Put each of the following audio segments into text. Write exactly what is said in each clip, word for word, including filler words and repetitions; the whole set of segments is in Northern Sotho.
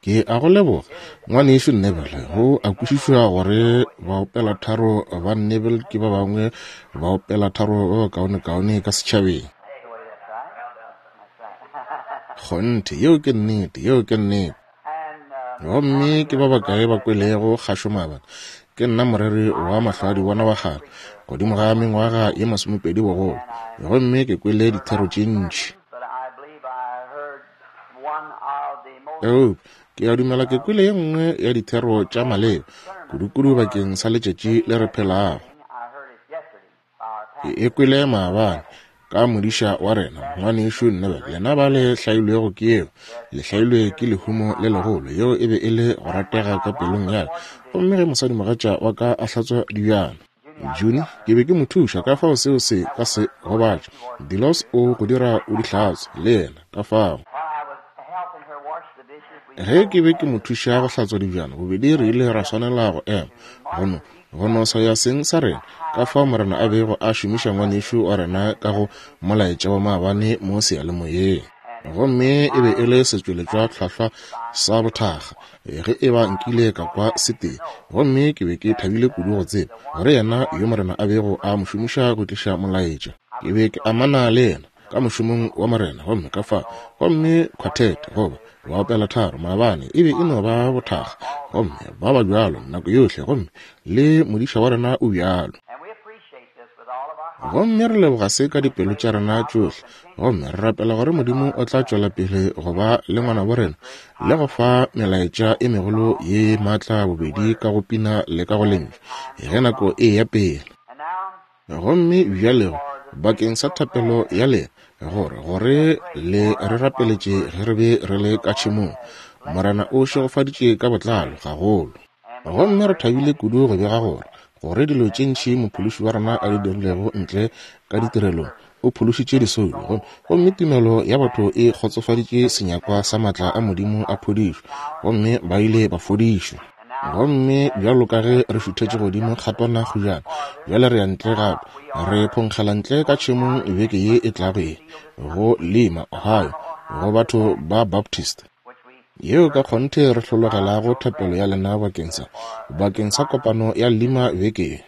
Ke a go leboga, ngwanešu Neville. Go a kwešišwa gore baopelatharo ba Neville ke ba bangwe baopelatharo ba bakaonekaone ka setšhabeng. Kgonthe, yeo ke nnete, yeo ke nnete. Gomme ke ba bakae ba kwelego kgašo maabane? Ke nna moreri wa mahlwaadibona wa kgale, godimo ga mengwaga ye masomepedi bogolo, gomme ke kwele dithero tše ntši. Eupša ke a dumela ke kwele ye nngwe ya dithero tša maleba, kudukudu bakeng sa letšatši le re phelago. Ke e kwele maabane ka modiša wa rena, ngwanešu Neville. Lena ba le hlailwego ke yeo, le hlailwe ke lehumo le legolo. Yeo e be e le go ratega ka pelong ya ka. Gomme ge mosadimogatša wa ka a hlatswa dibjana, Juni, ke be ke mo thuša, ka fao seo se ka se gobatše. Dilos o go dira o di hlatswe le yena, ka fao. Ge ke be ke mo thuša go hlatswa dibjana, bobedi re ile ra swanela go ema, go no go no swaya seng sa rena, ka fao Morena a bego a šomiša ngwanešu wa rena ka go molaetša wa maabane mo seyalemoyeng. Gomme e be e le setšweletšwa hlwahlwa sa bothakga ge e ba nkile ka kwa setee. Gomme ke be ke thabile kudu go tseba gore yena yo Morena a bego a mo šomiša go tliša molaetša, ke be ke amana le yena ka mošomong wa Morena. Gomme ka fa, gomme quartet goba baopelatharo maabane e be e no ba bothakga, gomme ba ba bjalo nako yohle, gomme le modiša wa rena o bjalo. Gomme re leboga se ka dipelo tša rena tšohle, gomme re rapela gore Modimo o tla tšwela pele go ba le ngwanabo rena le go fa melaetša e megolo ye maatla, bobedi ka go pina le ka go lentšu, ge nako e ya pele. Gomme bjalego bakeng sa thapelo ya lena, gore gore le re rapeletše ge re be re le ka tšhemong. Morena o šegofaditše ka botlalo gagolo. Gomme re thabile kudu go bega gore gore dilo tše ntši mophološi wa rena a di dirilego ntle ka ditirelong, o phološitše disoulo, gomme tumelo ya batho e kgotsofaditše senyakwa sa maatla a Modimo a phodišo, gomme ba ile ba fodišwa. Gomme bjalo ka ge re šuthetše godimo kgatwana kgujana, bjale re ya ntle gape, re phonkgela ntle ka tšhemong beke ye e tlago ye, go Lima, Ohio, go batho ba Baptist, yeo ka kgonthe re hlologelago thapelo ya lena bakeng sa bakeng sa kopano ya Lima beke ye.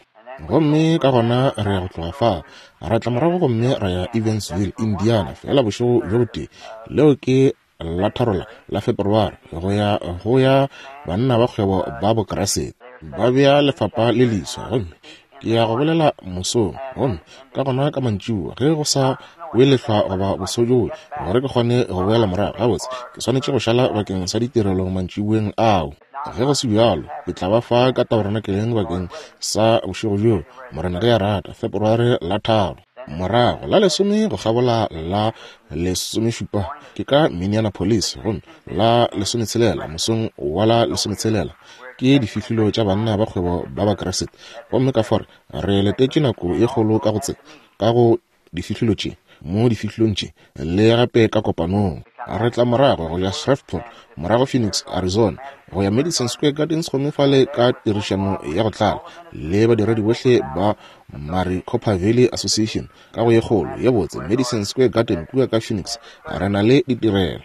Gomme ka gona re ya go tloga fao, ra tla morago gomme ra ya Evansville, Indiana, fela bošego bjo botee. Leo ke la tharo la Feberware, go ya go ya banna ba kgwebo ba Bokriste ba bea lefapa le leswa. Gomme ke ya go bolela mosong, gomme ka gona ka mantšiboa ge go sa welehlwa goba bosojoe, gore ke kgone go boela morago gabotse, ke swanetše go šala bakeng sa ditirelo mantšiboeng ao. Ge go se bjalo, ke tla ba fa ka tabernakeleng bakeng sa bošego bjo, Morena ge a rata, Feberware la tharo. Morago la lesome go kgabola la lesomešupa ke ka Minneapolis, gomme la lesometshelela mosong wa la lesometshelela ke difihlilo tša banna ba kgwebo ba Bakriste. Gomme ka fore re letetše nako ye kgolo ka go tse ka go difihlilo tše, mo difihlilong tše le gape ka kopanong. Re tla morago go ya Shreveport, morago Phoenix, Arizona, go ya Madison Square Gardens, gomme fale ka tirišano ya go tlala le badiredi bohle ba Maricopa Valley Association ka go ye kgolo ye botse Madison Square Garden kua ka Phoenix, re na le ditirelo.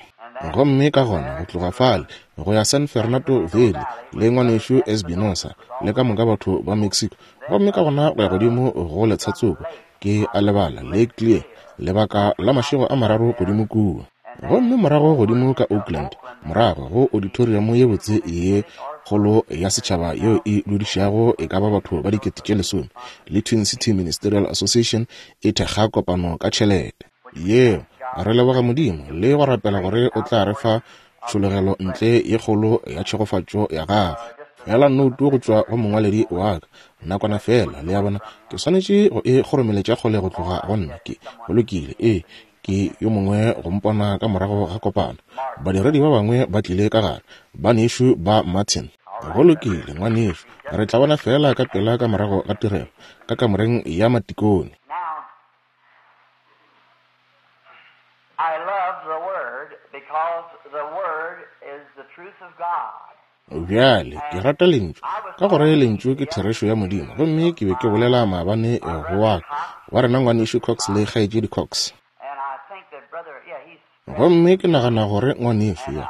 Gomme ka gona go tloga fale go ya San Fernando Valley le ngwanešu Espinosa le ka moka batho ba Mexico, gomme ka gona go ya godimo go Letshatsoko, ke a lebala Lake Clear, lebaka la mašego a mararo godimo kua. Gomme morago godimo ka Oakland, morago go auditorium ye botse ye kgolo ya setšhaba yeo e dudišago e ka ba batho ba dikete tše lesome, le Twin City Ministerial Association e thekga kopano ka tšhelete yeo. Re leboga Modimo le go rapela gore o tla re fa tšhologelo ntle ye kgolo ya tšhegofatšo ya gagwe. Fela noutu go tšwa go mongwaledi wa ka nakwana fela, le ya bona, ke swanetše go e kgoromeletša kgole go tloga go nna. Ke go lokile, ee, ke yo mongwe go mpona ka morago ga kopano. Badiredi ba bangwe ba tlile ka gare, banešu ba Martin. Go lokile, ngwanešu, re tla bona fela ka pela ka morago ga tirelo ka kamoreng ya matikone. I love the Word because the Word is the truth of God. Bjale ke rata lentšu ka gore lentšu ke therešo ya Modimo. Gomme ke be ke bolela maabane go wa wa rena ngwanešu Cox le kgaetšedi Cox. Gomme ke nagana gore ngwanešu yo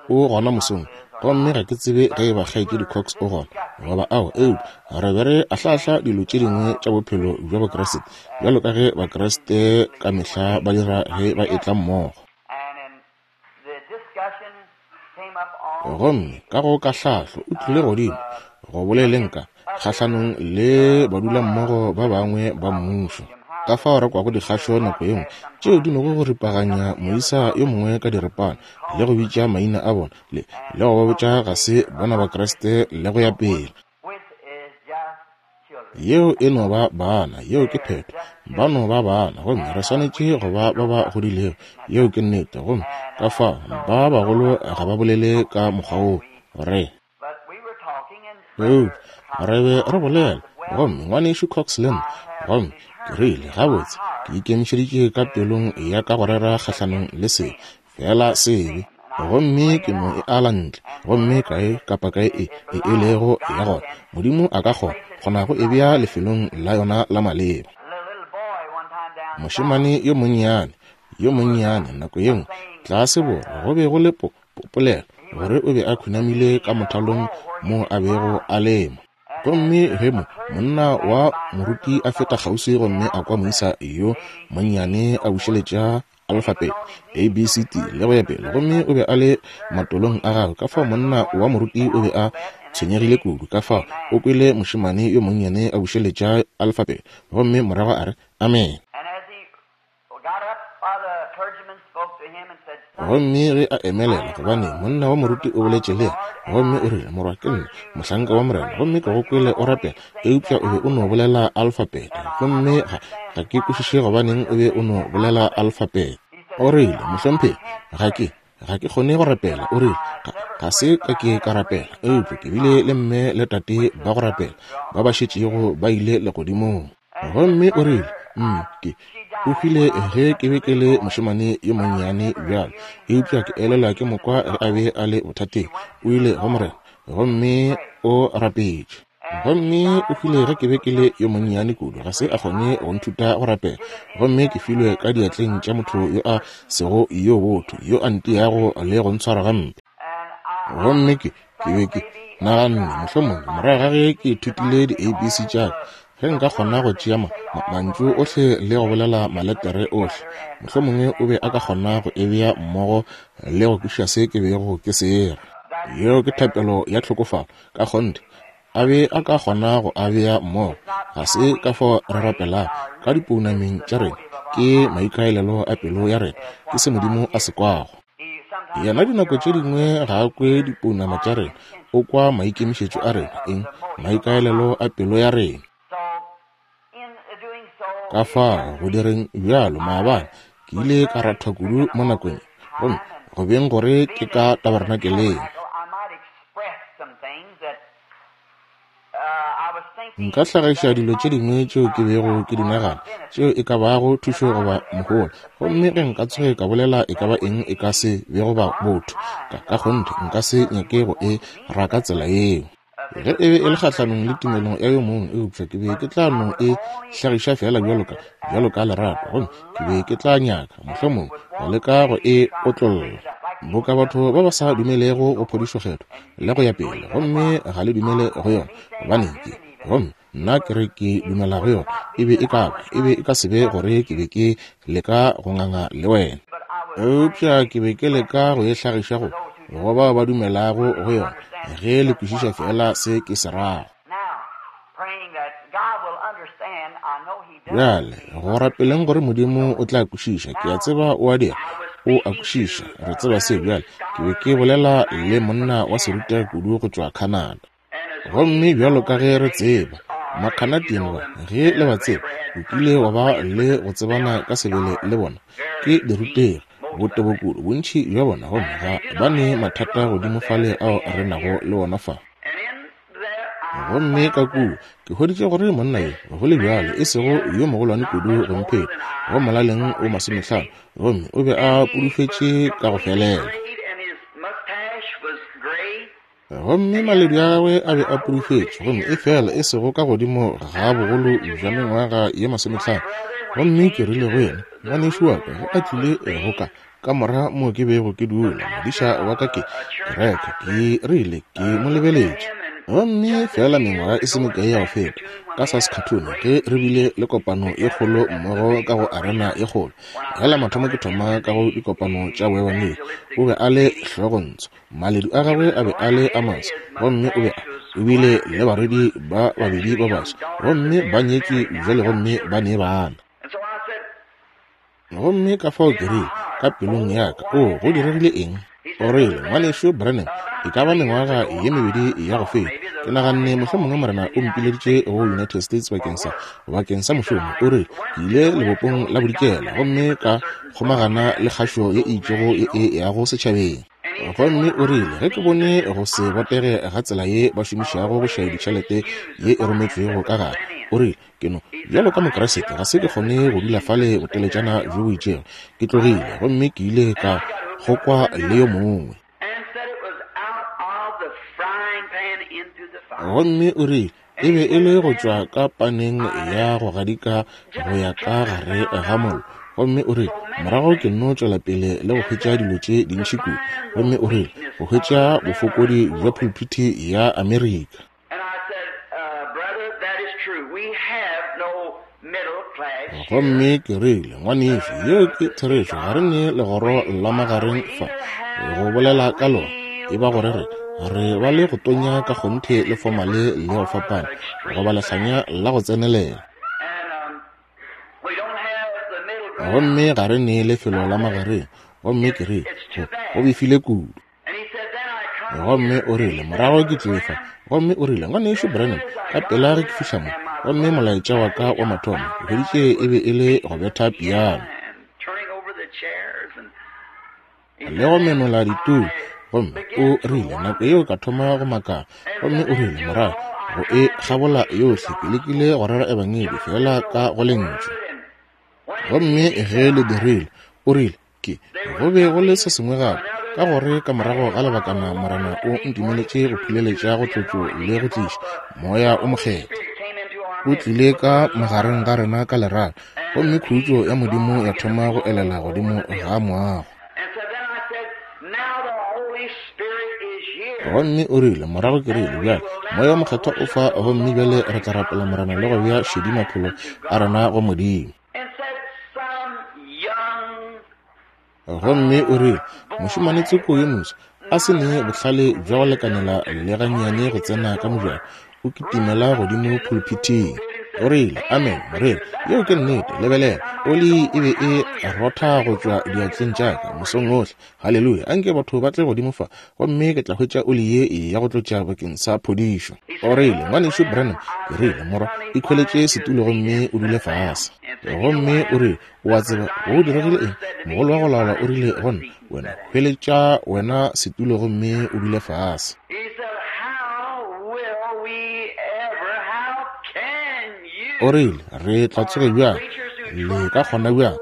o gona mosong, Gomme ga ke tsebe ge e ba Kgaetšedi Cox o gona goba ao, eupša re be re ahlaahla dilo tše dingwe tša bophelo bja Bokriste, bjalo ka ge Bakriste ka mehla ba dira ge ba etla mmogo. Gomme ka go kahlahlo o tlile godimo go boleleng ka kgahlanong le badulammogo ba bangwe ba mmušo. Ka fao re kwago dikgašo nako ye nngwe tšeo di nogo go ripaganya moisa yo mongwe ka diripana le go bitša maina a bona le le go ba botša ga se bona Bakriste le go ya pele. Yeo e no ba bana, yeo ke phetho, ba no ba bana, gomme re swanetše go ba ba ba godilego, yeo ke nnete. Gomme ka fao ba bagolo ga ba bolele ka mokgwa woo re eupša re be re bolela, gomme ngwanešu Cox le nna, gomme ke rile gabotse ke ikemišeditše ka pelong ya ka go rera kgahlanong le sebe, fela sebe, gomme ke no e ala ntle, gomme kae kapa kae e e e lego ya gona, Modimo a ka kgona kgona go e bea lefelong la yona la maleba. Mošemane yo monnyane yo monnyane nako ye nngwe tlase borwa go be go le polelo gore o be a khunamile ka mothalong mo a bego a lema. Gomme ge mo monna wa moruti a feta kgauswi gomme a kwa moisa yo monnyane a bušeletša alfabete A B C D le go ya pele, gomme o be a le matolong a gagwe, ka fao monna wa moruti o be a tshwenyegile kudu, ka fao o kwele mošemane yo monnyane a bušeletša alfabete, gomme morago a re amen. Gomme ge a emelela, gobane monna wa moruti o boletše le yena, gomme o rile, morwa ke nna mohlanka wa Morena, gomme ke go kwele o rapela, eupša o be o no bolela alfabete, gomme ga, ga ke kwešiše gobaneng o be o no bolela alfabete. O rile, mohlomphegi, ga ke ga ke kgone go rapela. O rile, ga, ga se ka ke ka rapela, eupša ke bile le mme le tate ba go rapela ba ba šetšego ba ile legodimong. Gomme o rile, mm, ke o hwile ge ke be ke le mošemane yo monnyane bjalo, eupša ke elelwa ke mokwa ge a be a le bothateng, o ile go Morena gomme o rapetše. Gomme o hwile ge ke be ke le yo monnyane kudu, ga se a kgone go nthuta go rapela, gomme ke filwe ka diatleng tša motho yo a sego yo botho, yo a ntiago le go ntshwara gampe. Gomme ke ke be ke naganne mohlomongwe morago ga ge ke ithutile di-A B C tša ka, ge nka kgona go tšea mantšu ohle le go bolela maletere ohle, mohlomongwe o be a ka kgona go e bea mmogo le go kwešiša se ke bego ke se era. Yeo ke thapelo ya tlhokofalo ka kgonthe, a be a ka kgona go a bea mmogo. Ga se ka fao re rapelago ka dipounameng tša rena, ke maikaelelo a pelo ya rena, ke se Modimo a se kwago. Yena dinako tše dingwe ga a kwe dipounama tša rena, o kwa maikemišetšo a rena, eng, maikaelelo a pelo ya rena. Ka fao go direng bjalo maabane ke ile ka rathwa kudu mo nakong, gomme go beng gore ke ka tabernakeleng. Nka hlagiša dilo tše dingwe tšeo ke bego ke di nagana, tšeo e ka bago thušo goba mohola, gomme ge nka tsoge ka bolela e ka ba eng e ka se bego ba botho, ka ka kgonthe nka se nyake go e raka tsela yeo. Ge e be e le kgahlanong le tumelong ya yo mongwe, eupša ke be ke tla no e hlagiša fela bjalo ka bjalo ka lerato, gomme ke be ke tla nyaka mohlomongwe go leka go e otlolla. Boka batho ba ba sa dumelego go phodišo kgethwa le go ya pele, gomme ga le dumele go yona, gobaneng ke, gomme nna ke re ke dumela go yona, e be e ka ba e be e ka se be gore ke be ke leka go nganga le wena, eupša ke be ke leka go e hlagiša go go bao ba dumelago go yona, ge le kwešiša fela se ke se rago. Bjale go rapeleng gore Modimo o tla kwešiša, ke a tseba o a dira, o a kwešiša, re tseba se. Bjale ke be ke bolela le monna wa serutegi kudu go tšwa Canada, gomme bjalo ka ge re tseba Macanadian ba, ge le ba tseba, o kile wa ba le go tsebana ka sebele le bona, ke dirutegi botebo kudu bontši bja bona, gomme ga ba ne mathata godimo fale ao re nago le ona fa. Gomme ka kua ke hweditše gore monna yo go le bjalo e sego yo mogolwane kudu go mpheta, go molaleng o masomehlano, gomme o be a pudufetše ka go felela. Gomme maledu a gagwe a be a pudufetše, gomme e fela e sego ka godimo ga bogolo bja mengwaga ye masomehlano. Gomme ke rile go yena, ngwanešu wa ka ge a tlile go ka Kamora moo ke bego ke dula, modiša wa ka ke kereke, ke rile ke mo lebeletše. Gomme fela mengwaga e se mekae ya go feta, ka Saskatoon, ge re bile le kopano ye kgolo mmogo ka go arena ye kgolo. Ge la mathomo ke thoma ka go dikopano tša boebangedi, o be a le hlogontsho, maledu a gagwe a be a le a maso, gomme o be a o bile le barwedi ba babedi ba baso, gomme ba nyetšwe bjale gomme ba ne bana. Gomme ka fao ke rile ka pelong ya ka, o go diregile eng? O rile, ngwanešu Branham, e ka ba mengwaga ye mebedi ya go feta, ke naganne mohlomongwe Morena o mpileditše go United States bakeng sa bakeng sa mošomo. O rile, ke ile lebopong la bodikela gomme ka kgomagana le kgašo ye e itšego ye e yago setšhabeng. Gomme o rile, ge ke bone go se botege ga tsela ye ba šomišago go šaya ditšhelete ye e rometšwego ka gare, o rile, ke no bjalo ka Mokriste ga se ke kgone go dula fale boteletšana bjo bo itšego. Ke tlogile gomme ke ile ka kgokwa le yo mongwe. Gomme o rile, e be e le go tšwa ka paneng ya go gadika go ya ka gare ga mollo. Gomme o rile, morago ke nno tšwela pele le go hwetša dilo tše dintši kudu. Gomme o rile, go hwetša bofokodi bja pulpiti ya Amerika. Gomme ke rile, ngwanešu, yeo ke therešo, ga re ne legoro la magareng fa go bolela ka lona. E ba gore re re ba le go tonya ka kgonthe le fomale le go fapana, goba lehlanya la go tsenelela. Gomme ga re ne lefelo la magareng. Gomme ke rile, go go befile kudu. Gomme o rile, morago ke tlile fa. Gomme o rile, ngwanešu Branham, ka pela ge ke fihla mo, gomme molaetša wa ka wa mathomo ke hweditše e be e le go betha piano le go menola ditulo. Gomme o rile, nako yeo ka thoma go makala. Gomme o rile, morago go e kgabola yohle ke lekile go rera ebangedi fela ka go lentšu. Gomme ge le dirile, o rile, ke go be go le se sengwe gape, ka gore ka morago ga lebakana Morena o ntumeletše go phuleletša go tlotšo le go tliša Moya o Mokgethwa. O tlile ka magareng ga rena ka lerato, gomme khutšo ya Modimo ya thoma go elela godimo ga moago. Gomme o rile, morago ke rile, bjale Moya o Mokgethwa o fa, gomme bjale re tla rapela Morena le go bea šedi maphelo a rena go Modimo. Gomme o rile, mošemane tsoko yo moswa a se ne bohlale bja go lekanela le gannyane go tsena ka mojako, o kitimela godimo pulpiting. O rile, amen, moreri, yeo ke nnete, lebelela, oli e be e rotha go tšwa diatleng tša ka mosong ohle. Haleluya, anke batho ba tle godimo fa, gomme ke tla hwetša oli ye ya go tlotša bakeng sa phodišo. O rile, ngwanešu Branham, ke rile, morwa, ikhweletše setulo gomme o dule fase. Gomme o rile, o a tseba go diregile eng? Mogolo wa go laola o rile go nna, wena hweletša wena setulo gomme o dule fase. O rile, re tla tsoge bjang, le ka kgona bjang,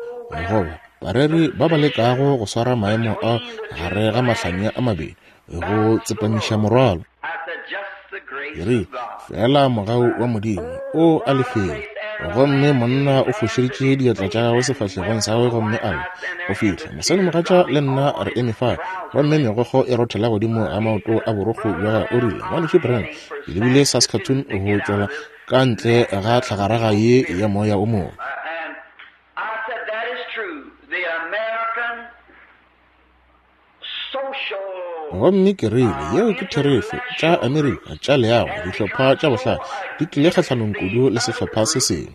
goba bareri ba ba lekago go swara maemo a gare ga mahlanya a mabedi go tsepamiša morwalo. Ke rile, fela mogau wa Modimo o a lefela. Gomme monna o fošeditše diatla tša gagwe sefahlegong sa gagwe gomme a lla go fihla mosadimogatša le nna re eme fale, gomme megokgo e rothela godimo ga maoto a borokgo bja gagwe. O rile, ngwanešu Branham, ke lebile Saskatoon go tšwela ka ntle ga tlhagaraga ye ya moya o mobe. Gomme ke rile, yeo ke therešo, tša Amerika tša leago, dihlopha tša bohlale di tlile kgahlanong kudu le sehlopha se sengwe.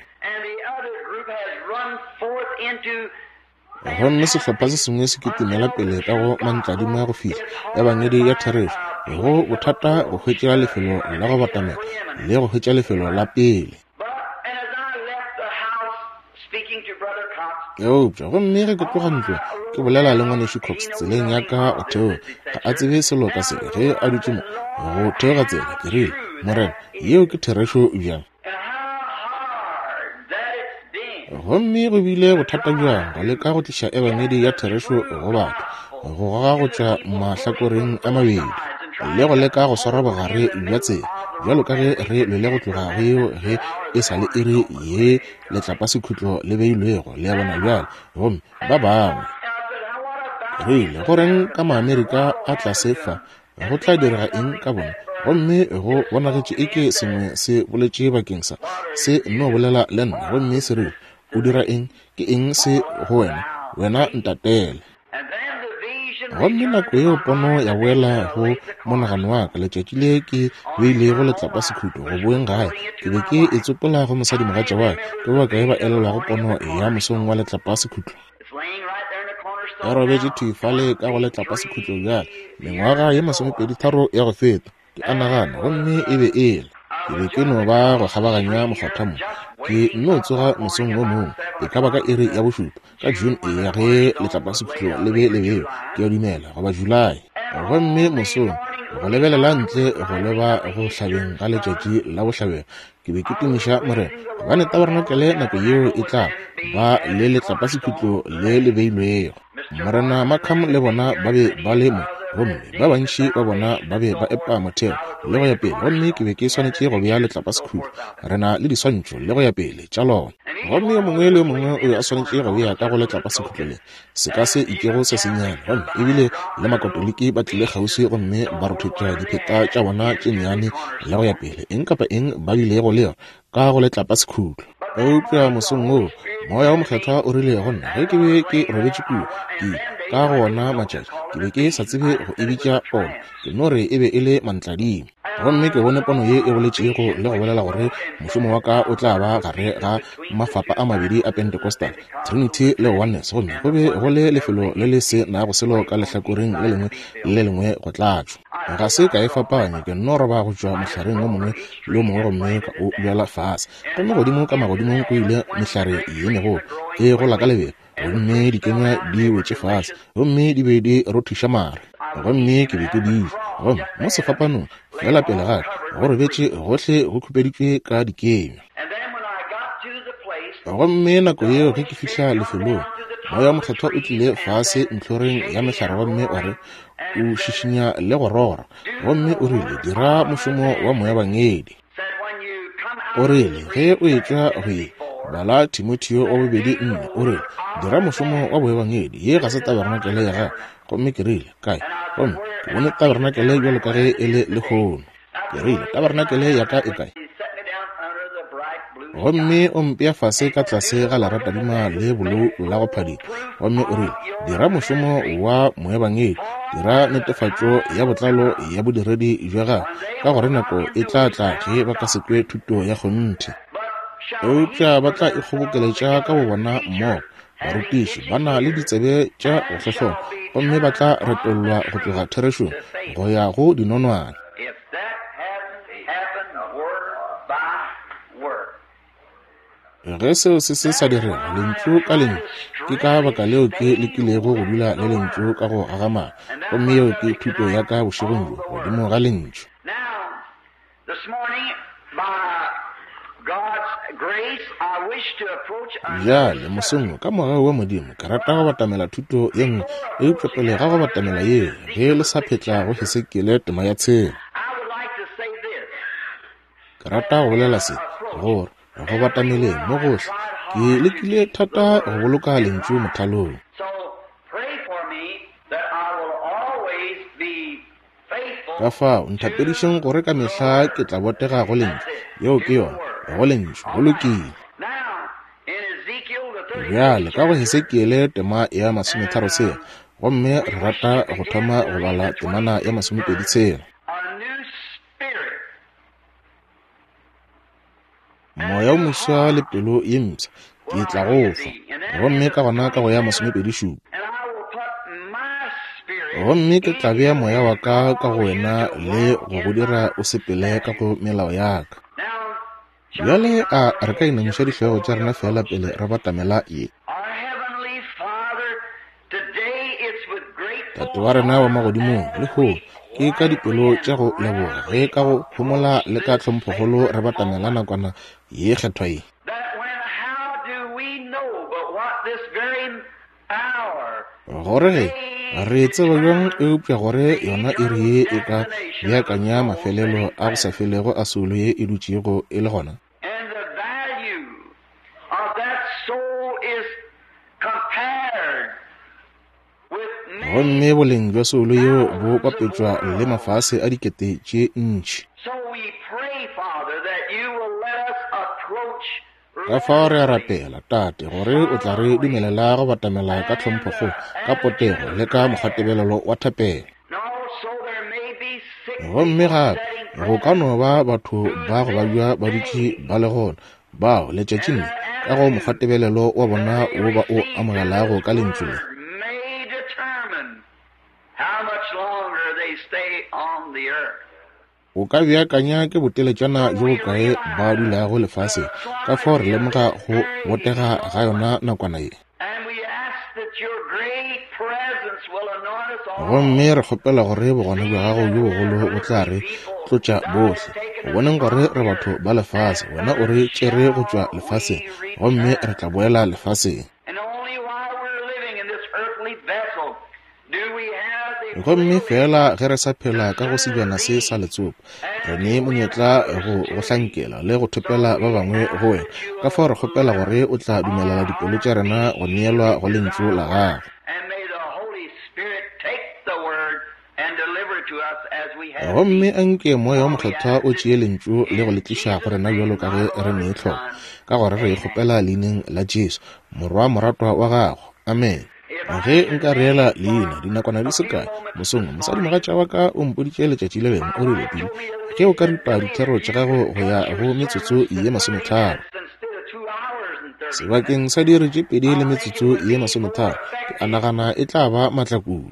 Gomme sehlopha se sengwe se kitimela pele ka go mantladima go fihla ebangedi ya therešo, go bothata go hwetša lefelo la go batamela le go hwetša lefelo la pele. Eupša gomme ge ke tloga ntlong ke bolela le ngwanešu Cox tseleng ya ka go theoga, ga a tsebe selo ka se ge a dutše mo go theoga tsela. Ke rile, Morena, yeo ke therešo bjang? Gomme go bile bothata bjang go leka go tliša ebangedi ya therešo go batho, go goga go tšwa mahlakoreng a mabedi le go leka go swara bogare bja tsela, bjalo ka ge re lwele go tloga go yeo ge e sa le iri ye letlapasekhutlo le beilwego, le a bona bjale. Gomme ba bangwe Rile, go reng ka Maamerika a tlase fa? Go tla direga eng ka bona? Gomme go bonagetše eke sengwe se boletše bakeng sa se nno bolela le nna, gomme se rile, o dira eng? Ke eng se go wena? Wena ntatele. Gomme nako yeo pono ya boela go monagano wa ka letšatši le ke beilego letlapa sekhutlo go boeng gae. Ke be ke e tsopola go mosadimogatša wa ka, ke ba kae ba elelwago pono ya mosong wa letlapa sekhutlo? E robetše thwi fale ka go letlapa sekhutlo bjale, mengwaga ye masomepedi tharo ya go feta, ke a nagana, gomme e be e le. Ke be ke no ba go kgabaganya mokgotha mo. Ke nno tsoga mosong wo mongwe, e ka ba ka iri ya bošupa, ka June e ya ge letlapa sekhutlo le be le bewa, ke a dumela, goba July. Gomme mosong, go lebelela ntle go leba go hlabeng ga letšatši la bohlabela, ke be ke tumiša Morena, gobane tabernakelé nako yeo e tla ba le letlapa sekhutlo le le beilwego. Morena Markham le bona ba be ba le mo, gomme ba bantši ba bona ba be ba epa motheo le go ya pele, gomme ke be ke swanetše go bea letlapa sekhutlo. Re na le diswantšho le go ya pele tša lona. Gomme yo mongwe le yo mongwe o be a swanetše go bea ka go letlapa sekhutlo le se ka se itšego se sennyane. Gomme ebile le Makatoliki ba tlile kgauswi gomme ba rothetša dipheta tša bona tše nnyane le go ya pele, eng kapa eng ba bilego le yona ka go letlapa sekhutlo. Eupša mosong woo, Moya wo Mokgethwa o rile go nna ge ke be ke robetše kua, ke ka go ona matšatši, ke be ke sa tsebe go e bitša pono, ke no re e be e le mantladimo. Gomme ke bone pono ye e boletšego le go bolela gore mošomo wa ka o tla ba gare ga mafapa a mabedi a Pentecostal, Trinity le Oneness, gomme go be go le lefelo le le se nago selo ka lehlakoreng le lengwe le le lengwe go tlatšwa. Ga se ka e fapanya, ke nno roba go tšwa mohlareng wo mongwe le wo mongwe gomme ka o bjala fase. Gomme godimo ka magodimong go ile mehlare ye megolo e gola ka lebelo, gomme dikenywa di wetše fase, gomme di be di rothiša mare. Gomme ke be ke di ja. Gomme mo sefapanong fela pele ga ka go robetše gohle go khupeditšwe ka dikenywa. Gomme nako yeo ge ke fihla lefelong, Moya Mokgethwa o tlile fase ntlhoreng ya mehlare gomme wa re o šišinya le go rora, gomme o rile, dira mošomo wa moebangedi. O rile, ge o etšwa go ye bala Timotheo wa bobedi nne, o rile, dira mošomo wa boebangedi, ye ga se tabernakele ya gago. Gomme ke rile, kae? Gomme ke bone tabernakele bjalo ka ge e le lehono. Ke rile, tabernakele ya ka e kae? Gomme o mpea fase ka tlase ga leratadima le bolou la go phadima. Gomme o rile, dira mošomo wa moebangedi, dira netefatšo ya botlalo ya bodiredi bja gago, ka gore nako e tla tla ge ba ka se kwe thuto ya kgonthe, eupša ba tla ikgobokeletša ka bobona mmogo. Barutiši ba na le ditsebe tša go hlohlona, gomme ba tla retollwa go tloga therešong go ya go dinonwane. Ge seo se se sa direga lentšu ka lentšu, ke ka baka leo ke lekilego go dula le lentšu ka go agamala. Gomme yeo ke thuto ya ka bošegong bjo, godimo ga lentšu. Bjale mosong ka mogau wa Modimo ke rata go batamela thuto ye nngwe, eupša pele ga go batamela yeo, ge le sa phetla go Hesekiele tema ya tshela, ke rata go bolela se, gore go batameleng mo gohle ke lekile thata go boloka lentšu mothalong. Ka fao nthapedišeng gore ka mehla ke tla botega go lentšu. Yeo ke yona, go lentšu, go lokile. Bjale ka go Hesekiele tema ya masometharo tshela, gomme re rata go thoma go bala temana ya masomepedi tshela. Moya o moswa le pelo ye mpsha ke tla go fa. Gomme ka gona ka go ya masomepedi šupa, gomme ke tla bea moya wa ka ka go wena le go go dira o sepele ka go melao ya ka. Bjale a re ka inamiša dihlogo tša rena fela pele re batamela ye. Tate wa rena wa magodimong, lehono ke ka dipelo tša go leboga ge ka go homola le ka tlhomphogolo re batamela nakwana ye kgethwa ye. Gore ge re tseba bjang eupša gore yona iri ye e ka beakanya mafelelo a go sa felego a soulo ye e dutšego e le gona. Gomme boleng bja soulo yeo bo bapetšwa le mafase a dikete tše ntši. Ka fao re a rapela, Tate, gore o tla re dumelela go batamela ka tlhomphokgolo, ka potego le ka mokgwatebelelo wa thapelo. Gomme gape go ka no ba batho ba go babja ba dutše ba le gona, bao letšatšing le ka go mokgwatebelelo wa bona wo ba o amogelago ka lentšu le. O ka beakanya ke boteletšana bjo bokae ba dulago lefaseng, ka fao re lemoga go botega ga yona nakwana ye. Gomme re kgopela gore bogona bja gago bjo bogolo bo tla re tlotša bohle, go boneng gore re batho ba lefase, wena o re tšere go tšwa lefaseng, gomme re tla boela lefaseng. Gomme fela ge re sa phela ka go sebjana se sa letsopa, re ne monyetla go go hlankela le go thopela ba bangwe go wena. Ka fao re kgopela gore o tla dumelela dipelo tša rena go neelwa go lentšu la gago. Gomme anke Moya wo Mokgethwa o tšee lentšu le go le tliša go rena bjalo ka ge re ne tlhoko, ka gore re e kgopela leineng la Jesu, Morwa moratwa wa gago. Amen. Ge nka reela leina dinakwana di se kae mosong, mosadimogatša wa ka o mpoditše letšatši le lengwe, o rile, Billy, ge o ka ripa dithero tša gago go ya go metsotso ye masometharo sebakeng sa diiri tše pedi le metsotso ye masometharo, ke a nagana e tla ba matlakudu.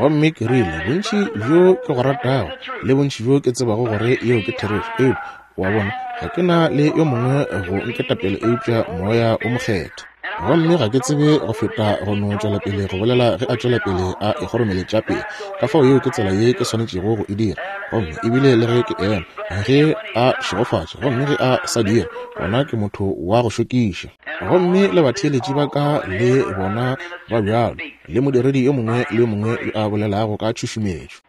Gomme ke rile, bontši bjo ke go ratago le bontši bjo ke tsebago gore yeo ke therešo, eupša wa bona, ga ke na le yo mongwe go nketapele eupša Moya o Mokgethwa. Gomme ga ke tsebe go feta go no tšwela pele go bolela ge a tšwela pele a e kgoromeletša pele. Ka fao yeo ke tsela ye ke swanetšego go e dira. Gomme ebile le ge ke ema, ge a šegofatša, gomme ge a sa dira, gona ke motho wa go šokiša. Gomme le batheeletši ba ka le bona ba bjalo, le modiredi yo mongwe le yo mongwe yo a bolelago ka tšhušumetšo.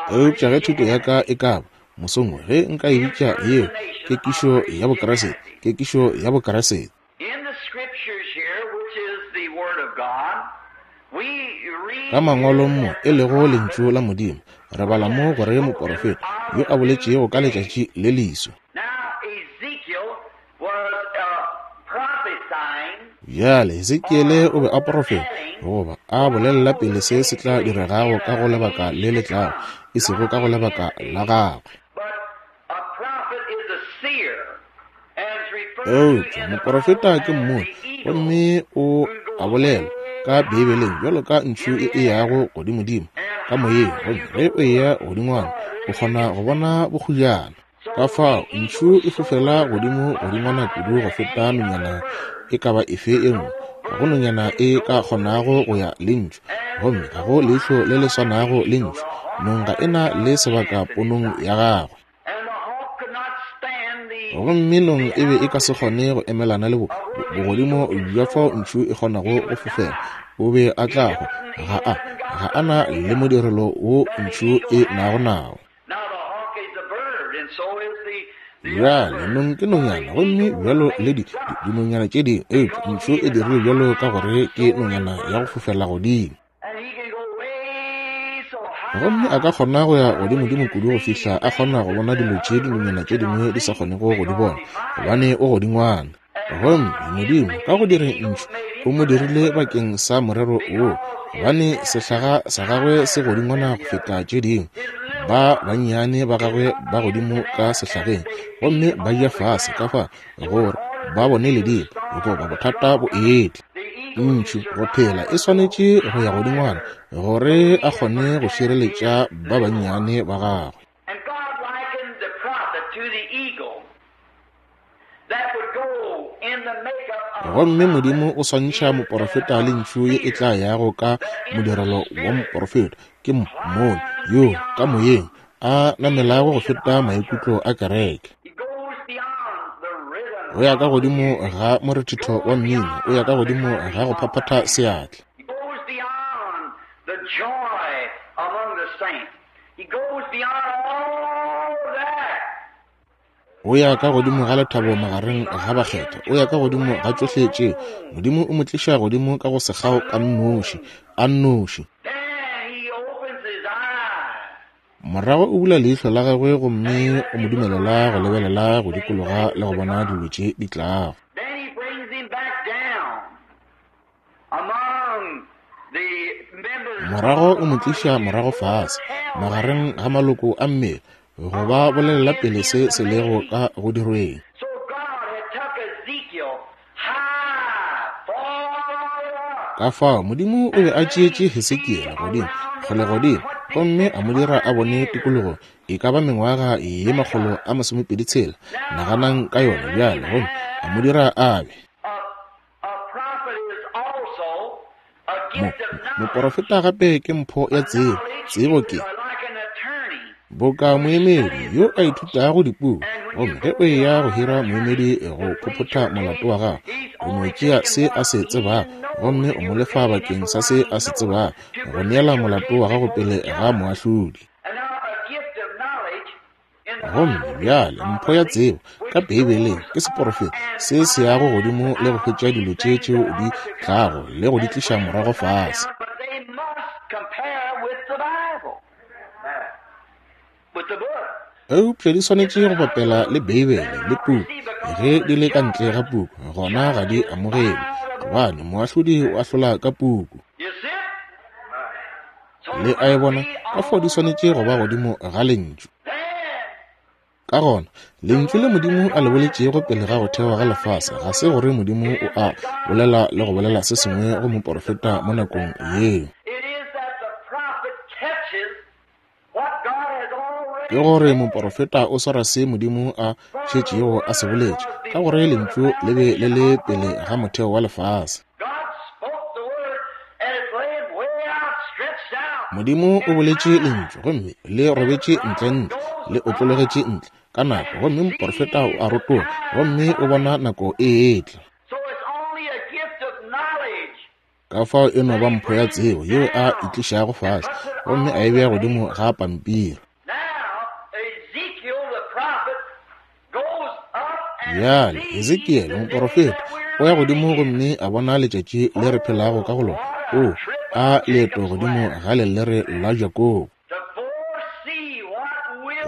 Eupša ge thuto ya ka e ka ba mosong, ge nka e bitša yeo kekišo ya Bokriste, kekišo ya Bokriste. Ka mangwalong mo e lego lentšu la Modimo, re bala mo gore moporofeta yo a boletšego ka letšatši le leso. Bjale Hesekiele o be a porofeta, goba a bolelela pele se se tla diregago ka go lebaka le le tlago, e sego ka go lebaka la gagwe. Eupša moporofeta ke mmoni, gomme o a bolela ka Beibeleng bjalo ka ntšhu e e yago godimodimo ka moyeng, gomme ge o eya godingwana o kgona go bona bokgujana. Ka fao ntšhu e fofela godimo godingwana kudu go feta nonyana e ka ba efe e nngwe. Ga go nonyana e ka kgonago go ya le ntšhu, gomme ga go leihlo le le swanago le ntšhu. Nong ga e na le sebaka ponong ya gagwe. Gomme nong e be e ka se kgone go emelana le bogodimo bja fao ntšhu e kgonago go fofela. O be a tla hwa. Ga a ga a na le modirelo wo ntšhu e nago nao. Bjale nong ke nonyana, gomme bjalo le di dinonyana tše dingwe, eupša ntšhu e dirilwe bjalo ka gore ke nonyana ya go fofela godimo. Gomme a ka kgona go ya godimodimo kudu go fihla a kgona go bona dilo tše dinonyana tše dingwe di sa kgonego go di bona, gobane o godingwana. Gomme Modimo ka go direng ntšhu o mo dirile bakeng sa morero woo, gobane sehlaga sa gagwe se godingwana go feta tše dingwe. Ba bannyane ba gagwe ba godimo ka sehlageng, gomme ba ya fase ka fa gore ba bone ledimo goba bothata bo etla. Ntšhu go phela e swanetše go ya godingwana gore a kgone go šireletša ba bannyane ba gagwe. Gomme Modimo o swantšha moporofeta le ntšhu ye e tla yago ka modirelo wa moporofeta, ke mmoni yo ka moyeng a namelago go feta maikutlo a kereke. O ya ka godimo ga morethetho wa mmino, o ya ka godimo ga go phaphatha seatla. He goes beyond all that. O ya ka godimo ga lethabo magareng ga bakgethwa, o ya ka godimo ga tšohle tšeo. Modimo o mo tliša godimo ka go sekgao ka nnoši, a nnoši. Morago o bula leihlo la gagwe gomme o mo dumelela go lebelela go dikologa le go bona dilo tše di tlago. Morago o mo tliša morago fase magareng ga maloko a mmele go ba bolelela pele se se lego ka go dirweng. Ka fao Modimo o be a tšeetše Hesekiele godimo kgole godimo gomme a mo dira a bone tikologo e ka ba mengwaga ye makgolo a masomepedi tshela. Naganang ka yona bjale, gomme a mo dira a be Mo, moporofeta gape ke mpho ya tsebo. Tsebo ke boka moemedi yo a ithutago dipuku, gomme ge o eya go hira moemedi go phophotha molato wa gago, o no tšea se a se tsebago gomme o mo lefa bakeng sa se a se tsebago go neela molato wa gago pele ga moahlodi. Gomme bjale mpho ya tsebo ka Beibeleng ke seporofeto se se yago godimo le go hwetša dilo tše tšeo di tlago le go di tliša morago fase. Eupša di swanetše go bapela le Beibele le puku. Ge di le ka ntle ga puku, gona ga di amogelwe, gobane moahlodi o ahlola ka puku. Le a e bona? Ka fao di swanetše go ba godimo ga lentšu. Ka gona, lentšu le Modimo a le boletšego pele ga go thewa ga lefase ga se gore Modimo o a bolela le go bolela se sengwe go moporofeta mo nakong yeo. Ke gore moporofeta o swara se Modimo a šetšego a se boletše, ka gore lentšu le be le le pele ga motheo wa lefase. Modimo o boletše lentšu gomme le robetše ntle-ntle, le otlologetše ntle ka nako, gomme moporofeta o a rotoga gomme o bona nako e etla. Ka fao e no ba mpho ya tsebo yeo a e tlišago fase gomme a e bea godimo ga pampiri. Bjale Hesekiele moporofeta o ya godimo gomme a bona letšatši le re phelago ka go lona. O a leeto godimo ga lelere la Jakobo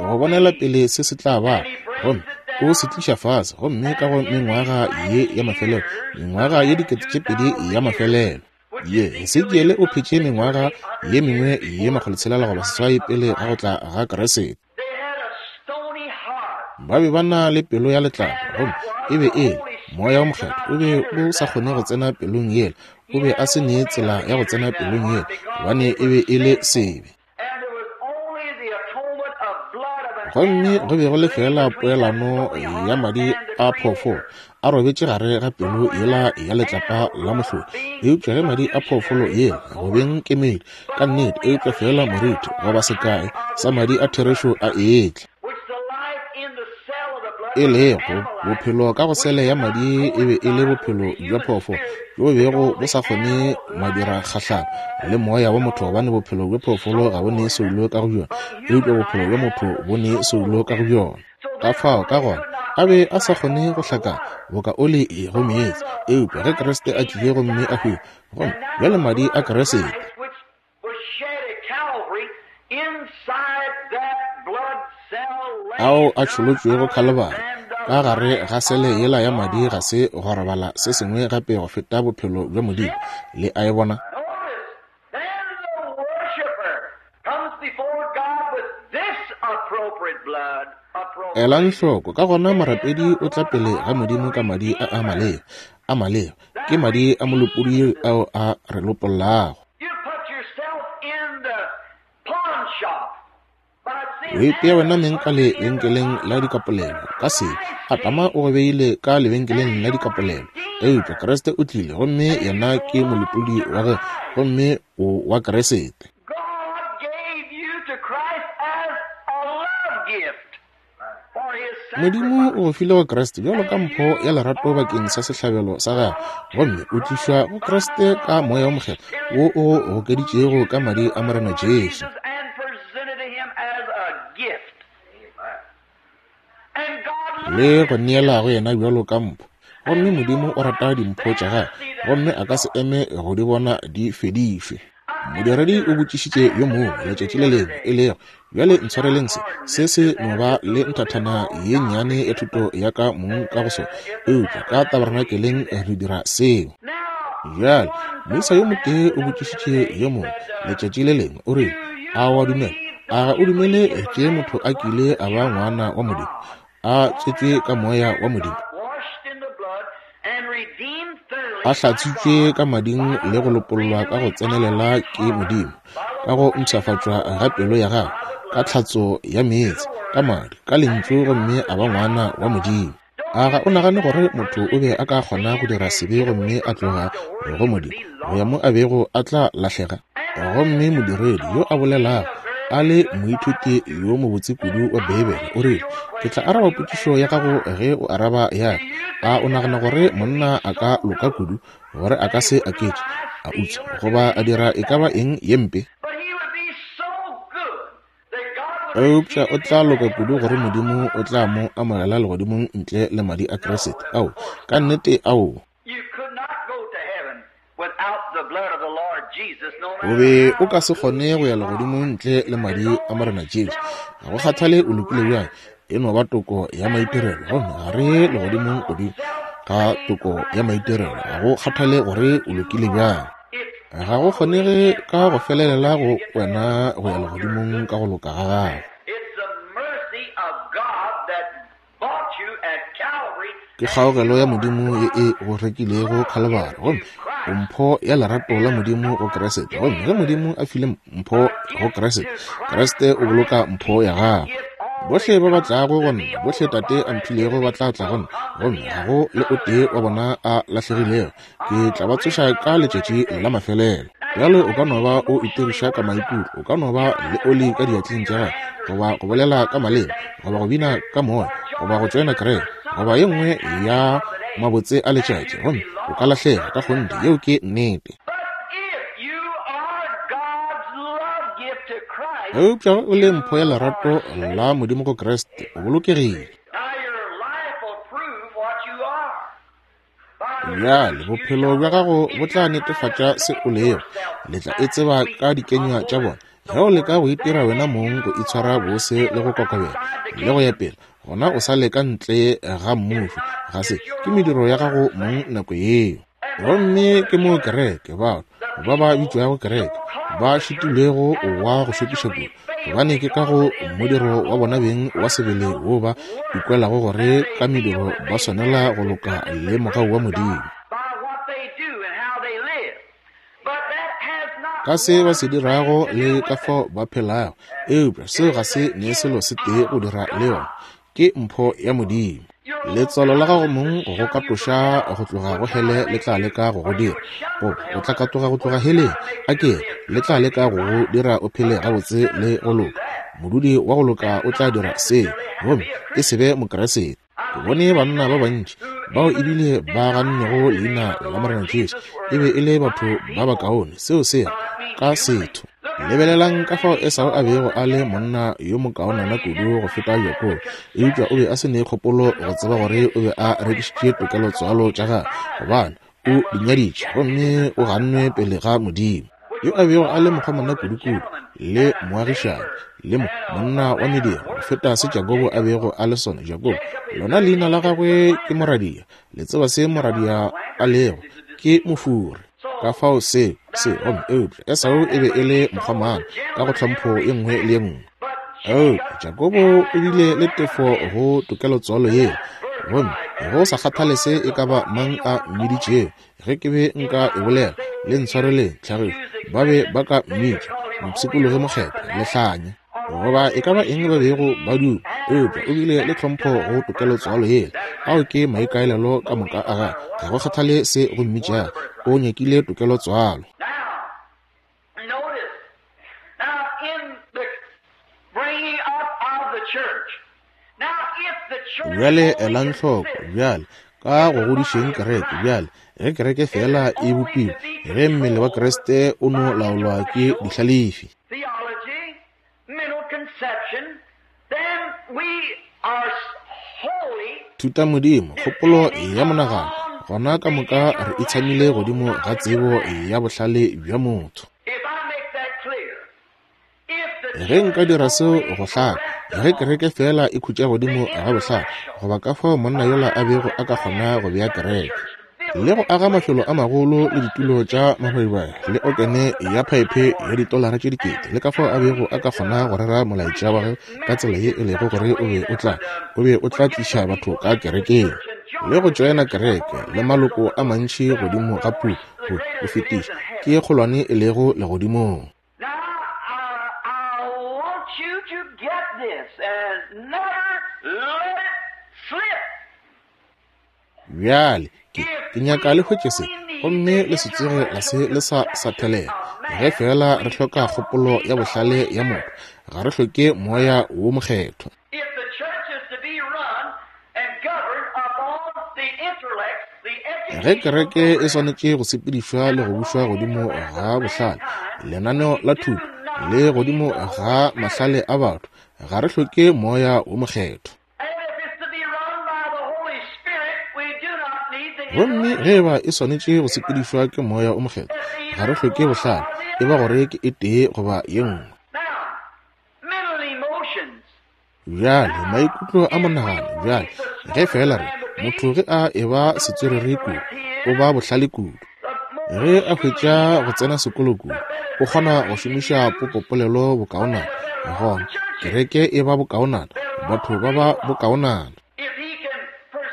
go bonela pele se se tla ba, gomme o se tliša fase, gomme ka go mengwaga ye ya mafelelo, mengwaga ye dikete tše pedi ya mafelelo ye, Hesekiele o phetše mengwaga ye mengwe ye makgolotshelela goba seswai pele ga go tla ga Kriste. Ba be ba na le pelo ya letlapa, gomme e be e le moya wa mokgethwa o be o sa kgone go tsena pelong yela. O be a se ne tsela ya go tsena pelong yela, gobane e be e le sebe. Gomme go be go le fela poelano ya madi a phoofolo a robetše gare ga pelo yela ya letlapa la mohlodi. Eupša ge madi a phoofolo yela go beng kemedi ka nnete, eupša fela moriti goba sekae sa madi a therešo a etla, e lego bophelo ka go sele ya madi, e be e le bophelo bja phoofolo bjo bego bo sa kgone madira kgahlano le moya wa motho, gobane bophelo bja phoofolo ga bo ne soulo ka go bjona, eupša bophelo bja motho bo ne soulo ka go bjona. Ka fao ka gona a be a sa kgone go hlakana boka oli e go meetse, eupša ge Kriste a tlile gomme a hwile, gomme bjale madi a Kriste ao a tšholotšwego Khalibari ka gare ga sele yela ya madi ga se go robala se sengwe gape go feta bophelo bja Modimo. Le a e bona? Elang hloko, ka gona morapedi o tla pele ga Modimo ka madi a a maleba. A maleba ke madi a molopolodi ao a re lopollago. O ipea wena meng ka lebenkeleng la dikapolelo ka sebe. Adama o go beile ka lebenkeleng la dikapolelo, eupša Kriste o tlile gomme yena ke molopolodi wa gagwe, gomme o wa Kriste. Modimo o go file go Kriste bjalo ka mpho ya lerato bakeng sa sehlabelo sa gagwe, gomme o tlišwa go Kriste ka moya wa mokgethwa wo o gokeditšego ka madi a Morena Jesu. le go neela go yena bjalo ka mpho. Gomme Modimo o rata dimpho tša gagwe, gomme a ka se eme go di bona di fedišwe. Modiredi o botšišitše yo mongwe letšatši le lengwe, e lego, bjale ntshwareleng se, se se no ba le nthathana ye nnyane ya thuto ya ka mong ka go sona, eupša ka tabernakeleng re dira seo. Bjale, moisa yo motee o botšišitše yo mongwe letšatši le lengwe, o rile, a wa dumela? A ga o dumele tše motho a kile a ba ngwana wa Modimo, a tswetšwe ka moya wa Modimo, a hlatswitšwe ka mading le go lopollwa ka go tsenelela ke Modimo, ka go mpshafatšwa ga pelo ya gagwe, ka tlhatso ya meetse, ka madi, ka lentšu, gomme a ba ngwana wa Modimo? A ga o nagane gore motho o be a ka kgona go dira sebe gomme a tloga go Modimo go ya mo a bego a tla lahlega? Gomme modiredi yo a bolelago a le moithuti yo mobotse kudu wa Beibele o rile, ke tla araba potšišo ya gago ge o araba ya ka. A o nagana gore monna a ka loka kudu gore a ka se aketše, a utswa, goba a dira e ka ba eng ye mpe? Eupša o tla loka kudu gore Modimo o tla mo amogela legodimong ntle le madi a Kriste. Ao, ka nnete, ao. O be o ka se kgone go ya legodimong ntle le madi a Morena Jesu. Ga go kgathale o lokile bjang, e no ba toko ya maitirelo, gomme ga re legodimong godimo ga toko ya maitirelo. Ga go kgathale gore o lokile bjang, ga go kgonege ka go felelela go wena go ya legodimong ka go loka ga gago. Ke kgaogelo ya Modimo ye e go rekilego Khalibari, gomme o mpho ya lerato la Modimo go Kriste. Gomme ge Modimo a file mpho go Kriste, Kriste o boloka mpho ya gagwe. Bohle ba ba tlago go nna, bohle Tate a mphilego ba tla tla go nna, gomme ga go le o tee wa bona a lahlegilego. Ke tla ba tsoša ka letšatši la mafelelo. Bjale o ka no ba o itiriša ka maikutlo, o ka no ba le oli ka diatleng tša gago, goba go bolela ka maleme, goba go bina ka moya, goba go tšoena kereke, goba ye nngwe ya mabotse a letšatši, gomme o ka lahlega ka kgonthe. Yeo ke nnete. Eupša o le mpho ya lerato la Modimo go Kriste, o bolokegile. Bjale bophelo bja gago bo tla netefatša se o lego. Le tla e tseba ka dikenywa tša bona. Ge o leka go itira wena mong go itshwara bose le go kokobela le go ya pele, gona o sa leka ntle ga mmušo. Ga se ke mediro ya gago mong nako yeo. Gomme ke mo kereke, batho ba ba bitšwago kereke, ba šitilwego wa go šokiša kudu, gobane ke ka go modiro wa bona beng wa sebele wo ba ikwelago gore ka mediro ba swanela go loka le mogau wa Modimo. Ka se ba se dirago le ka fao ba phelago, eupša seo ga se ne selo se tee go dira le yona. Ke mpho ya Modimo. Letswalo la gago mong go go katoša go tloga go hele le tla leka go go dira, goba o tla katoga go tloga heleng, a ke le tla leka go go dira o phele gabotse le go loka. Modudi wa go loka o tla dira seo, gomme e se be Mokriste. Ke bone banna ba bantši bao ebile ba gannego leina la Morena Jesu e be e le batho ba bakaone. Seo se ka setho. Lebelelang ka fao Esau a bego a le monna yo mokaonana kudu go feta Jakobo, eupša o be a se ne kgopolo go tseba gore o be a rekišitše tokelotswalo tša gagwe, gobane o di nyaditše gomme o gannwe pele ga Modimo. Yo a bego a le mokgomana kudu-kudu le moagišani le mo monna wa mediro go feta se Jakobo a bego a le sona. Jakobo, lona leina la gagwe ke moradia. Le tseba se moradia a lego, ke mofuri. Ka fao se se gomme eupša Esau e be e le mokgomana ka go tlhompho ye nngwe le ye nngwe. Eupša Jakobo o bile le tefo go tokelotswalo yeo, gomme go sa kgathale se e ka ba mang a mmiditšego, ge ke be nka e bolela, le ntshwareleng tlhagišo, ba be ba ka mmitša mopshikologi mokgethwa, lehlanya, goba e ka ba eng ba bego ba duma, eupša o bile le tlhompho go tokelotswalo yela. Ao ke maikaelelo ka moka a gagwe. Ga go kgathale se go mmitšago, o nyakile tokelotswalo. Bjale elang hloko, bjale ka go godišeng kereke, bjale ge kereke fela e bopiwe, ge mmele wa Kriste o no laolwa ke dihlalefi, then we are Thutamodimo, kgopolo ya monagano, gona ka moka re itshamile godimo ga tsebo ya bohlale bja motho. Ge nka dira seo go hlaka, ge kereke fela e khutša godimo ga bohlale, goba ka fao monna yola a bego a ka kgona go bea kereke le go aga mafelo a magolo le ditulo tša mabaibai le okene ya phaephe ya ditolara tše dikete, le ka fao a bego a ka kgona go rera molaetša wa gagwe ka tsela ye e lego gore o be o tla o be o tla tliša batho ka kerekeng le go tšoena kereke le maloko a mantši godimo ga puku go go fetiša ke ye kgolwane e lego legodimong. Bjale ke ke nyaka le hwetše se, gomme le se tsoge la se le sa sathelela. Ge fela re hloka kgopolo ya bohlale ya motho, ga re hloke moya wo mokgethwa. Ge kereke e swanetše go sepedišwa le go bušwa godimo ga bohlale, lenaneo la thuto le godimo ga mahlale a batho, ga re hloke moya wo mokgethwa. Gomme ge eba e swanetše go sepedišwa ke moya o mokgethwa, ga re hloke bohlale, e ba gore ke e tee goba ye nngwe. Bjale maikutlo a monagano, bjale ge fela re motho ge a eba setswerere kudu, o ba bohlale kudu. Ge a hwetša go tsena sekolo kudu, o kgona go šomiša popopolelo bokaonana, gona kereke e ba bokaonana, batho ba ba bokaonana.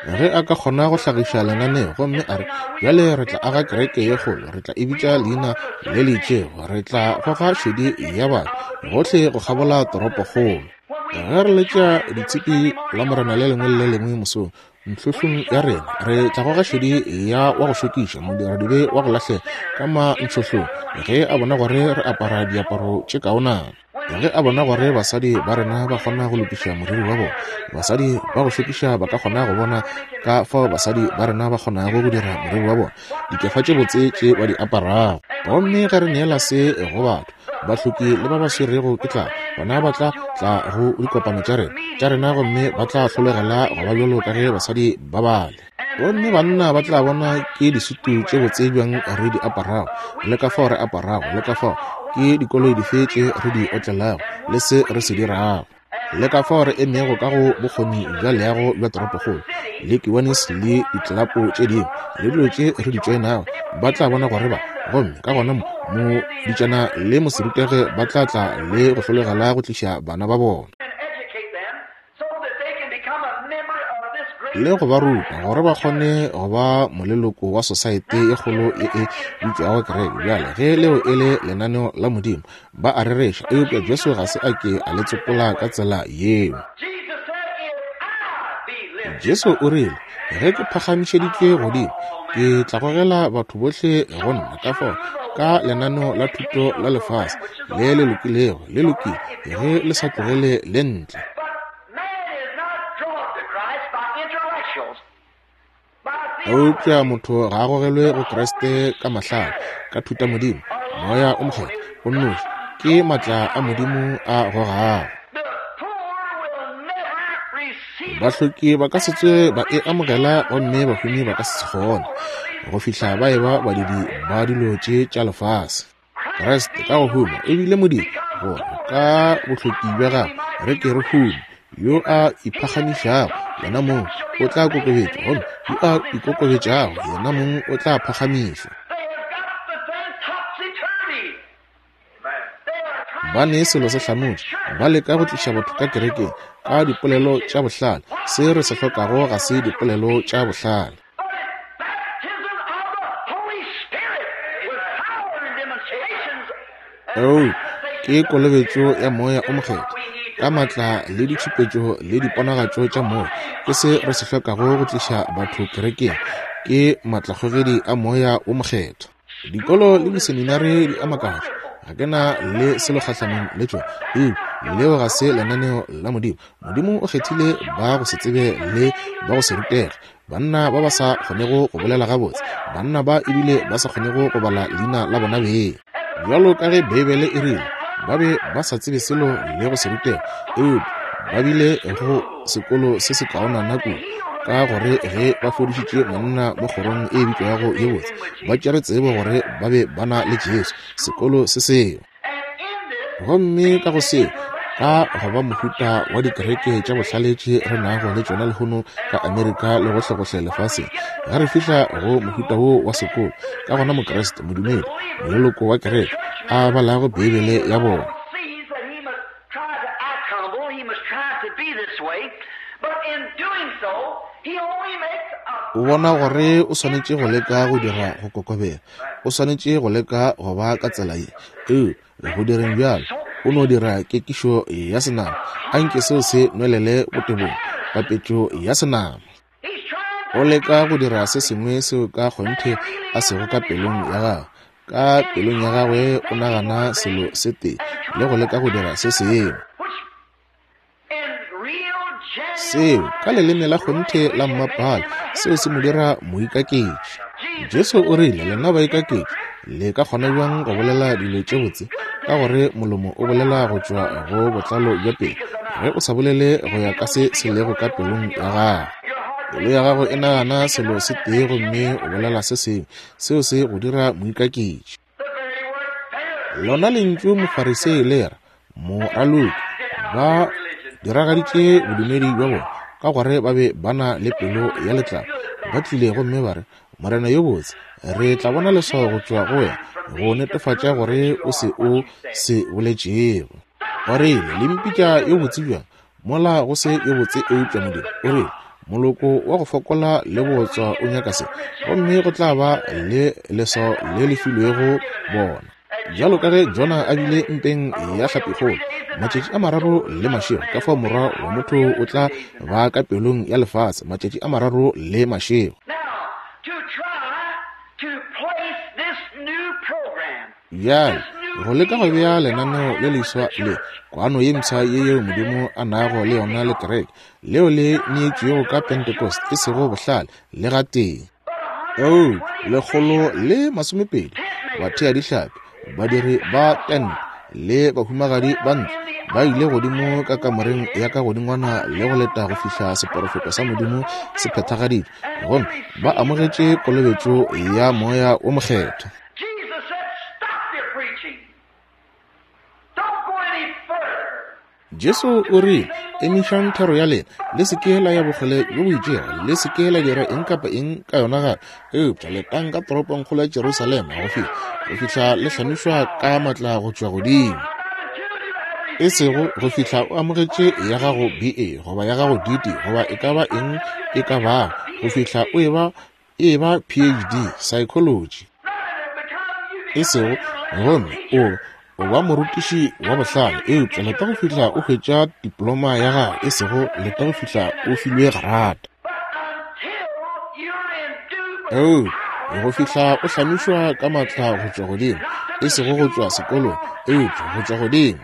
Ge a ka kgona go hlagiša lenaneo gomme a re, bjale re tla aga kereke ye kgolo, re tla e bitša leina le le itšego, re tla goga šedi ya batho gohle go kgabola toropokgolo. Ge re letša ditshipi la morena le lengwe le le lengwe mosong ntlhohlong ya rena, re tla goga šedi ya wa go šokiša modiradibe wa go lahlega ka mantlhohlong ge a bona gore re apara diaparo tše kaonana. Ge a bona gore basadi ba rena ba kgona go lokiša moriri wa bona, basadi ba go šokiša ba ka kgona go bona ka fao basadi ba rena ba kgonago go dira moriri wa bona, dikefa tše botse tše ba di aparago. Gomme ge re neela se go batho, bahloki le ba ba swerego ke tlala, bona ba tla tla go dikopano tša rena tša rena gomme ba tla hlolegela go ba bjalo ka ge basadi ba bale. Gomme banna ba tla bona ke disutu tše botse bjang re di aparago, le ka fao re aparago, le ka fao ke dikoloi dife tše re di otlelago, le se re se dirago, le ka fao re emego ka go bokgoni bja leago bja toropokgolo, le kiwanis le ditlelapo tše dingwe, le dilo tše re di tšoenago, ba tla bona gore ba, gomme ka gona mo moditšana le moserutege ba tla tla le go hlolegela go tliša bana ba bona le go ba ruta gore ba kgone go ba moleloko wa sosaete e kgolo e e bitšwago kereke. Bjale ge leo e le lenaneo la Modimo, ba a rereša, eupša Jesu ga se a ke a le tsopola ka tsela yeo. Jesu o rile, ge ke phagamišeditšwe godimo, ke tla gogela batho bohle go nna. Ka fao ka lenaneo la thuto la lefase le le lokilego, le lokile ge le sa tlogele le ntle. Eupša motho ga a gogelwe go Kriste ka mahlale, ka thutamodimo, moya o mokgethwa o nnoši ke matla a Modimo a gogago. Bahloki ba ka se tsoge ba e amogela, gomme bahumi ba ka se kgone go fihla ba eba badidi ba dilo tše tša lefase. Kriste ka go huma e bile Modimo, gore ka bohloki bja gagwe re ke re hume. Yo a iphagamišago yena mong o tla kokobetšwa, gomme yo a ikokobetšago yena mong o tla phagamišwa. Ba ne selo se hlanotše, ba leka go tliša batho ka kerekeng ka dipolelo tša bohlale. Se re se hlokago ga se dipolelo tša bohlale. Oh, ke kolobetšo ya moya o mokgethwa ka matla le ditšhupetšo le diponagatšo tša moya. Ke se re se hlokago go tliša batho kerekeng, ke matlakgogedi a moya o mokgethwa. Dikolo le diseminari di a makatša, ga ke na le selo kgahlanong le tšona, eupša leo ga se lenaneo la Modimo. Modimo o kgethile ba go se tsebe le ba go se rutege, banna ba ba sa kgonego go bolela gabotse, banna ba ebile ba sa kgonego go bala leina la bona beng. Bjalo ka ge Beibele e rile, ba be ba sa tsebe selo le go se rutega, eupša Ba bile go sekolo se se kaonana kudu, ka gore ge ba fodišitše monna mo kgorong e bitšwago ye botse, ba tšere tsebo gore ba be ba na le Jesu, sekolo se seo. Gomme ka go seo, ka go ba mohuta wa dikereke tša bohlale tše re nago le tšona lehono ka Amerika le gohlegohle lefaseng, ge re fihla go mohuta wo wa sekolo, ka gona Mokriste, modumedi, moleloko wa kereke, a balago Beibele ya bona, o bona gore o swanetše go leka go dira go kokobela, o swanetše go leka go ba ka tsela ye. Ee, go direng bjalo, o no dira kekišo ya senama. Anke seo se nwelele botebong, papetšo ya senama. O leka go dira se sengwe seo ka kgonthe a sego ka pelong ya gagwe. Ka pelong ya gagwe o nagana selo se tee le go leka go dira se sengwe. Seo ka leleme la kgonthe la mmapale, seo se mo dira moikaketši. Jesu o rile, lena baikaketši, le ka kgona bjang go bolela dilo tše botse? Ka gore molomo o bolela go tšwa go botlalo bja pelo, ge o sa bolele go ya ka se se lego ka pelong ya gago. Pelo ya gago e nagana selo se tee gomme o bolela se sengwe, seo se go dira moikaketši. Lona lentšu Mofarisei le re moraloki, ba diragaditše bodumedi bja bona ka gore ba be ba na le pelo ya letlapa. Ba tlile gomme ba re, Morena yo botse, re tla bona leswao go tšwa go wena go netefatša gore o se o se boletšego. O rile, le mpitša yo botse bjang, mola go se yo botse eupša Modimo? O rile, moloko wa go fokola le bootswa o nyaka se, gomme go tla ba le leswao le le filwego bona. Bjalo ka ge Jona a bile mpeng ya hlapikgolo matšatši a mararo le mašego, ka fao morwa wa motho o tla ba ka pelong ya lefase matšatši a mararo le mašego. Bjale go leka go bea lenaneo le leswa le kwano ye mpsha ye yeo Modimo a nago le yona le kereke, leo le neetšwego ka Pentecost, e sego bohlale le gatee. Oh, lekgolo le masomepedi bathea dihlapi, badiri ba tente le bahumagadi ba ntlo ba ile godimo ka kamoreng ya ka godingwana le go leta go fihla seporofeto sa Modimo se phethagaditšwe, gomme ba amogetše kolobetšo ya Moya wo Mokgethwa. Jesu o rile, emišang thero ya lena, le se ke la ya bokgole bjo bo itšego, le se ke la dira eng kapa eng ka yona gape, eupša letang ka toropongkgolo ya Jerusalema go fihla go fihla le hlamišwa ka matla go tšwa godimo. E sego go fihla o amogetše ya gago B A goba ya gago D D goba e ka ba eng e ka bago, go fihla o eba e ba P H D psychology. E sego gomme o o ba morutiši wa bohlale, eupša leta go fihla o hwetša diploma ya gago, e sego leta go fihla o filwe grata. Oh, go fihla o hlamišwa ka matla go tšwa godimo, e sego go tšwa sekolong, eupša go tšwa godimo.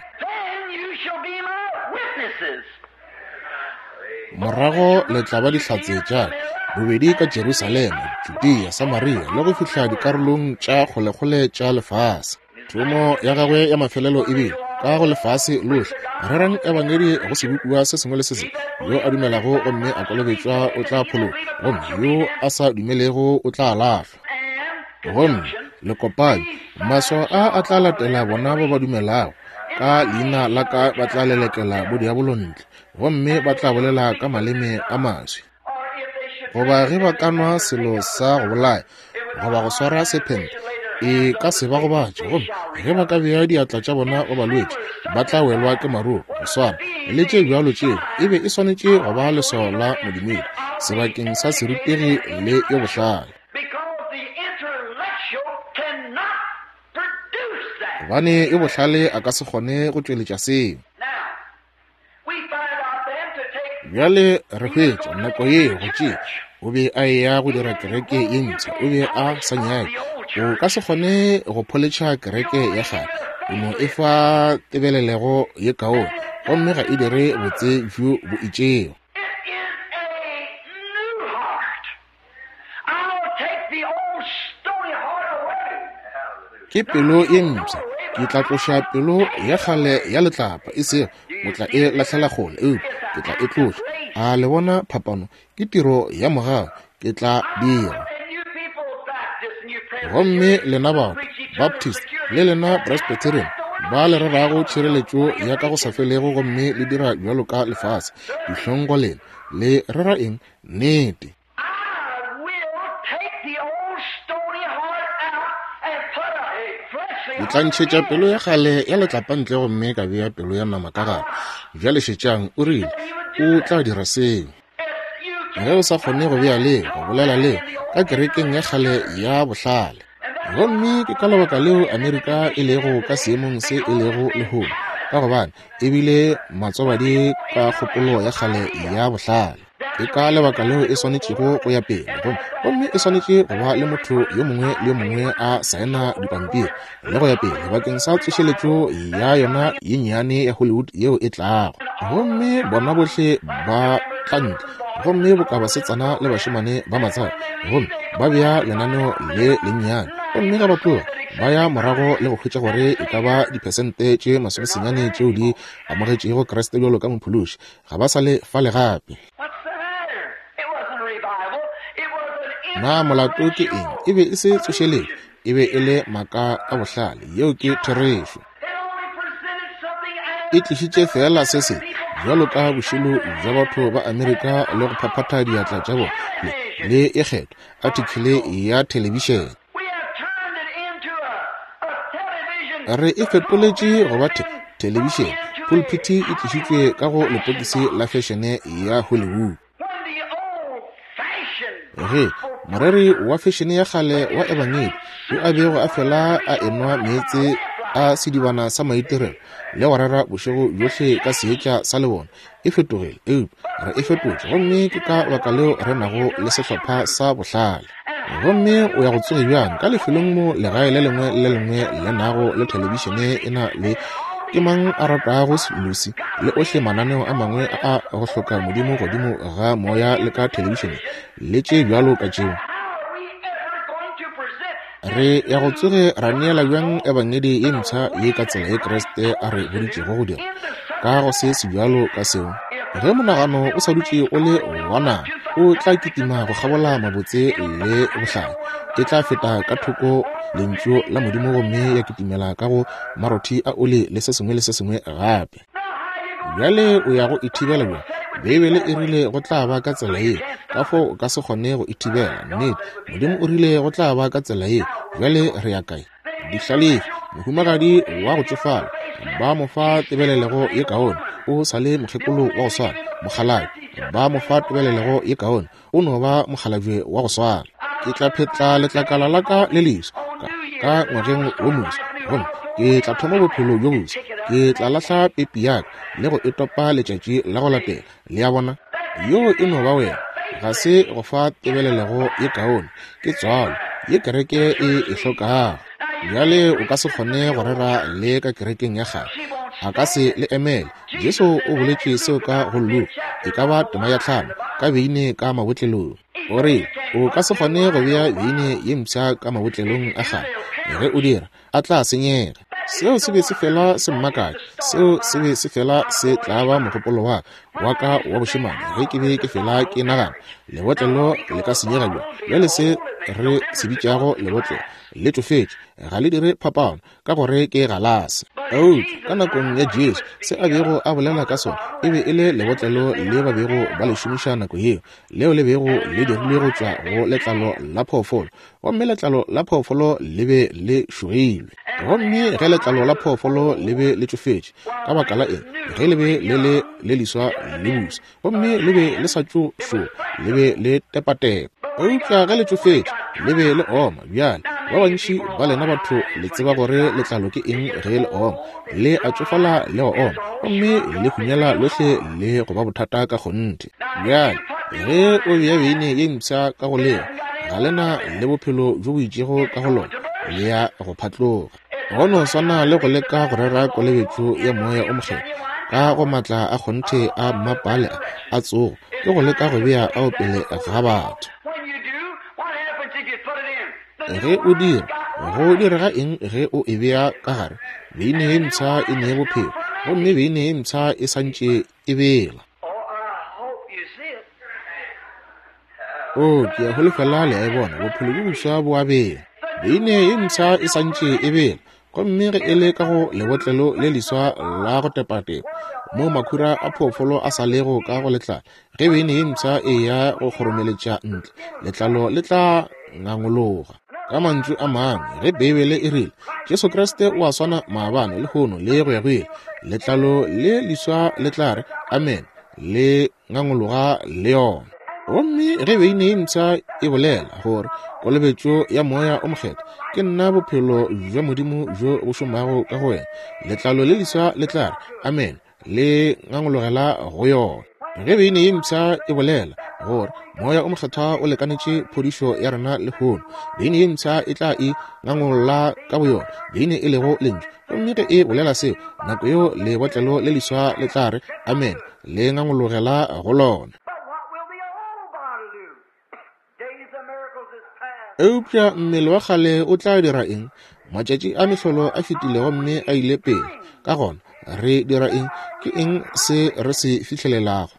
Morago le tla ba dihlatse tša bobedi ka Jerusalema, Judea, Samaria le go fihla dikarolong tša kgolekgole tša lefase. Thomo ya gagwe ya mafelelo e bile ka go lefase lohle, rerang ebangedi go sebopiwa se sengwe le se sengwe. Yo a dumelago gomme a kolobetšwa o tla phologa, gomme yo a sa dumelego o tla lahlwa. Gomme lekopanyi, maswao a a tla latela bona ba ba dumelago, ka leina la ka ba tla lelekela bodiabolo ntle, gomme ba tla bolela ka maleme a maswi. Goba ge ba ka nwa selo sa go bolaya goba go swara sephente, e ka se ba gobatše, gomme ge ba ka bea diatla tša bona go balwetši ba tla welwa ke maruo. Go swana le tše bjalo tšeo e be e swanetše go ba leswao la modumedi sebakeng sa serutegi le yo bohlale, gobane yo bohlale a ka se kgone go tšweletša seo. Bjale re hwetša nako ye go tšea o be a eya go dira kereke ye mpsha, o be a sa nyake. O ka se kgone go pholetšha kereke ya kgale, o no e fa tebelelego ye kaone, gomme ga e dire botse bjo bo itšego. Ke pelo ye mpsha, ke tla tloša pelo ya kgale ya letlapa, e sego O tla e lahlela kgole, eupša ke tla e tloša. A le bona phapano? Ke tiro ya mogau. Ke tla dira. Gomme lena batho, Baptist, le lena Presbyterian, ba le rerago tšhireletšo ya ka go sa felego gomme le dira bjalo ka lefase, dihlong go lena. Le rera eng? Nnete. Ke tla ntšhetša pelo ya kgale ya letlapa ntle gomme ka bea pelo ya nama ka gare. Bjale šetšang, o rile o tla dira seo. Ge o sa kgone go bea leo, go bolela leo ka kerekeng ya kgale ya bohlale. Gomme ke ka lebaka leo Amerika e lego ka seemong se e lego lehono, ka gobane e bile matsobadi ka kgopolo ya kgale ya bohlale. Ke ka lebaka leo e swanetšego go ya pele, gomme gomme e swanetše go ba le motho yo mongwe le yo mongwe a saena dipampiri le go ya pele bakeng sa tsošeletšo ya yona ye nnyane ya Hollywood yeo e tlago. Gomme bona bohle ba tla ntle, gomme boka basetsana le bašemane ba matsaka, gomme ba bea lenaneo le lennyane, gomme ga ba tloga ba ya morago le go hwetša gore e ka ba diphesente tše masomesenyane tšeo di amogetšego Kriste bjalo ka mophološi, ga ba sa le fale gape. Na molato ke eng? E be e se tsošeletšo, e be e le maaka a bohlale. Yeo ke therešo. E tlišitše fela se se bjalo ka bošilo bja batho ba Amerika le go phaphatha diatla tša bona le, le e kgethwa article ya thelebišene. Re e fetoletše go ba the thelebišene. Pulpiti e tlišitšwe ka go lepokisi la fešene ya Hollywood. Ge moreri wa fešene ya kgale wa ebangedi yo a bego a fela a enwa meetse a sedibana sa maitirelo le go rera bošego bjohle ka seetša sa lebone, e fetogile, eupša re e fetotše, gomme ke ka baka leo re nago le sehlopha sa bohlale. Gomme o ya go tsoge bjang ka lefelong mo legae le lengwe le lengwe le nago le thelebišene e na le ke mang a ratago Lucy le ohle mananeo a mangwe a go hloka modimo godimo ga moya le ka thelebišene le tše bjalo ka tšeo. Re ya go tsoge ra neela bjang ebangedi ye mpsha ye ka tsela ye Kriste a re boditšego go dira ka go se se bjalo ka seo? Ge monagano o sa dutše o le wa nama, o tla kitima go kgabola mabotse le bohlale, e tla feta ka thoko lentšu la Modimo gomme ya kitimela ka go marothi a oli le se sengwe le se sengwe gape. Bjale o ya go ithibela bjang? Beibele e rile go tla ba ka tsela ye, ka fao o ka se kgone go ithibela. Nnete, Modimo o rile go tla ba ka tsela ye. Bjale re ya kae? Dihlalefi, mohumagadi wa go tšofala, ba mo fa tebelelego ye kaone, o sa le mokgekolo wa go swana. Mokgalabje, ba mo fa tebelelego ye kaone, o no ba mokgalabje wa go swana. Ke tla phetla letlakala la ka le leswa ka, ka ngwageng wo moswa, gomme ke tla thoma bophelo bjo boswa. Ke tla lahla pepi ya ka le go e topa letšatši la go latela. Le a bona? Yo e no ba wena. Ga se go fa tebelelego ye kaone, ke tswalo ye kereke e e hlokago. Bjale o ka se kgone go rera le ka kerekeng ya kgale, a ka se le emele. Jesu o boletše seo ka go Luka, e ka ba tema ya tlhano, ka beine ka mabotlelong. O re o ka se kgone go bea beine ye mpsha ka mabotlelong a kgale, ge o dira a tla senyega. Seo se be se fela se mmakatša, seo se be se fela se tlaba mogopolo wa wa ka wa bošemane ge ke be ke fela ke nagana lebotlelo le ka senyega bjang. Bjale se re se bitšago lebotlelo le tšofetše, ga le dire phapano ka gore ke galase. Eupša ka nakong ya Jesu se a bego a bolela ka sona e be e le lebotlelo le ba bego ba le šomiša nako yeo, leo le bego le dirilwe go tšwa go letlalo la phoofolo, gomme letlalo la phoofolo le be le šogilwe. Gomme ge letlalo la phoofolo le be le tšofetše, ka baka la eng, ge le be le le le leswa le busa, gomme le be le sa tšo šoga, le be le tepatepa. Eupša ge le tšofetše, le be le oma. Bjale ba bantši ba lena batho le tseba gore letlalo ke eng ge le oma, le a tšofala le go oma, gomme le hunyela lohle le go ba bothata ka kgonthe. Bjale ge o bea beine ye mpsha ka go leo, ga lena le bophelo bjo bo itšego ka go lona, le ya go phatloga. Go no swana le go leka go rera kolobetšo ya moya o mokgethwa ka go matla a kgonthe a mmapale a tsogo, ke go leka go bea ao pele ga batho. Ge o dira, go direga eng ge o e bea ka gare? Beine ye mpsha e nee bophelo, Gomme beine ye mpsha e santše e bela. O, ke a holofela le a e bona, bophelo bjo boswa bo a bela. Beine ye mpsha e santše e bela. Gomme ge e le ka go lebotlelo le leswa la go tepatepa, mo makhura a phoofolo a sa lego ka go letlalo, ge beine ye mpsha e ya go kgoromeletša ntle, letlalo le tla ngangologa. Ka mantšu a mangwe, ge Beibele e rile Jesu Kriste o a swana maabane, lehono le go ya go ile, letlalo le leswa le tla re amen, le ngangologa le yona. Gomme ge beine ye mpsha e bolela gore kolobetšo ya Moya o Mokgethwa ke nna bophelo bja Modimo bjo bo šomago ka go wena, letlalo le leswa le tla re amen, le ngangologela go yona. Ge beine ye mpsha e bolela gore Moya o Mokgethwa o lekanetše phodišo ya rena lehono, beine ye mpsha e tla e ngangolola ka boyona, beine e lego lentšu. Gomme ge e bolela seo, nako yeo lebotlelo le leswa le tla re amen, le ngangologela go lona. Eupša mmele wa kgale o tla dira eng? Matšatši a mehlolo a fetile gomme a ile pele. Ka gona re dira eng? Ke eng se re se fihlelelago?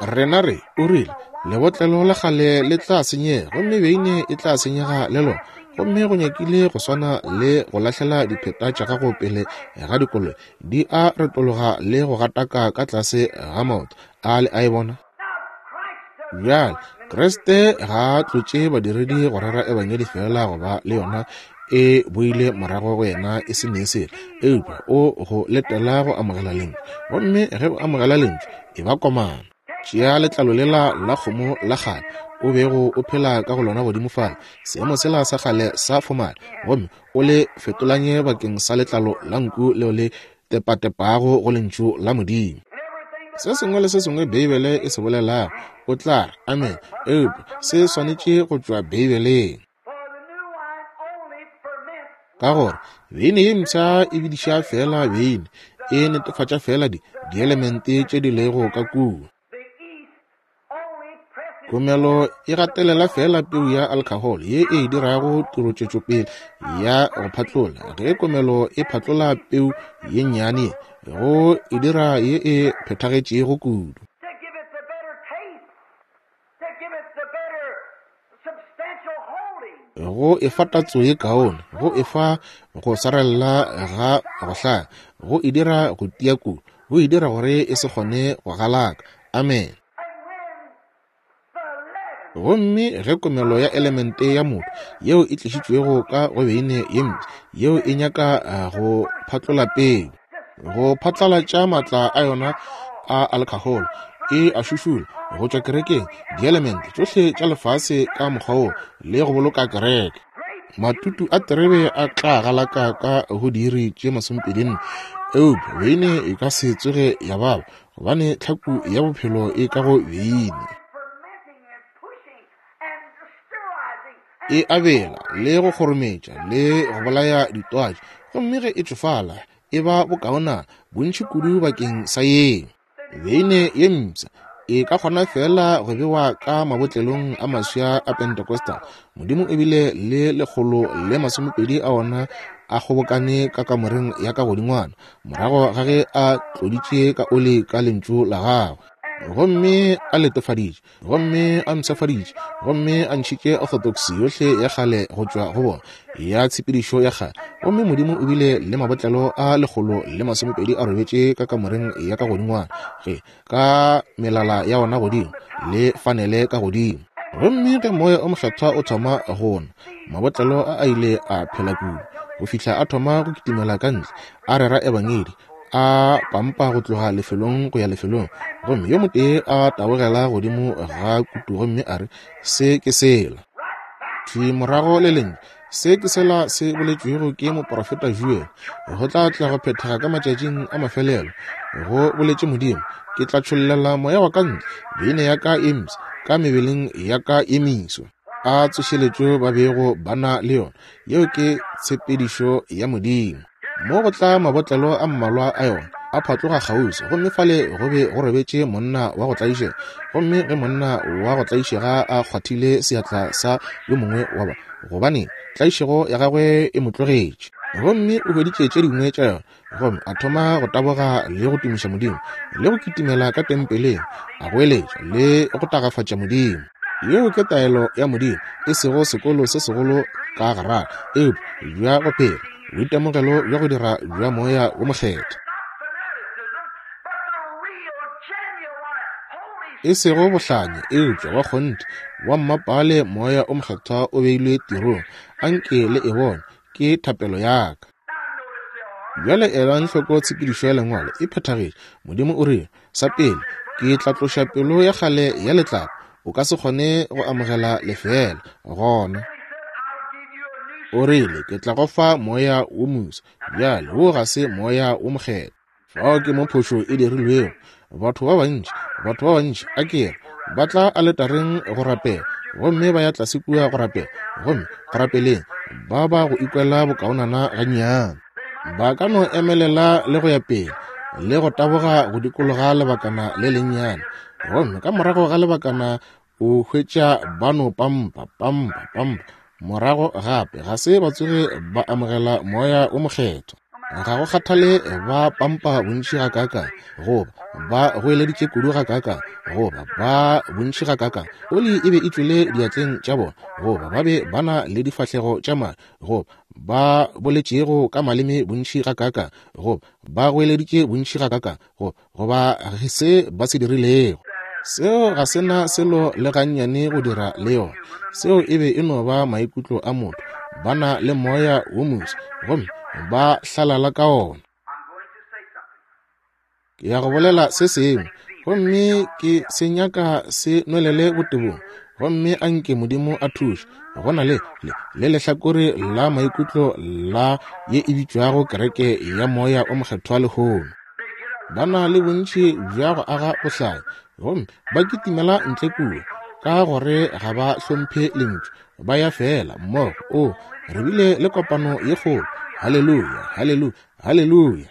Rena re, o rile, lebotlelo la kgale le tla senyega, gomme beine e tla senyega le lona. Gomme go nyakile go swana le go lahlela dipheta tša gago pele ga dikoloi, di a retologa le go gataka ka tlase ga maoto. A le a e bona? Bjale, Kriste ga a tlotše badiredi go rera ebangedi fela go ba le yona e boile morago go yena e se ne selo, eupša o go letela go amogela lentšu. Gomme ge o amogela lentšu, e ba komana. Tšea letlalo lela la kgomo la kgale o bego o phela ka go lona godimo fale, seemo sela sa kgale sa fomale, gomme o le fetolanye bakeng sa letlalo la nku leo le tepatepago go lentšu la Modimo. Se sengwe le se sengwe Beibele e se bolelago, o tla re amen, eupša se swanetše go tšwa Beibeleng. Ka gore beine ye mpsha e bidiša fela beine, e netefatša fela di dielemente tše di lego ka kua. Komelo e gatelela fela peu ya alcohol ye e dirago tirotšwetšopele ya go phatlola. Ge komelo e phatlola peu ye nnyane, go e dira ye e phethagetšego kudu. Go e fa tatso ye kaone, go e fa go swarella ga go hlaka, go e dira go tia kudu, go e dira gore e se kgone go galaka. Amen. Gomme ge komelo ya elemente ya motho yeo e tlišitšwego ka go beine ye mpsha, yeo e nyaka go phatlola peu, go phatlalatša maatla a yona a alcohol, e a šušula go tšwa kerekeng, dielemente tšohle tša lefase ka mokgwa wo, le go boloka kereke. Matutu a terebe a tla galaka ka go diiri tše masomepedi nne, eupša beine e ka se tsoge ya baba, gobane tlhaku ya bophelo e ka go beine. E abela le go kgorometša le go bolaya ditwatši, gomme ge e tšofala e ba bokaonana bontši kudu bakeng sa yeo. Beine ye mpsha e ka kgona fela go bewa ka mabotlelong a maswa a Pentecostal. Modimo e bile le lekgolo le masomepedi a ona a kgobokane ka kamoreng ya ka godingwana, morago ga ge a tloditše ka oli ka lentšu la gagwe, gomme a letofaditše, gomme a mpshafaditše, gomme a ntšhitše orthodox yohle ya kgale go tšwa go bona, ya tshepedišo ya kgale. Gomme Modimo o bile le mabotlelo a lekgolo le masomepedi a robetše ka kamoreng ya ka godingwana, ge ka melala ya ona godimo le fanele ka godimo. Gomme ge Moya o Mokgethwa o thoma go na, mabotlelo a a ile a phela kudu go fihla a thoma go kitimela ka ntle, a rera ebangedi, a pampa go tloga lefelong go ya lefelong. Gomme yo motee a tabogela godimo ga kutu gomme a re, se ke sela. Thwi morago le lentšu, se ke sela se boletšwego ke moprofeta Joel, go tla tla go phethega ka matšatšing a mafelelo, go boletše Modimo, ke tla tšhollela moya wa ka ntle, beine ya ka e mpsha ka mebeleng ya ka e meso. A tsošeletšo ba bego ba na le yona, yeo ke tshepedišo ya Modimo. Mo go tla mabotlelo a mmalwa a yona a phatloga kgauswi, gomme fale go be go robetše monna wa go tlaišega. Gomme ge monna wa go tlaišega a kgwathile seatla sa yo mongwe wa ba, gobane tlaišego ya gagwe e mo tlogetše. Gomme o hweditše tše dingwe tša yona, gomme a thoma go taboga le go tumiša Modimo, le go kitimela ka tempeleng, a goeletša le go tagafatša Modimo. Yeo ke taelo ya Modimo, e sego sekolo se segolo ka garara, eupša bja go phela, boitemogelo bja go dira bja Moya wo Mokgethwa. E sego bohlanya, eupša wa kgonthe, wa mmapale Moya o Mokgethwa o beilwe tirong. Anke le e bone, ke thapelo ya ka. Bjale elang hloko tshepedišo ya Lengwalo e phethagetše. Modimo o rile, sa pele, ke tla tloša pelo ya kgale ya letlapa. O ka se kgone go amogela lefeela gona. O rile, ke tla go fa moya wo moswa. Bjale wo ga se Moya wo Mokgethwa. Fao ke mo phošo e dirilwego. Batho ba bantši, batho ba bantši, a ke re, ba tla aletareng go rapela, gomme ba ya tlase kua go rapela, gomme go rapeleng ba ba go ikwela bokaonana gannyane. Ba ka no emelela le go ya pele, le go taboga go dikologa lebakana le lennyane, gomme ka morago ga lebakana o hwetša ba no pampa, pampa, pampa. Morago gape ga se ba tsoge ba amogela Moya wo Mokgethwa. Ga go kgathale ba pampa bontši gakaakang, goba ba goeleditše kudu gakaakang, goba ba bontši gakaakang, oli e be e tšwele diatleng tša bona, goba ba be ba na le difahlego tša madi, goba ba boletšego ka maleme bontši gakaakang, goba ba goeleditše bontši gakaakang, goba goba se ba se dirilego. Seo ga se na selo le gannyane go dira le yona. Seo e be e no ba maikutlo a motho. Ba na le moya wo moswa, gomme ba hlalala ka ona. Ke ya go bolela se sengwe, gomme ke se nyaka se nwelele botebong, gomme anke Modimo a thuše. Go na le le le lehlakore la maikutlo la ye e bitšwago kereke ya Moya o Mokgethwa lehono. Ba na le bontši bja go aga bohlanya, gomme ba kitimela ntle kua ka gore ga ba hlomphe lentšu. Ba ya fela mmogo. O re bile le kopano ye kgolo. Haleluya, haleluya, haleluya.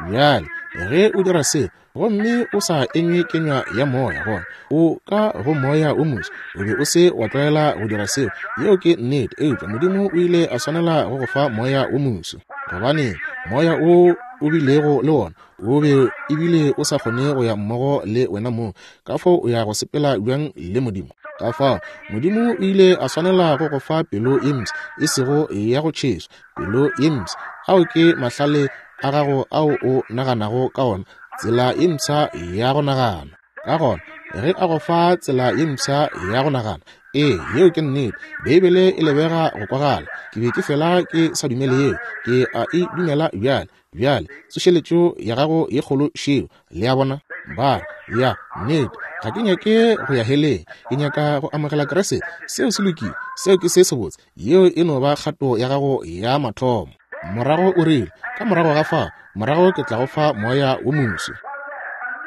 Bjale ge o dira se, gomme o sa enywe kenywa ya moya, gona o ka go moya o moswa. O be o se wa tlwaela go dira seo. Yeo ke nnete. Eupša Modimo o ile a swanela go go fa moya o moswa, gobane moya o o bilego le wona o be ebile o sa kgone go ya mmogo le wena mong. Ka fao o ya go sepela bjang le Modimo? Ka fao Modimo o ile a swanela go go fa pelo ye mpsha, e sego ya go tšheswa, pelo ye mpsha. Ao ke mahlale a gago ao o naganago ka ona, tsela ye mpsha ya go nagana. Ka gona ge a go fa tsela ye mpsha ya go nagana, ee, yeo ke nnete. Beibele e lebega go kwagala. Ke be ke fela ke sa dumele yeo, ke a e dumela bjale. Bjale tsošeletšo ya gago ye kgolo šeo. Le a bona? Ba re, ya nnete, ga ke nyake go ya heleng, ke nyaka go amogela Kriste. Seo se lokile, seo ke se sebotse. Yeo e no ba kgato ya gago ya mathomo. Morago o rile, ka morago ga fao, morago ke tla go fa moya wo moswa.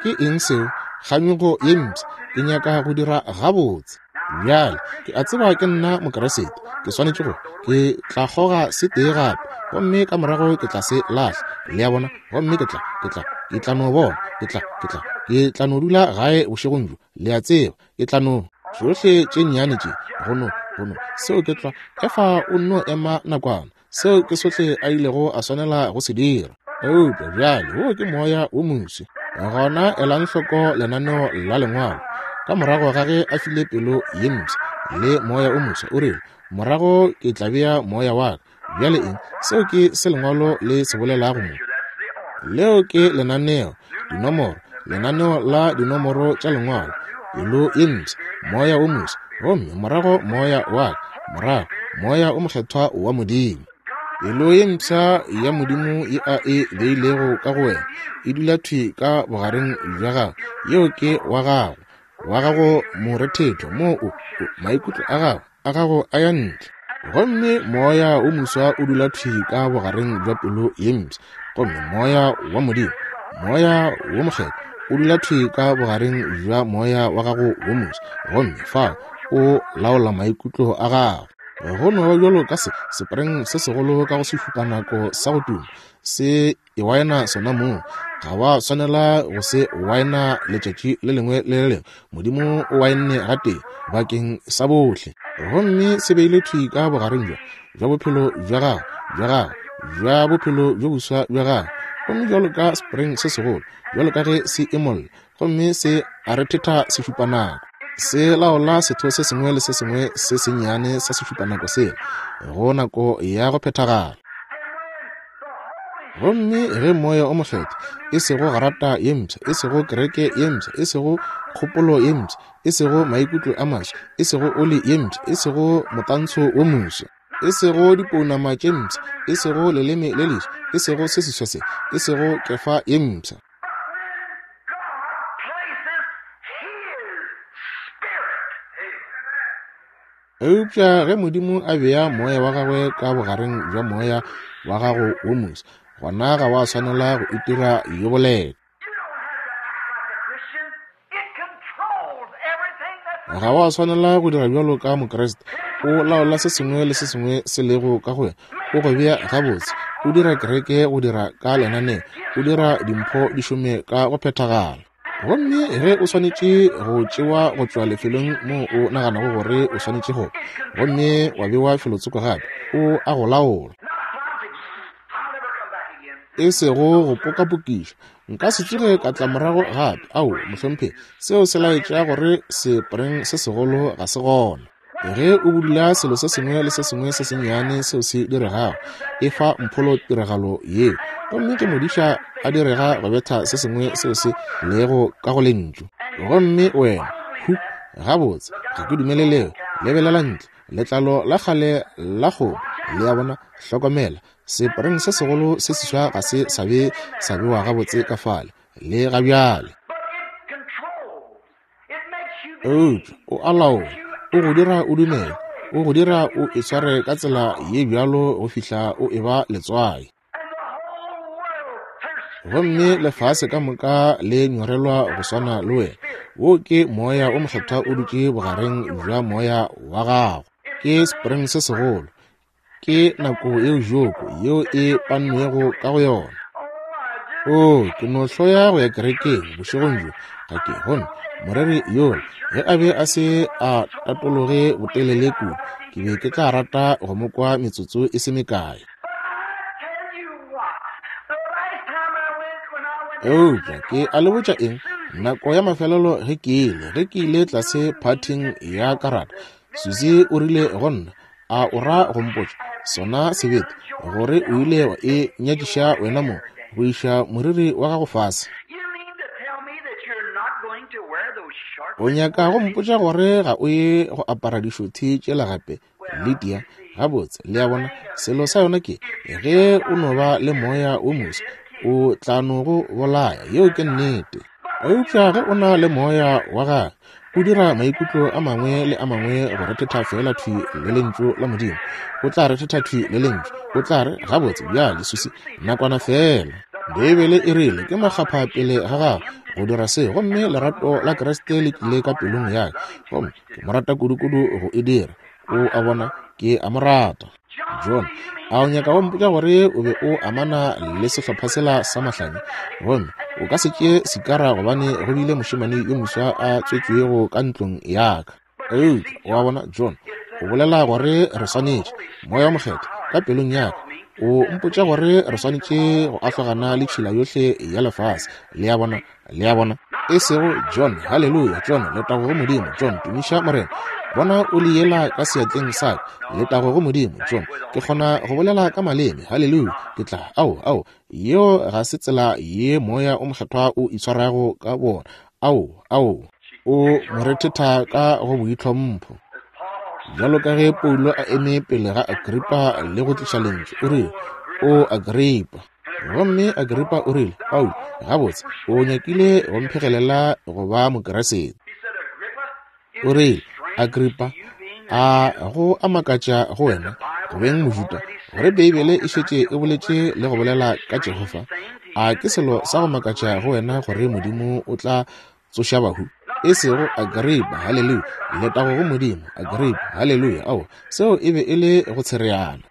Ke eng seo? Kganyogo ye mpsha. Ke nyaka go dira gabotse. Bjale ke a tseba ke nna Mokeresete, ke swanetše go, ke tla kgoga se tee gape, gomme ka morago ke tla se lahla. Le a bona? Gomme ke tla, ke tla, ke tla no bona, ke tla, ke tla, ke tla no dula gae bošegong bjo. Le a tseba, ke tla no tšohle tše nnyane tše, go no, go no, seo ke tla. Efa o nno ema nakwana. Seo ke sohle a ilego a swanela go se dira. Eupša bjale wo ke moya wo moswa. Gona elang hloko lenaneo la Lengwalo. Ka morago ga ge a file pelo ye mpsha le moya o moswa, o rile, morago ke tla bea moya wa ka. Bjale eng? Seo ke se Lengwalo le se bolelago mo. Leo ke lenaneo, dinomoro, lenaneo la dinomoro tša Lengwalo. Pelo ye mpsha, moya o moswa, gomme morago moya wa ka, morago Moya o Mokgethwa wa Modimo. Pelo ye mpsha ya Modimo ye a e beilego ka go wena e dula thwi ka bogareng bja gago. Yeo ke wa gago, wa gago morethetho, mo o, o maikutlo a gago, a gago a ya ntle. Gomme moya o moswa o dula thwi ka bogareng bja pelo ye mpsha. Gomme moya wa Modimo, Moya wo Mokgethwa, o dula thwi ka bogareng bja moya wa gago wo moswa. Gomme fao o laola maikutlo a gago. Go no ba bjalo ka se sepreng se segolo ka go sešupanako sa go tuma se e waena sona mong. Ga wa swanela go se waena letšatši le lengwe le le lengwe. Modimo o waenne gatee bakeng sa bohle, gomme se beile thwi ka bogareng bja bja bophelo bja gago, bja gago. bja bophelo bjo boswa bja gagwe. Gomme bjalo ka spring se segolo, bjalo ka ge se emolla, gomme se a rethetha sešupanako, se laola setho se sengwe le se sengwe se sennyane sa sešupanako sela go nako ya go phethagala. Gomme ge Moya o Mokgethwa, e sego garata ye mpsha, e sego kereke ye mpsha, e sego kgopolo ye mpsha, e sego maikutlo a maswa, e sego oli ye mpsha, e sego motantsho wo moswa, e sego dipounama tše mpsha, e sego leleme le leswa, e sego se seswa se, e sego kefa ye mpsha. Eupša ge Modimo a bea moya wa gagwe ka bogareng bja moya wa gago wo moswa, gona ga wa swanela go itira yo boleta. Ga wa swanela go dira bjalo ka Mokriste. O laola se sengwe le se sengwe se lego ka go wena, o go bea gabotse, o dira kereke go dira ka lenaneo, o dira dimpho di šome ka go phethagala. Gomme ge o swanetše go tšewa go tšwa lefelong moo o naganago gore o swanetše go, gomme wa bewa felotsoko gape, o a go laola. E sego go pokapokiša, nka se tsoge ka tla morago gape. Ao, mohlomphegi, seo se laetša gore sepreng se segolo ga se gona. Ge o budula selo se sengwe le se sengwe se sennyane seo se diregago, e fa mpholo tiragalo yeo. Gomme ke modiša a direga go betha se sengwe seo se lego ka go lentšu. Gomme wena, hu, gabotse, ga ke dumele leo. Lebelela ntle, letlalo la kgale la kgomo, le a bona, hlokomela, sepreng se segolo se seswa ga se sa be sa bewa gabotse ka fale, le ga bjale. Eupša o a laola, o go dira o dumele, o go dira o itshware ka tsela ye bjalo go fihla o eba letswai. Gomme lefase ka moka le nyorelwa go swana le wena. Wo ke moya o mokgethwa o dutše bogareng bja moya wa gago. Ke spring se segolo, ke nako yeo joko yeo e pannwego ka go yona. O, ke no hloya go ya kerekeng bošegong bjo, ga ke. Gomme moreri yola, ge a be a se a tatologe botelele kudu, ke be ke tla rata go mo kwa metsotso e se mekae. Eupša ke a le botša eng, nako ya mafelelo ge ke ile, ge ke ile tlase phathing ya karata, Susie o rile go nna, a o ra go mpotša sona sebete gore o ile wa e nyakiša wena mo go iša moriri wa gago fase? O nyaka go mpotša gore ga o ye go apara dišothi tšela gape, Lydia? Gabotse, le a bona, selo sa yona ke ge o no ba le moya wo moswa, o tla no go bolaya. Yeo ke nnete. Eupša ge o na le moya wa gagwe, o dira maikutlo a mangwe le a mangwe go rethetha fela thwi le lentšu la Modimo. O tla rethetha thwi le lentšu. O tla re, gabotse bjale, Susie, nakwana fela. Beibele e rile ke makgapha pele ga gago go dira se, gomme lerato la Kriste le tlile ka pelong ya ka, gomme ke mo rata kudukudu go e dira. O a bona, ke a mo rata. John, a o nyaka go mpotša gore o be o amana le sehlopha sela sa mahlanya, gomme o ka se tšee sikara gobane go bile mošemane yo moswa a tswetšwego ka ntlong ya ka? Eupša o a bona, John, o bolela gore re swanetše, Moya o Mokgethwa ka pelong ya ka o mpotša gore re swanetše go ahlogana le tšhila yohle ya lefase. Le a bona, le a bona, e sego John, haleluya, John, letago go Modimo, John, tumiša Morena. Bona o le yela ka seatleng sa ka, letago go Modimo, John, ke kgona go bolela ka maleme, haleluya, ke tla, ao, ao, yeo ga se tsela ye moya o mokgethwa o itshwarago ka bona. Ao, ao, o mo rethetha ka go boitlhompho. Bjalo ka ge Paulo a eme pele ga Agripa le go tliša lentšu, o rile, O Agripa. Gomme Agripa o rile, Paulo, gabotse, o nyakile go mphegelela go ba Mokeresete. O rile, Agripa, a go a makatša go wena go beng Mojuda gore Beibele e šetše e boletše le go bolela ka Jehofa? A ke selo sa go makatša go wena gore Modimo o tla tsoša bahu? E sego Agripa, haleluya, letago go Modimo, Agripa, haleluya. Ao, seo e be e le go tshereana.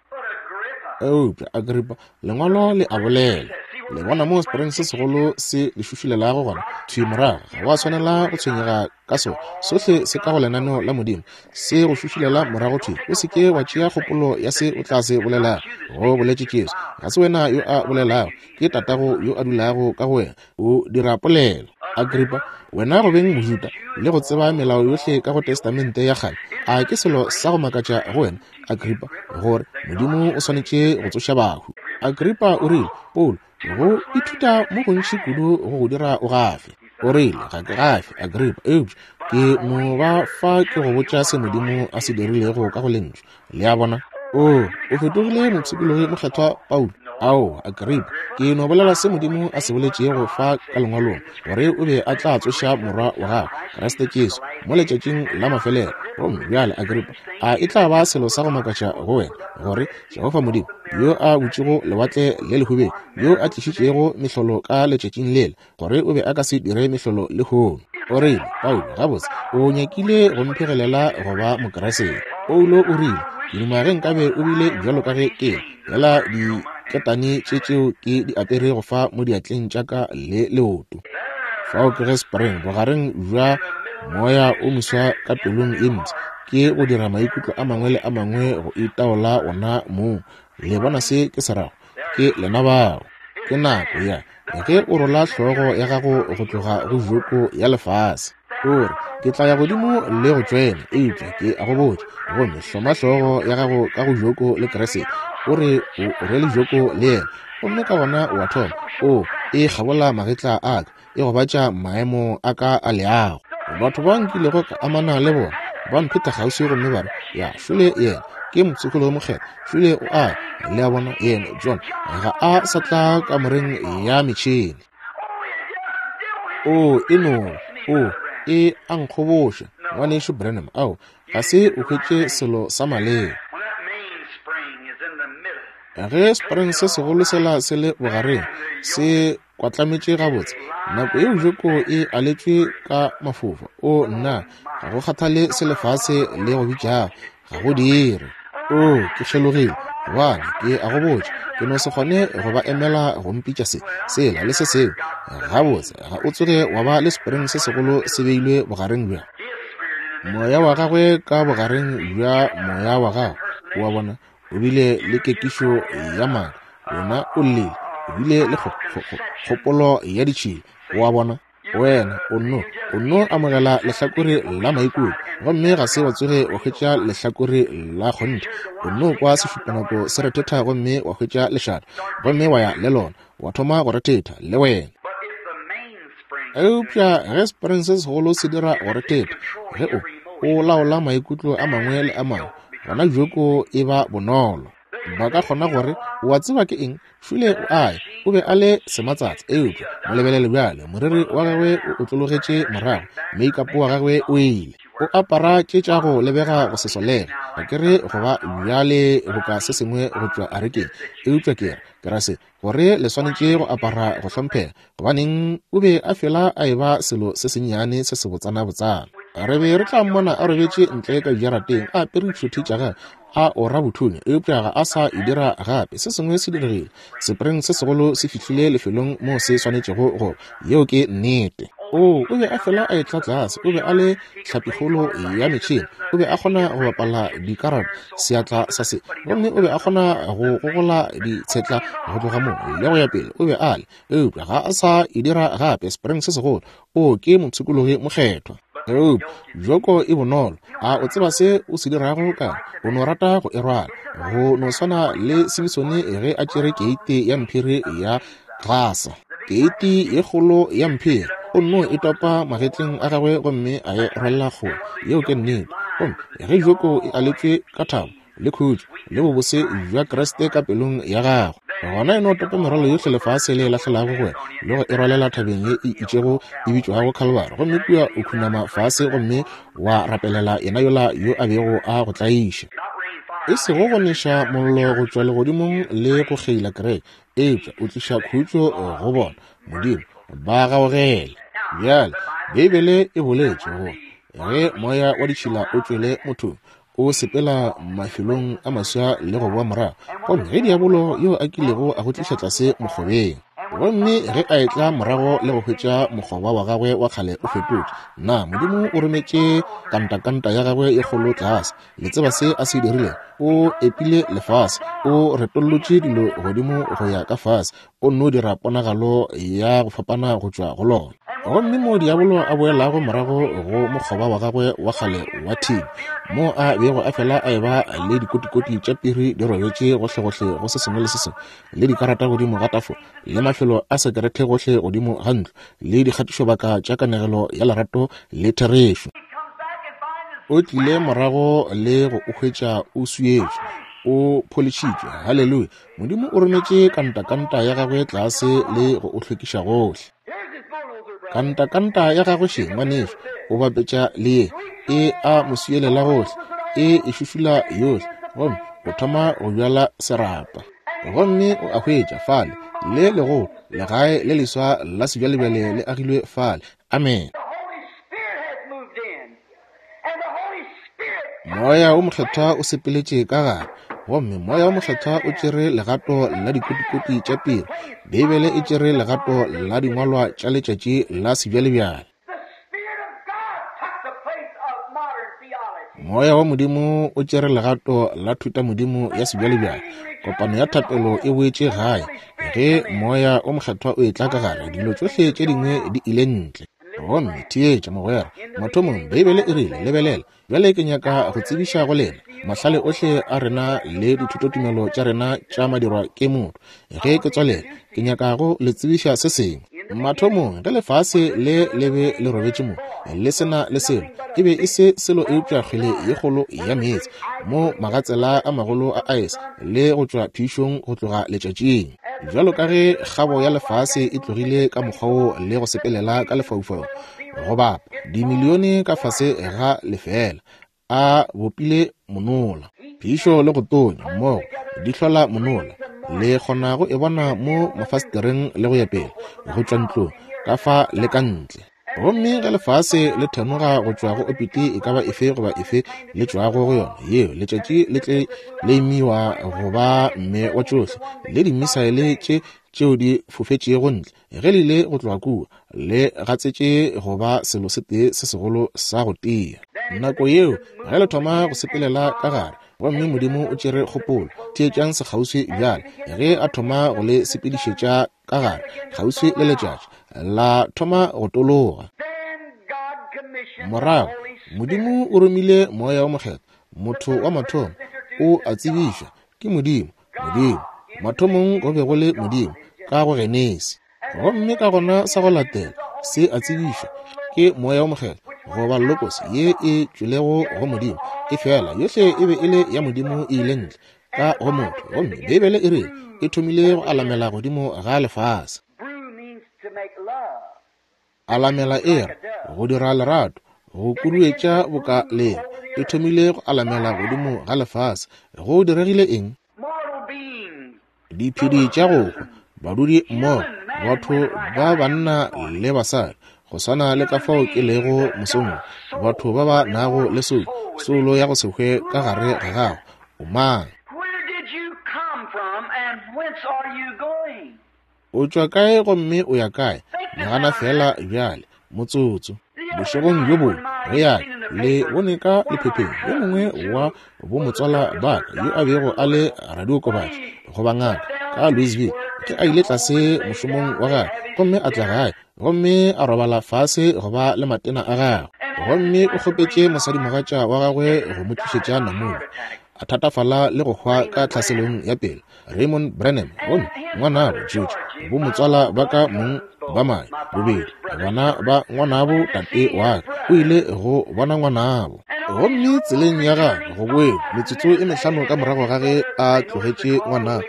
Eupša Agripa, lengwalo le a bolela. Le bona moo spring se segolo se le šušulelago gona, thwi morago. Ga wa swanela go tshwenyega ka sona. Sohle se ka go lenaneo la Modimo, se go šušulela morago thwi. O se ke wa tšea kgopolo ya se o tla se bolelago, go boletše Jesu. Ga se wena yo a bolelago, ke Tatago yo a dulago ka go wena. O dira polelo. Agrippa, wena go beng Mojuda le go tseba melao yohle ka go Testamente ya kgale, a ke selo sa go makatša go wena, Agrippa, gore Modimo o swanetše go tsoša bahu? Agrippa o rile, Paulo, go ithuta mo gontši kudu go go dira o gafe. O rile, ga ke gafe, Agrippa, eupša ke no ba fa ke go botša se Modimo a se dirilego ka go lentšu. Le a bona? O, o fetogile mopshikologi mokgethwa Paulo. Ao, Agrippa, ke no bolela se Modimo a se boletšego fa ka lengwalong, gore o be a tla tsoša morwa wa gagwe, Kriste Jesu, mo letšatšing la mafelelo. Gomme bjale, Agrippa, a e tla ba selo sa go makatša go wena, gore Jehofa Modimo, yo a butšego lewatle le lehubedi, yo a tlišitšego mehlolo ka letšatšing lela, gore o be a ka se dire mehlolo lehono? O rile, Paulo, gabotse, o nyakile go mphegelela go ba Mokriste. Paulo o rile, ke duma ge nkabe o bile bjalo ka ge ke ela diketane tše tšeo ke di aperego fa mo diatleng tša ka le leoto. Fao ke ge spring bogareng bja moya o moswa ka pelong ye ntsi, ke go dira maikutlo a mangwe le a mangwe go itaola ona mong. Le bona se ke se rago? Ke lena bao. Ke nako ya ge o rola hlogo ya gago go tloga go joko ya lefase. O re, ke tla ya godimo le go tšwena, eupša ke a go botša, gomme hloma hlogo ya gago ka go joko le Kriste. O re o rwele joko le yena, gomme ka gona o a thoma. O e kgabola magetla a ka, e gobatša maemo a ka a leago. Batho ba nkilego ka amana le bona ba mpheta kgauswi gomme ba re, ya, šole yena ke mopshikologi mokgethwa, šole o a le a bona yena John ga a sa tla kamoreng ya metšhene. O e no, o e a nkgoboša, ngwanešu Branham. Ao, ga se o hwetše selo sa maleba. Ge spring se segolo sela se le bogareng, se kwatlametše gabotse, nako yeo joko e aletšwe ka mafofa. O nna, ga go kgathale se lefase le go bitšago, ga go dire. O, ke kgelogile, gobane ke a go botša, ke no se kgone go ba emela go mpitša se, sela le se sengwe. Gabotse, ga o tsoge wa ba le spring se segolo se beilwe bogareng bja moya wa gagwe ka bogareng bja moya wa gagwe. O a bona, o bile le kekišo ya maaka, wena o llile, o bile le kgopolo ya ditšhila. O a bona, wena o nno o nno amogela lehlakore la maikutlo, gomme ga se wa tsoge wa hwetša lehlakore la kgonthe. O nno kwa sešupanako se rethetha gomme wa hwetša lešata, gomme wa ya le lona, wa thoma go rethetha le wena. Eupša ge spring se segolo se dira go rethetha, ge o o laola maikutlo a mangwe le a mangwe, gona joko e ba bonolo. Ba ka kgona gore, o a tseba ke eng, šule o ae, o be a le sematsatsa, eupša mo lebelele bjale, moriri wa gagwe o otlologetše morago, make-up wa gagwe o ile. O apara tše tša go lebega go se solega. Ga ke re go ba bjale boka se sengwe go tšwa arekeng, eupša ke re, ke ra se, gore le swanetše go apara go hlomphega, gobaneng o be a fela a eba selo se sennyane se se botsana-botsana. Re be re tla mmona a robetše ntle ka dijarateng a apere ditšhothi tša gagwe, a ora bothunya, eupša ga a sa e dira gape. Se sengwe se diregile, spring se segolo se fihlile lefelong moo se swanetšego go. Yeo ke nnete. O, o be a fela a etla tlase, o be a le hlapikgolo ya metšhene, o be a kgona go bapala dikarata seatla sa se, gomme o be a kgona go gogola ditshetla go tloga moo le go ya pele. O be a le, eupša ga a sa e dira gape. Spring se segolo, o ke mopshikologi mokgethwa. Eupša joko e bonolo. A o tseba se o se dirago ka? O no rata go e rwala, go no swana le Simsone ge a tšere keite ya mphiri ya Gasa, keiti ye kgolo ya mphiri. O nno e topa magetleng a gagwe gomme a e rwalela kgole. Yeo ke nnete. Gomme ge joko e aletšwe ka thabo le khutšo le bobose bja Kriste ka pelong ya gago, gona e no topa merwalo yohle lefase le e lahlelago go wena le go e rwalela thabeng ye e itšego e bitšwago Calvary, gomme kua o khunama fase gomme wa rapelela yena yola yo a bego a go tlaiša. E sego go neša mollo go tšwa legodimong le go kgeila kereke, eupša o tliša khutšo go bona. Modimo ba gaogele. Bjale Beibele e boletše gore ge moya wa ditšhila o tšwele mothong, o sepela mafelong a maswa le go boa morago, gomme ge diabolo yo a kilego a go tliša tlase mokgobeng. Gomme ge a etla morago le go hwetša mokgoba wa gagwe wa kgale o fetotše, na Modimo o rometše kantakanta ya gagwe e kgolo tlase. Le tseba se a se dirilego? O epile lefase, o retollotše dilo godimo go ya ka fase, o nno dira ponagalo ya go fapana go tšwa go lona. Gomme mo diabolo a boelago morago go mokgoba wa gagwe wa kgale wa thini, mo a bego a fela a eba le dikotikoti tša piri di robetše gohlegohle go se sengwe le se sengwe, le dikarata godimo ga tafola, le mafelo a sekerete gohle godimo ga ntlo, le dikgatišobaka tša kanegelo ya lerato le therešo. O tlile morago le go o hwetša o swietšwe, o pholišitšwe. Haleluya! Modimo o rometše kantakanta ya gagwe tlase le go o hlwekiša gohle. Kantakanta ya gagwe še, ngwanešu, o bapetša le ye, e a mo swielela gohle, e e šušula yohle, gomme o thoma go bjala serapa. Gomme o a hwetša fale le legolo legae le leswa la sebjalebjale le agilwe fale. Amen. Moya o Mokgethwa o sepeletše ka gare, gomme Moya o Mokgethwa o tšere legato la dikotikoti tša piri. Beibele e tšere legato la dingwalwa tša letšatši la sebjalebjale. Moya wa Modimo o tšere legato la thutamodimo ya sebjalebjale. Kopano ya thapelo e boetše gae. Ge Moya o Mokgethwa o etla ka gare, dilo tšohle tše dingwe di ile ntle. Gomme theetša mogwera, mathomong Beibele e rile, lebelela, bjale ke nyaka go tsebiša go lena mahlale ohle a rena le dithutotumelo tša rena tša madirwa ke motho. Ge ke tswalela, ke nyaka go le tsebiša se sengwe. Mathomong ge lefase le le be le robetše mo, le sena le selo, e be e se selo eupša kgwele ye kgolo ya meetse, mo magatsela a magolo a aese le go tšwa phišong go tloga letšatšing. Bjalo ka ge kgabo ya lefase e tlogile ka mokgwa wo le go sepelela ka lefaufau, go bapa dimilione ka fase ga lefela, a bopile monola. Phišo le go tonya mmogo di hlola monola. Le kgona go e bona mo mafastereng le go ya pele, go tšwa ntlong ka fa le ka ntle. Gomme ge lefase le thenoga go tšwa go opiti e ka ba efe goba efe le tšwago go yona, yeo letšatši le tle le imiwa go ba mme wa tšohle, le dimisaele tše tšeo di fofetšego ntle, ge le ile go tloga kua, le gatsetše go ba selo se tee se segolo sa go tia. Nako yeo ge le thoma go sepelela ka gare, gomme Modimo o tšere kgopolo, theetšang sekgauswi bjale, ge a thoma go le sepedišetša ka gare kgauswi le letšatši, la thoma go tologa. Morago Modimo o romile Moya o Mokgethwa, motho wa mathomo o a tsebišwa ke Modimo. Modimo mathomong go be go le Modimo ka go Genesi, gomme ka gona sa go latela se a tsebišwa ke Moya o Mokgethwa, goba Logos ye e tšwelego go Modimo. E fela yohle e be e le ya Modimo e ile ntle ka go motho, gomme Beibele e re e thomile go alamela godimo ga lefase. Alamela e re go dira lerato, go kuduetša boka leo, e thomile go alamela godimo ga lefase. Go diregile eng? Diphedi tša go hwa, badudi mmogo, batho ba banna le basadi, go swana le ka fao ke lego mosong, batho ba ba nago le soulo, soulo ya go se hwe ka gare ga gago. O mang? O tšwa kae gomme o ya kae? Nagana fela bjale, motsotso. Bošegong bjo bongwe ge ya le bone ka lephepheng, yo mongwe wa bomotswala ba ka yo a bego a le radiokobatši goba ngaka ka Louisville, ke a ile tlase mošomong wa gagwe, gomme a tla gae, gomme a robala fase go ba le matena a gagwe, gomme o kgopetše mosadimogatša wa gagwe go mo tlišetša namune. A thatafala le go hwa ka tlhaselong ya pele. Raymond Branham, gomme ngwanabo George, bomotswala ba ka mong ba mae bobedi, bana ba ngwanabo tate wa ka, o ile go bona ngwanabo. Gomme tseleng ya gagwe go boeng, metsotso e mehlano ka morago ga ge a tlogetše ngwanabo,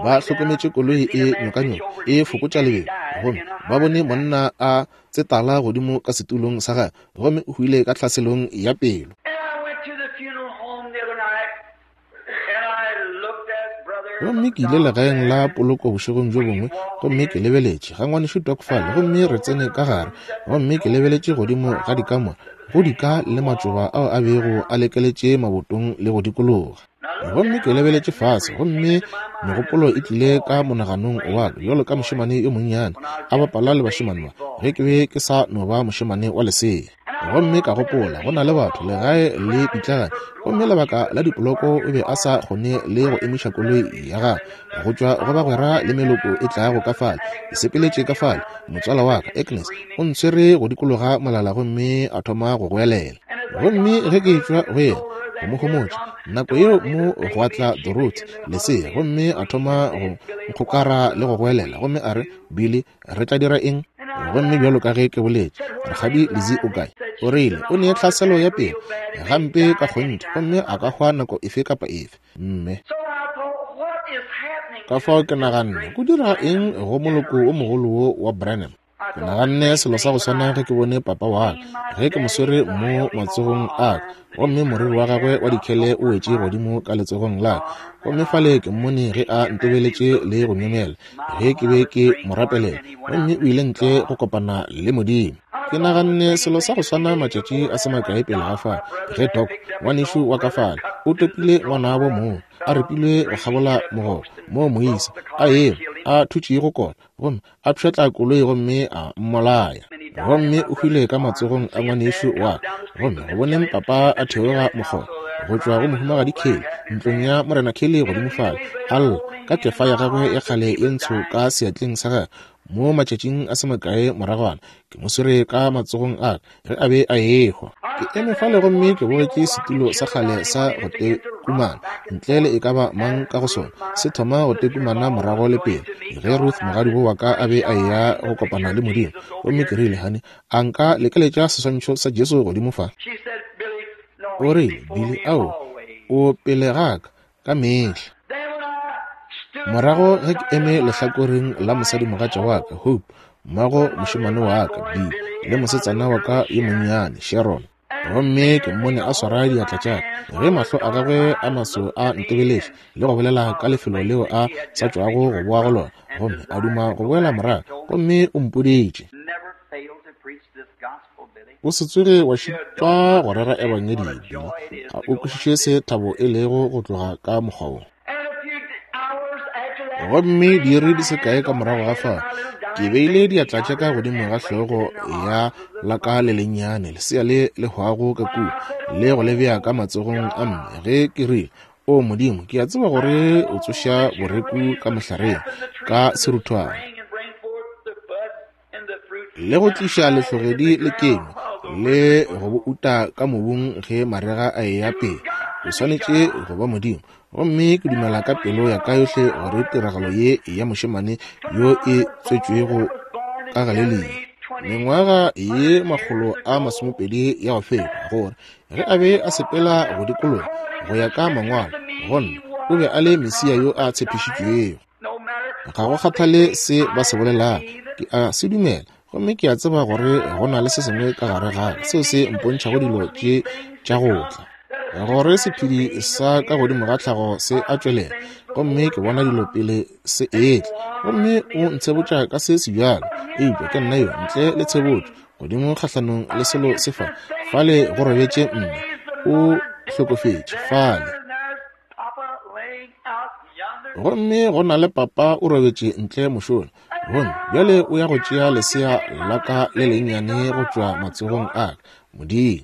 ba hlokometše koloi e nyokanyoka e fokotša lebelo, gomme ba bone monna a tsetala godimo ka setulong sa gagwe, gomme o hwile ka tlhaselong ya pelo. Gomme ke ile legaeng la poloko bošegong bjo bongwe, gomme ke lebeletše ga ngwanešu Doc fale, gomme re tsene ka gare, gomme ke lebeletše godimo ga dikamora, go dika le matšoba ao a bego a lekeletše mabotong le go dikologa. Gomme ke lebeletše fase, gomme megopolo e tlile ka monaganong wa ka bjalo ka mošemane yo monnyane a bapala le bašemane ba ge ke be ke sa no ba mošemane wa lesea. Gomme ka gopola go na le batho legae le pitlagane, gomme lebaka la dipoloko o be a sa kgone le go emiša koloi ya gagwe go tšwa go bagwera le meloko e tlago ka fale. Ke sepeletše ka fale, motswala wa ka Agnes o ntshwere go dikologa molala gomme a thoma go goelela. Gomme ge ke tšwa go yena go mo homotša, nako yeo mo go tla Dorothy lesea, gomme a thoma go nkgokara le go goelela, gomme a re, Billy, re tla dira eng? Gomme bjalo ka ge ke boletše, Rakgadi Lizzie o kae? O rile o ne tlhaselo ya pele gampe ka kgonthe, gomme a ka hwa nako efe kapa efe. Mme ka fao ke naganne, go dira eng go moloko o mogolo wo wa Branham? Ke naganne selo sa go swana ge ke bone papa wa ka, ge ke mo swere mo matsogong a ka, gomme moriri wa gagwe wa dikhele o wetše godimo ka letsogong la ka. Gomme fale ke mmone ge a ntebeletše le go myemyela ge ke be ke mo rapelela, gomme o ile ntle go kopana le Modimo. Ke naganne selo sa go swana matšatši a se makae pele ga fale, ge Doc ngwanešu wa ka fale o topile ngwanabo moo a repilwe go kgabola mogoba mo moisa a ema a thutšego kona, gomme a pšhatla koloi gomme a mmolaya, gomme o hwile ka matsogong a ngwanešu wa ka. Gomme go boneng papa a theoga mokgoba go tšwa go mohumagadi Kelly ntlong ya morena Kelly godimo fale, a lla ka kefa ya gagwe ya kgale ye ntsho ka seatleng sa gagwe. Mo matšatšing a se makae moragwana ke mo swere ka matsogong a ka ge a be a ehwa. Ke eme fale gomme ke bogetše setulo sa kgale sa go tekumana ntle le e ka ba mang ka go sona, se thoma go tekumana morago le pele ge Ruth mogadibo wa ka a be a eya go kopana le Modimo. Gomme ke rile, honey, a nka lekeletša seswantšho sa Jesu godimo fa? O rile, Billy, ao, o pele ga ka ka mehla. Morago ge ke eme lehlakoreng la mosadimogatša wa ka Hope, mmago mošemane wa ka Bill, le mosetsana wa ka yo monnyane Sharon, gomme ke mmone a swara diatla tša ka ge mahlo a gagwe a maso a ntebeletše le go bolela ka lefelo leo a sa tšwago go boa go lona, gomme a duma go boela morago, gomme o mpoditše, o se tsoge wa šitwa go rera ebangedi, Billy. Ga o kwešiše se thabo e lego go tloga ka mokgwa wo. Gomme diiri di se kae ka morago ga fao, ke beile diatla tša ka godimo ga hlogo ya la ka le lennyane lesea le le hwago ka kua, le go le bea ka matsogong a mme ge ke rile, O Modimo, ke a tseba gore o tsoša boreku ka mohlareng ka seruthwane le go tliša lehlogedi le kenywa le go bo uta ka mobung ge marega a eya pele. O swanetše go ba Modimo. Gomme ke dumela ka pelo ya ka yohle gore tiragalo ye ya mošemane yo e tswetšwego ka Galelia mengwaga ye makgolo a masomepedi ya go feta, gore ge a be a sepela go dikologa go ya ka mangwalo, gonna o be a le Mesia yo a tshepišitšwego. Ga go kgathale se ba se bolelago, ke a se dumela, gomme ke a tseba gore go na le se sengwe ka gare ga ka seo se mpontšhago dilo tše tša go tla, gore sephedi sa ka godimo ga tlhago se a tšwelela, gomme ke bona dilo pele se etla, gomme o ntshebotša ka se sebjalo, eupša ke nna yo ntle le tshebotšo godimo kgahlanong le selo se fa fale go robetše mme o hlokofetše fale, gomme go na le papa o robetše ntle mošola, gomme bjale o ya go tšea lesea la ka le lennyane go tšwa matsogong a ka. Modimo,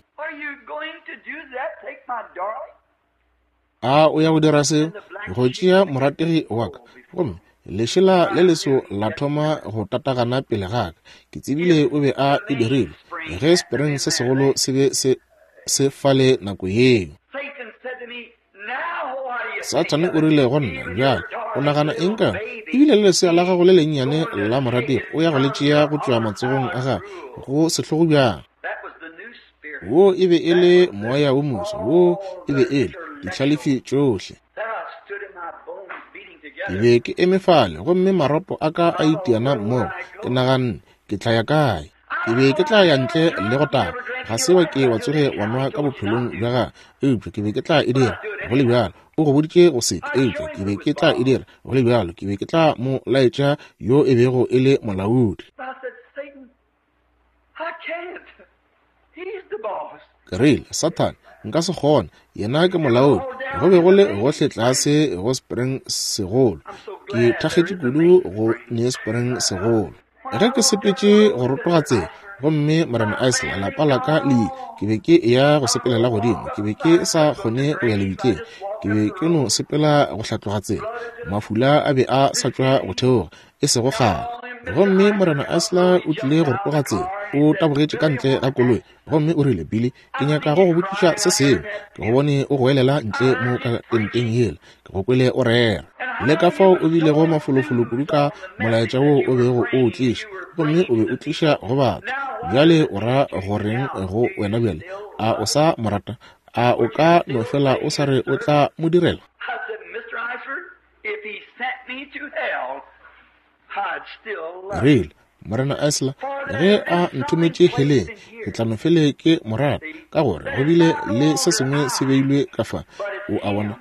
a o ya go dira se, go tšea morategi wa ka? Gomme lešela le leso la thoma go tatagana pele ga ka. Ke tsebile o be a e dirile ge spring se segolo se be se se fale nako yeo. Sathane o rile go nna, bjale o nagana eng ka ebile le lesea la gago le lennyane la morategi o ya go le tšea go tšwa matsogong a gago go sehlogo bjang? Wo e be e le moya wo moso, wo e be e le dihlalefi tšohle. Ke be ke eme fale gomme maropo a ka a itiana mmogo. Ke naganne, ke tla ya kae? Ke be ke tla ya ntle le go taga. Ga se wa ke wa tsoge wa nwa ka bophelong bja gagwe, eupša ke be ke tla e dira go le bjalo. O go boditše go se ke, eupša ke be ke tla e dira go le bjalo. Ke be ke tla mo laetša yo e bego e le molaodi. Ke rile, Sathane, nka se kgone, yena ke molaodi. Go be go le gohle tlase go Spring segolo. Ke thakgetše kudu go ne Spring segolo. Ge ke sepetše go rotoga tsela, gomme Morena Isla, lapa la ka le ile, ke be ke eya go sepelela godimo. Ke be ke sa kgone go ya lebitleng. Ke be ke no sepela go hlatloga tsela. Mafula a be a sa tšwa go theoga, e sego kgale. Gomme Morena Isla o tlile go rotoga tsela. O tabogetše ka ntle ga koloi, gomme o rile, Billy, ke nyaka go go botšiša se sengwe. Ke go bone o goelela ntle mo ka tenteng yela. Ke go kwele o rera. Le ka fao o bilego mafolofolo kudu ka molaetša wo o bego o o tliša, gomme o be o tliša go batho. Bjale o ra goreng go wena bjale? A o sa mo rata? A o ka no fela o sa re o tla mo direla? Rile, Morena Isla, ge a nthometše heleng, ke tla no fele ke mo rata, ka gore go bile le se sengwe se beilwe ka fa. O a bona,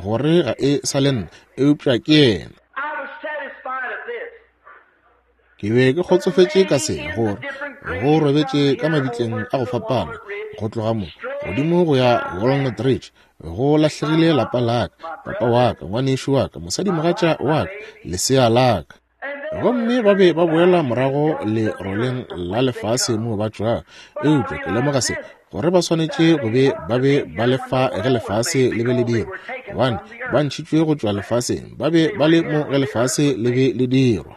gore ga e sa le nna, eupša ke yena. Ke be ke kgotsofetše ka se, gore go robetše ka mabitleng a go fapana, go tloga mo godimo go ya Walnut Ridge, go lahlegile lapa la ka, papa wa ka, ngwanešu wa ka, mosadimogatša wa ka, lesea la ka. Gomme ba be ba boela morago leroleng la lefase moo ba tšwago. Eupša ke lemoga se, gore ba swanetše go be ba be ba le fa ge lefase le be le dirwa, gobane ba ntšhitšwe go tšwa lefaseng, ba be ba le mo ge lefase le be le dirwa.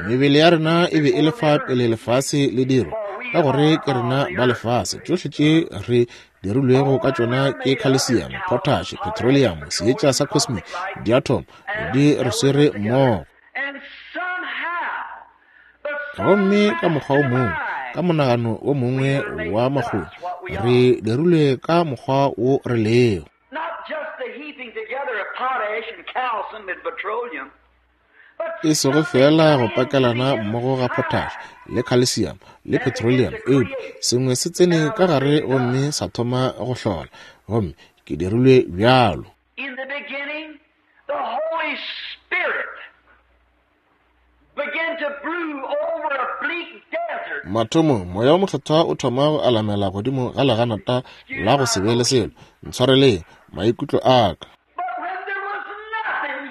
Mebele ya rena e be e le fa pele lefase le dirwa, ka gore ke rena ba lefase. Tšohle tše re dirilwego ka tšona ke calcium, potash, petroleum, seetša sa cosmic, diatom, di re swere mmogo. Gomme ka mokgwa o mongwe, ka monagano o mongwe wa makgoni, re dirilwe ka mokgwa wo re lego. E sego fela go pakelana mmogo ga potash le calcium le petroleum, eupša sengwe se tsene ka gare gomme sa thoma go hlola, gomme ke dirilwe bjalo. In the beginning, the Holy Spirit began to brew over a bleak desert. Mathomong, moya wo mokgethwa o thoma go alamela godimo ga leganata la go se be le selo. Ntshwareleng maikutlo a ka. But when there was nothing,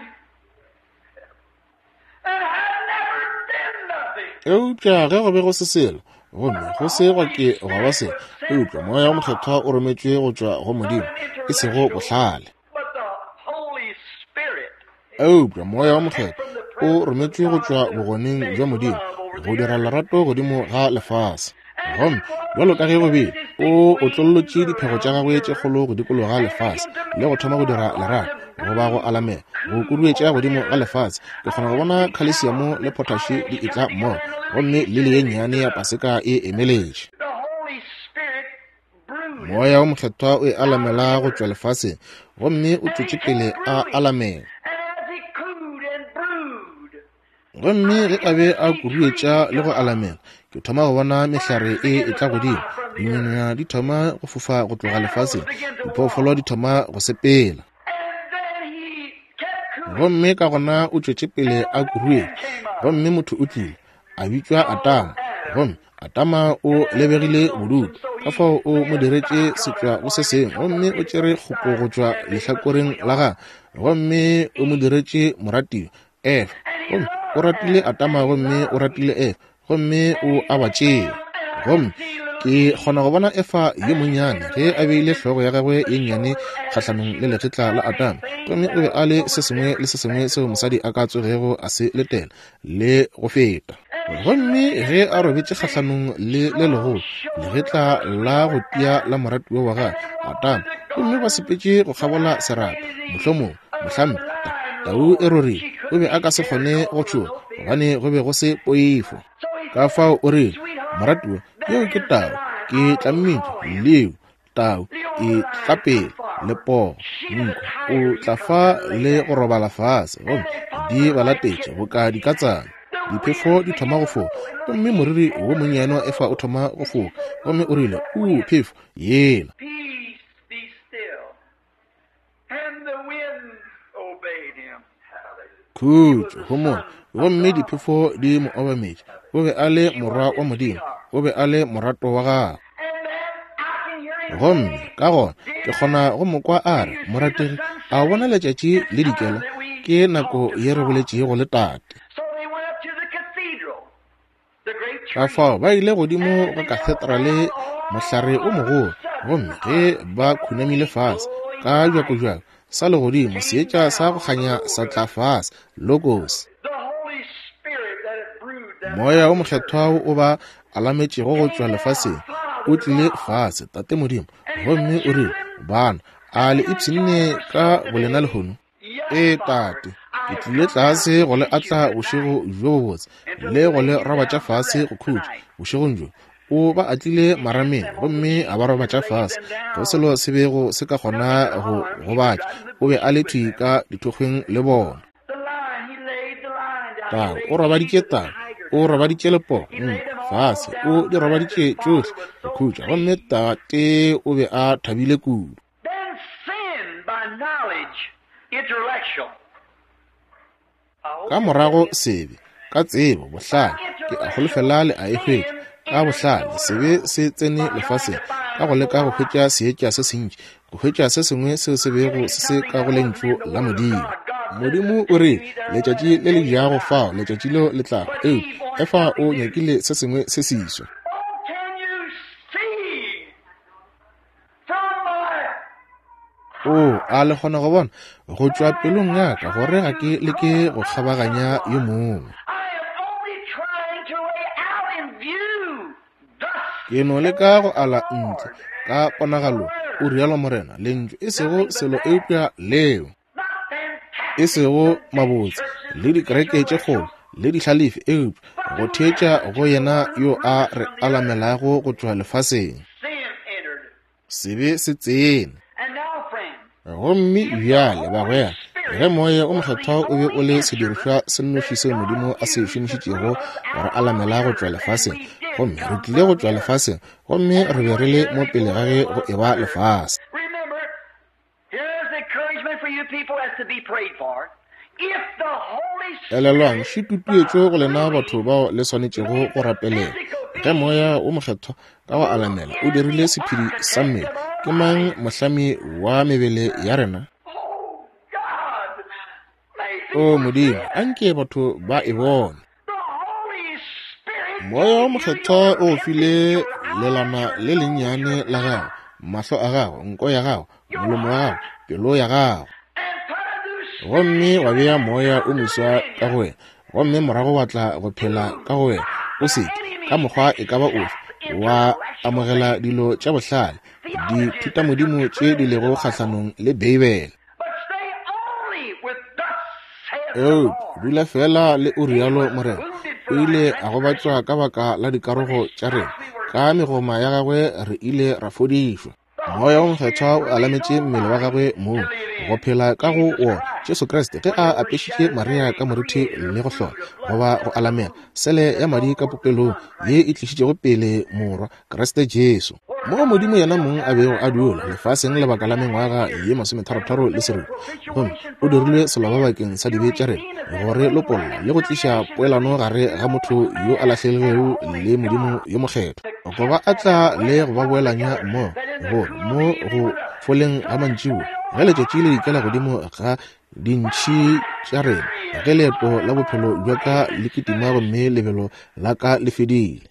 and had never been nothing, Eupša ge go be go se selo, gomme go se gwa ke gwa ba selo, eupša moya wo mokgethwa o rometšwe go tšwa go Modimo, e sego bohlale. but the Holy Spirit Eupša moya wo mokgethwa o rometšwe go tšwa bogoneng bja Modimo go dira lerato godimo ga lefase. Gomme bjalo ka ge go bile, o otlollotše diphego tša gagwe tše kgolo go dikologa lefase le go thoma go dira lerato, goba go alamela, go kuduetša godimo ga lefase. Ke kgona go bona calcium le potash di etla mmogo, gomme lili ye nnyane ya paseka e emeletše. the Holy Spirit brewed. Moya wo mokgethwa o e alamela go tšwa lefaseng, gomme o tšwetše pele a alamela. And as he cooed and brewed, Gomme ge a be a kuruetša le go alamela, ke thoma go bona mehlare e etla godimo, dinonyana di thoma go fofa go tloga lefaseng, diphoofolo di thoma go sepela. and then he kept cooing. Gomme ka gona o tšwetše pele a kuruetša, gomme motho o tlile, a bitšwa Atama. Gomme Atama o lebegile bodutu, ka fao o mo diretše setšwa go se sengwe, gomme o tšere kgopo go tšwa lehlakoreng la gagwe, gomme o mo diretše moratiwa, Efa. Gomme o ratile Atama gomme o ratile Efa, gomme o a ba tšea. Gomme ke kgona go bona Efa yo monnyane ge a beile hlogo ya gagwe ye nnyane kgahlanong le legetla la Atama, gomme o be a le se sengwe le se sengwe seo mosadi a ka tsogego a se letela le go feta. Gomme ge a robetše kgahlanong le le legolo legetla la go tia la moratiwa wa gagwe Atama, gomme ba sepetše go kgabola serapa, mohlomongwe mohlampe tau e rorile, o be a ka se kgone go tšhoga gobane go be go se poifo. Ka fao o rile, moratiwa, yeo ke tau, ke tla mmitša Leo, tau e tla pele, le pogo, nku, o tla fa le go robala fase, gomme di ba latetše boka dikatsana. Diphefo di thoma go foka, gomme moriri wo monnyane wa Efa o thoma go foka, gomme o rile, uu, phefo yela. Peace, be still. Khutšo, homola, gomme diphefo di mo obametše. O be a le morwa wa Modimo, o be a le morato wa gagwe. Gomme ka gona ke kgona go mo kwa a re, morategi, a o bona letšatši le dikela? Ke nako ye re boletšego le tate. Ka fao ba ile godimo go kathetrale, mohlare o mogolo, gomme ge ba khunamile fase ka bjakobjako sa legodimo, seetša sa go kganya sa tla fase, logos. Moya o mokgethwa o ba alametšego go tšwa lefaseng o tlile fase, Tate Modimo, gomme o rile, bana, a le ipshinne ka bolena lehono? Ee, Tate, ke tlile tlase go le atla bošego bjo bobotse le go le robatša fase go khutša bošegong bjo. O ba atlile marameng gomme a ba robatša fase, go selo se bego se ka kgona go gobatša. O be a le thwi ka dithokgweng le bona. Tau o robaditše tau, o robaditše lepogo fase, o di robaditše tšohle go khutša, gomme Tate o be a thabile kudu. Ka morago sebe, ka tsebo, bohlale, ke a holofela le a e hwetša. Ka bohlale sebe se tsene lefaseng ka go leka go hwetša seetša se sentši, go hwetša se sengwe seo se bego se se ka go lentšu la Modimo. Modimo o re, letšatši le le jago fao, letšatši leo le tlago. Eupša Efa o nyakile se sengwe se seswa. O a le kgona go bona go tšwa pelong ya ka gore ga ke leke go kgabaganya yo mongwe. Ke no leka go ala ntle ka ponagalo, o rialo Morena, lentšu e sego selo eupša leo, e sego mabotse le dikereke tše kgolo le dihlalefi, eupša go theetša go yena yo a re alamelago go tšwa lefaseng. Sebe se tsene. Gomme bjale bagwera, ge moya o mokgethwa o be o le sedirišwa se nnoši seo Modimo a se šomišitšego gore alamela go tšwa lefaseng, gomme re tlile go tšwa lefaseng, gomme re be re le mo pele ga ge go eba lefase. Elelwang, šitutuetšo go lena batho bao le swanetšego go rapelela. Ge moya o mokgethwa ka go alamela o dirile sephedi sa mmele, ke mang mohlami wa mebele ya rena? O Modimo, anke batho ba e bone. Moya o mokgethwa o file lelana le lennyane la gago, mahlo a gago, nko ya gago, molomo wa gago, pelo ya gago, gomme wa bea moya o moswa ka go wena, gomme morago wa tla go phela ka go wena. O seke ka mokgwa e ka ba ofe wa amogela dilo tša bohlale, dithutamodimo tše di lego kgahlanong le Beibele. Eupša dula fela le o rialo Morena. O ile a gobatšwa ka baka la dikarogo tša rena, ka megoma ya gagwe re ile ra fodišwa. Moya o mokgethwa o alametše mmele wa gagwe mong go phela ka go wona, Jesu Kriste, ge a apešitše Maria ka morithi le go hlola goba go alamela sele ya madi ka popelong ye e tlišitšego pele morwa Kriste Jesu, mo Modimo yena mong a bego a dula lefaseng lebaka la mengwaga ye masometharotharo le seripa, gomme o dirilwe seloba bakeng sa dibe tša rena, gore lopolla le go tliša poelano gare ga motho yo a lahlegilego le Modimo yo mokgethwa, go ba atla le go ba boelanya mmogo, gore mo go foleng ga mantšiboa, ge letšatši le dikela godimo ga dintšhi tša rena, ge leeto la bophelo bja ka le kitima gomme lebelo la ka le fedile,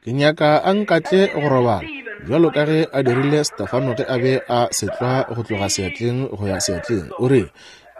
ke nyaka a nkatle go robala bjalo ka ge a dirile Stefano ge a be a setlwa go tloga seatleng go ya seatleng. O re,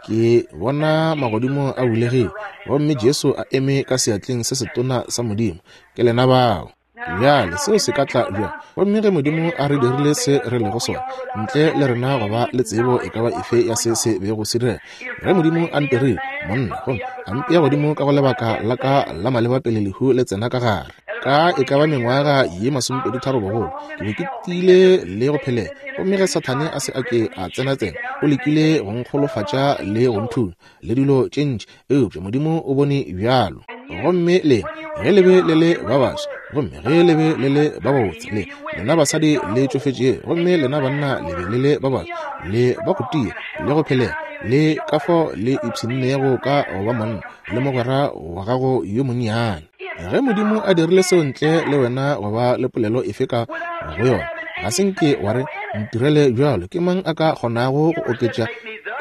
ke bona magodimo a bulegile gomme Jesu a eme ka seatleng se setona sa Modimo. Ke lena bao. Bjale seo se ka tla bjang? Gomme ge Modimo a re dirile se re lego sona, ntle le rena go ba le tsebo e ka ba efe ya se se bego se direga, ge Modimo a ntirile monna gomme a mpea godimo ka go lebaka la ka la maleba pele lehu le tsena ka gare, ka e ka ba mengwaga ye masomepedi tharo bogolo, ke be ke tiile le go phelela. Gomme ge Sathane a se a ke a tsena-tsena, o lekile go nkgolofatša le go nthunya le dilo tše ntši, eupša Modimo o bone bjalo. Gomme le ge le be le le ba baswa, gomme ge le be le le ba babotse, le lena basadi le tšofetšego, gomme lena banna le be le le ba baswa, le ba go tia le go phelega, le ka fao le ipshinnego ka go ba monna le mogwera wa gago yo monnyane. Ge Modimo a dirile seo ntle le wena go ba le polelo efe ka go yona, ga se nke wa re ntirele bjalo. Ke mang a ka kgonago go oketša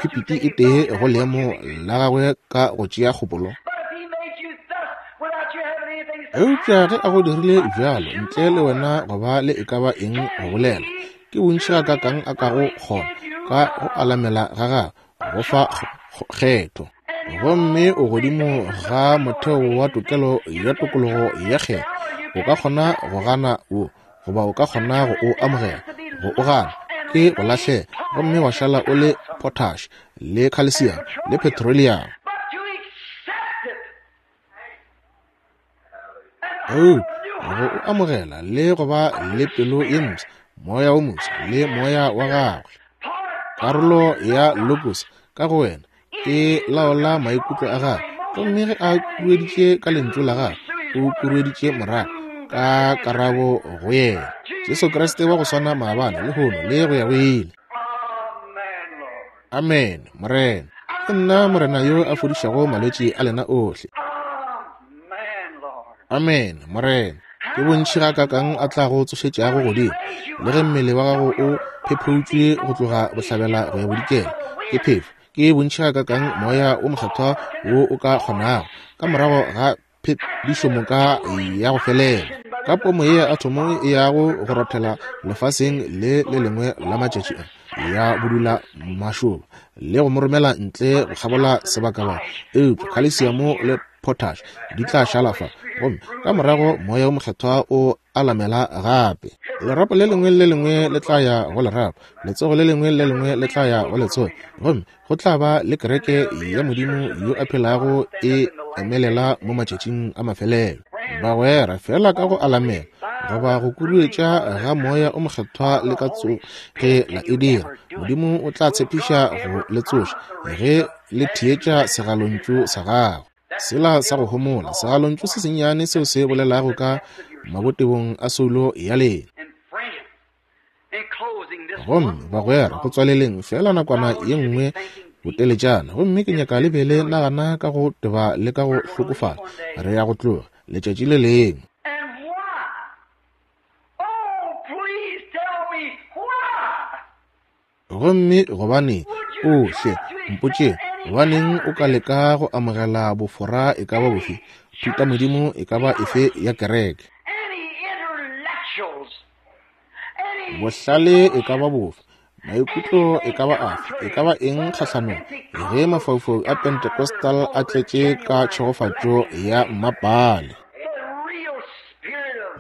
khupiti e tee go leemo la gagwe ka go tšea kgopolo? Eupša ge a go dirile bjalo ntle le wena go ba le e ka ba eng go bolela, ke bontši gakaakang a kago kgona ka go alamela ga gagwe go fa kgetho. Gomme o godimo ga motheo wa tokelo ya tokologo ya kgetho. O ka kgona go gana wo, goba o ka kgona go o amogela. Go o gana ke go lahlela, gomme wa šala o le potash le calcium le petroleum. Eupša go o amogela le go ba le pelo ye mpsha, moya wo mofsa le moya wa gagwe, karolo ya logos ka go wena e laola maikutlo a gagwe. Gomme ge a kurueditše ka lentšu la gagwe, o kurueditše morago ka karabo go yena. Jesu Kriste wa go swana maabane, lehono le go ya go ile. Amen, Morena. Ke nna Morena yo a fodišago malwetši a lena ohle. Amen, Morena. Ke bontši gakaakang a tlago tsošetšago godimo, le ge mmele wa gago o phepheutšwe go tloga bohlabela go ya bodikela ke phefo. Ke bontši gakaakang moya o mokgethwa wo o ka kgonago ka morago ga phedišomoka ya go felela, ka pomo ye ya athomo e yago go rothela lefaseng le le lengwe la matšatši a ya bodula mašoba le go mo romela ntle go kgabola sebakabaka. Eupša khalesiamo le potash di tla šala fa, gomme ka morago moya o mokgethwa o alamela gape. Lerapo le lengwe le lengwe le tla ya go lerapo, letsogo le lengwe le lengwe le tla ya go letsogo, gomme go tla ba le kereke ya Modimo yo a phelago e emelela mo matšatšing a mafelelo. Bagwera, fela ka go alamela goba go kuruetša ga moya o mokgethwa le ka tsoge la e dira, Modimo o tla tshepiša go le tsoša ge le theetša segalontšu sa gagwe. Sela sa go homola, segalontšu se sennyane seo se bolelago ka mabotebong a soulo ya lena. Gomme bagwera, go tswaleleng fela nakwana ye nngwe boteletšana, gomme ke nyaka le be le nagana ka go teba le ka go hlokofala. Re ya go tloga letšatši le lengwe. Gomme gobane o hle mpotše, gobaneng o ka leka go amogela bofora e ka ba bofe, thutamodimo e ka ba efe ya kereke, bohlale e ka ba bofe, maikutlo e ka ba afe, e ka ba eng kgahlanong ge mafaufau a Pentecostal a tletše ka tšhegofatšo ya mmapale.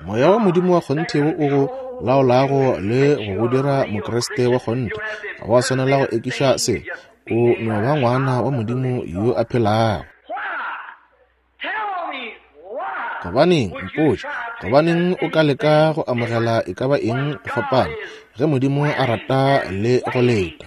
Moya wa Modimo wa kgonthe wo o go laolago le go go dira Mokriste wa kgonthe, ga wa swanela go ekiša se. O no ba ngwana wa Modimo yo a phelago. Gobaneng mpotše, gobaneng o ka leka go amogela e ka ba eng go fapana ge Modimo a rata le go leta?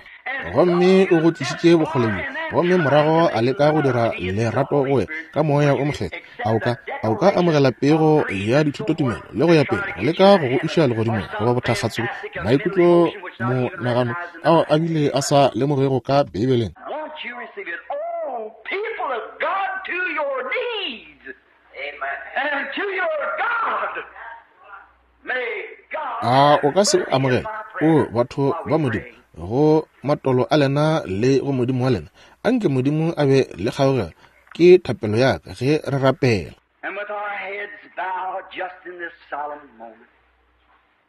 Gomme o go tlišitše bokgole bjo, gomme morago a leka go dira lerato go wena ka moya o mokgethwa. A o ka a o ka amogela pego ya dithutotumelo le go ya pele go leka go go iša legodimong goba bothakgatso, maikutlo, monagano ao a bile a sa lemogego ka Beibeleng? A o ka se o amogela, o batho ba Modimo, go matolo a lena le go Modimo wa lena? Anke Modimo a be le kgaogelo, ke thapelo ya ka ge re rapela.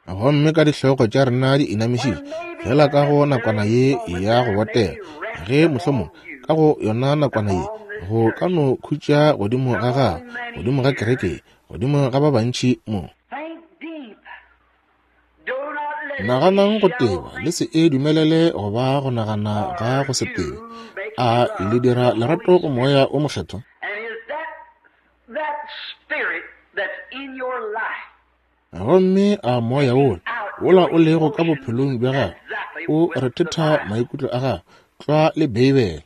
Gomme ka dihlogo tša rena di inamišitše fela ka go nakwana ye ya go botega, ge mohlomong ka go yona nakwana ye go ka no khutša godimo ga gago, godimo ga kereke, godimo ga ba bantši mo. Naganang go teba, le se e dumelele go ba go nagana ga go se tebe. A le dira lerato go moya o mokgethwa? Gomme a moya wola wola o lego ka bophelong bja gago o rethetha maikutlo a gago tlwa le Beibele?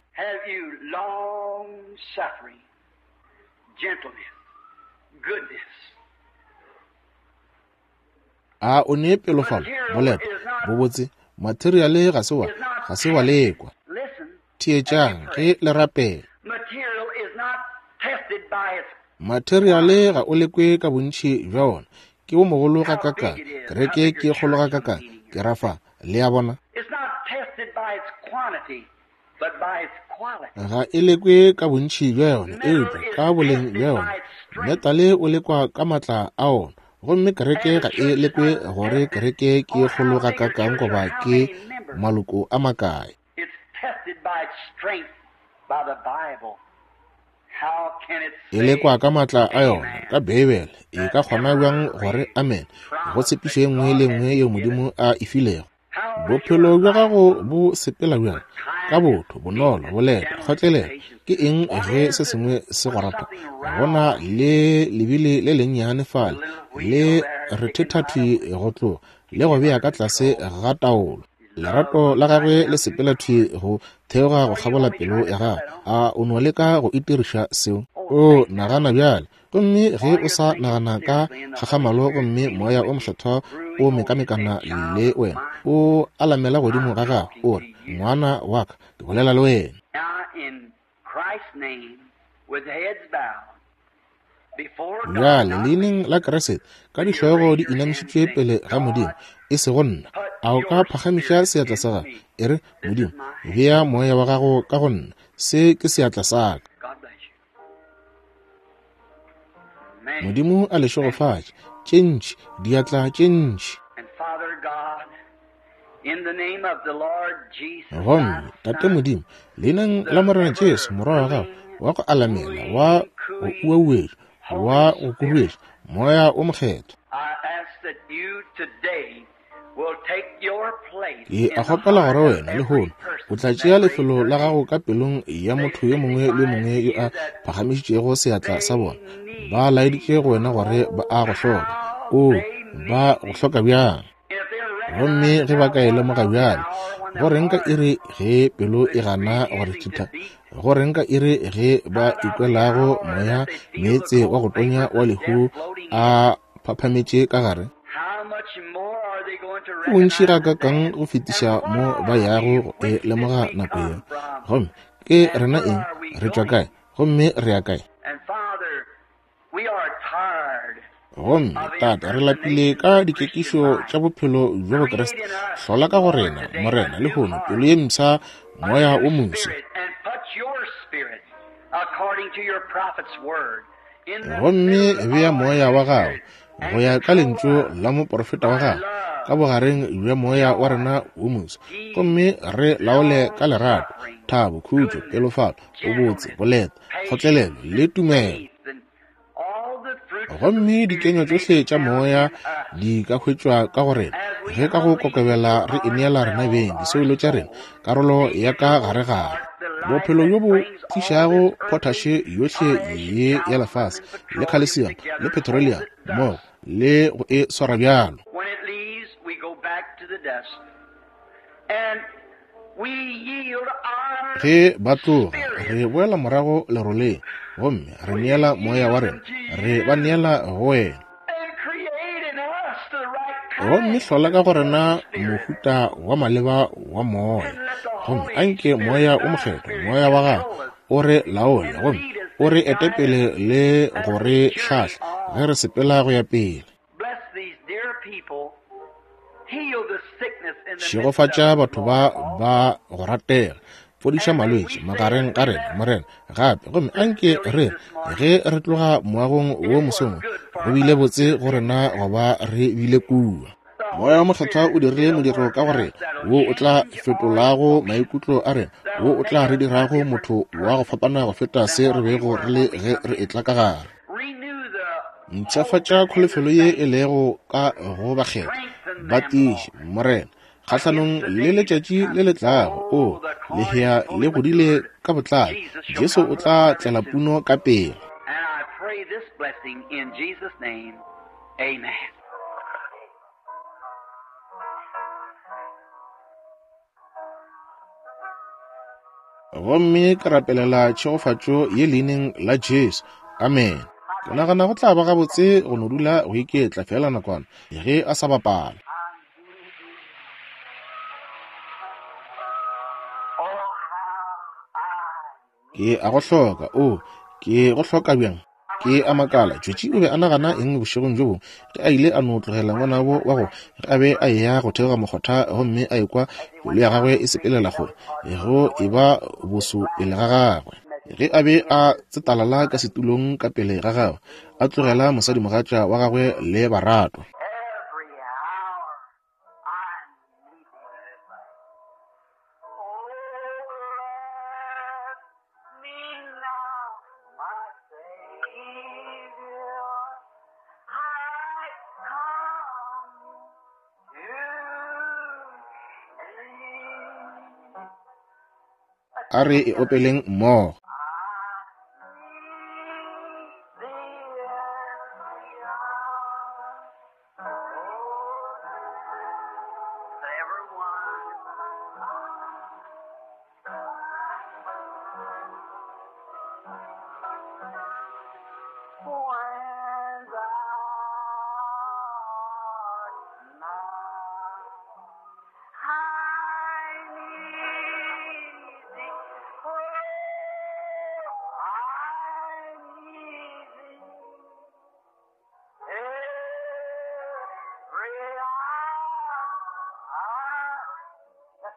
A o ne pelofalo, boleta, bobotse? Materiale ga se wa, ga se wa lekwa. Theetšang ge le rapela. Materiale ga o lekwe ka bontši bja ona. Ke wo mogolo ga kakang, kereke ke kgolo ga kakang, ke rafa, le a bona. Ga e lekwe ka bontši bja yona, eupša ka boleng bja yona. Metale o lekwa ka matla a ona. Gomme kereke ga e lekwe gore kereke ke kgolo ga kakang goba ke maloko a makae. E lekwa ka matla a yona, ka Beibele. E ka kgona bjang gore amen go tshepišo e nngwe le nngwe yeo Modimo a e filego? Bophelo bja gago bo sepela bjang? Ka botho, bonolo, boleta, kgotlelelo. Ke eng ge se sengwe se go rata? Gona le lebile le lennyane fale, le rethethathwi go tloga, le go bea ka tlase ga taolo. Lerato la gagwe le sepela thwi go theoga go kgabola pelo ya gago. A o no leka go itiriša seo? O nagana bjale. Gomme ge o sa nagana ka kgakgamalo, gomme moya o mokgethwa o mekamekana le wena, o alamela godimo ga gago, o re, ngwana wa ka, ke bolela le wena. Bjale leineng la Kriste, ka dihlogo di inamišitšwe pele ga Modimo, e sego nna. A o ka phagamiša seatla sa gago? E re, Modimo, bea moya wa gago ka go nna. Se ke seatla sa ka. Modimo a le šegofatše. Tše ntši, diatla tše ntši. Gomme Tate Modimo, leineng la Morena Jesu, Morwa wa gago, wa go alamela, wa go uauetša, wa go kuruetša, Moya o Mokgethwa, ke a kgopela gore wena lehono o tla tšea lefelo la gago ka pelong ya motho yo mongwe le mongwe yo a phagamišitšego seatla sa bona. Ba laeditše go wena gore ba a go hloka. O, ba go hloka bjang? Gomme ge ba ka e lemoga bjale, go reng ka iri ge pelo e gana go re thitha? Go reng ka iri ge ba ikwelago moya meetse wa go tonya wa lehu a phaphametše ka gare? Go bontši ga kakang go fetiša mo ba yago go e lemoga nako yeo. Gomme ke rena eng? Re tšwa kae? Gomme re ya kae? Gomme Tate, re lapile ka dikekišo tša bophelo bja Bokriste. Hlola ka go rena, Morena, lehono, pelo ye mpsha, moya o moswa. Gomme bea moya wa gago go ya ka lentšu la moprofeta wa gago ka bogareng bja moya wa rena wo moswa, gomme re laole ka lerato, thabo, khutšo, pelofalo, bobotse, boleta, kgotlelelo le tumelo. Gomme dikenywa tšohle tša moya di ka hwetšwa ka go rena ge ka go kokobela re ineela rena beng disoulo tša rena karolo ya ka gare-gare. Bophelo bjo bo tlišago potashe yohle ye ya lefase le calcium le petroleum mmogo le go e swara bjalo. Ge ba tloga, re boela morago leroleng, gomme re neela moya wa rena, re ba neela go wena. Gomme hlola ka go rena mohuta wa maleba wa moya, gomme anke moya o mokgethwa, moya wa gago, o re laole, gomme o re etepele le go re hlahla ge re sepela go ya pele. Šegofatša batho ba ba go ratega, fodiša malwetši magareng ga rena, Morena, gape. Gomme anke re ge re tloga moagong wo mosong, go bile botse go rena go ba re bile kua. Moya wa Mokgethwa o dirile modiro ka go rena, wo o tla fetolago maikutlo a rena, wo o tla re dirago motho wa go fapana go feta se re bego re le ge re etla ka gare. Mpshafatša kholofelo ye e lego ka go bakgethwa, ba tiiše, Morena, kgahlanong le letšatši le le tlago. O lehea le godile ka botlalo, Jesu o tla tlela puno ka pele. Gomme ke rapelela tšhegofatšo ye leineng la Jesu. Amen. Ke nagana go tla ba gabotse go no dula go iketla fela nakwana ge a sa bapala. Ke a go hloka, o, ke go hloka bjang? Ke a makala, Tšwetši o be a nagana eng bošegong bjo bongwe ge a ile a no tlogela ngwanabo wa go ge a be a eya go theoga mokgotha gomme a ekwa pelo ya gagwe e sepelela kgole go e ba boso pele ga gagwe. Ge a be a tsetalala ka setulong ka pele ga gagwe, a tlogela mosadimogatša wa gagwe le baratwa. A re e opeleng mmogo.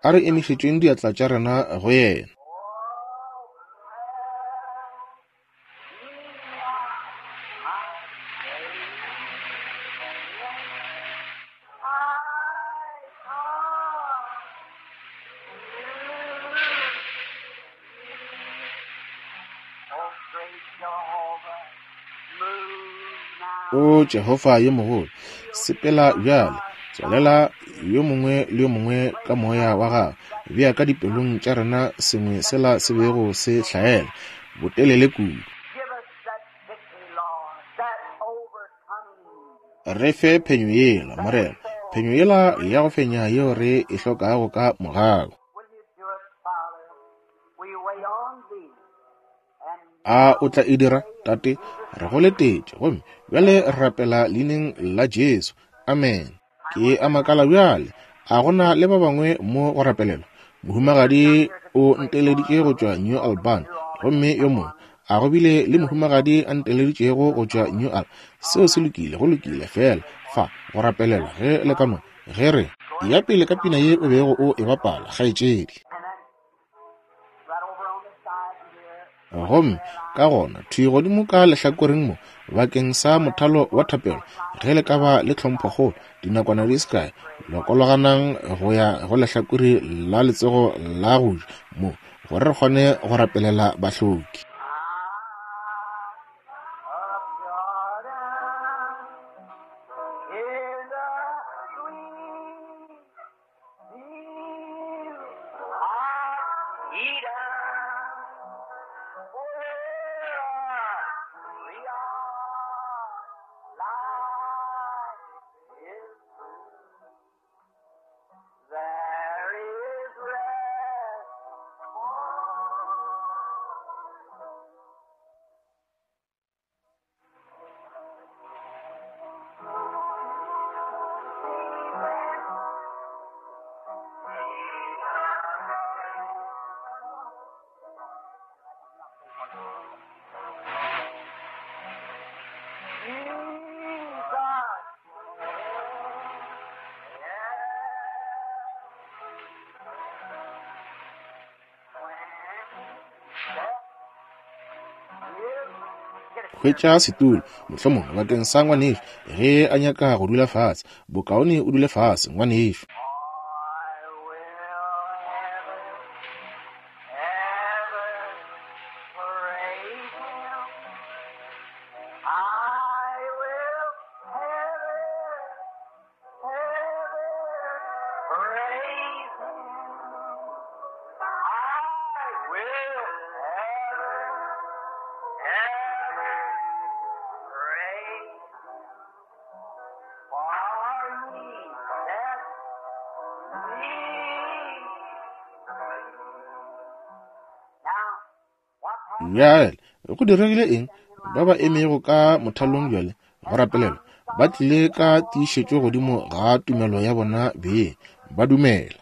A re emišetšeng diatla tša rena go yena. O Jehofa yo mogolo, sepela bjale, tswalela yo mongwe le yo mongwe ka moya wa gago, bea ka dipelong tša rena sengwe sela se bego se hlaela botelele kudu. Re fe phenyo yela, Morena, phenyo yela ya go fenya yeo re e hlokago ka mogau. A o tla e dira, Tate? Re go letetše, gomme bjale re rapela leineng la Jesu. Amen. Ke a makala bjale, a gona le ba bangwe mo go rapelelwa? Mohumagadi o nteleditše go tšwa New Albany, gomme yo mongwe a go bile le mohumagadi a nteleditšego go tšwa New Albany. Seo se lokile, go lokile fela fa go rapelelwa ge le ka no ge re ya pele ka pina ye o bego o e bapala, kgaetšedi. Gomme ka gona thwi godimo ka lehlakoreng mo bakeng sa mothalo wa thapelo, ge le ka ba le tlhomphokgolo dinakwana di se kae, lokologanang go ya go lehlakore la letsogo la go ja mo gore re kgone go rapelela bahloki. Hwetša setulo mohlomongwe bakeng sa ngwanešo ge a nyaka go dula fase. Bokaone o dule fase, ngwanešo. Bjale go diregile eng? Ba ba emego ka mothalong bjale go rapelelwa ba tlile ka tiišetšo godimo ga tumelo ya bona beng, ba dumela.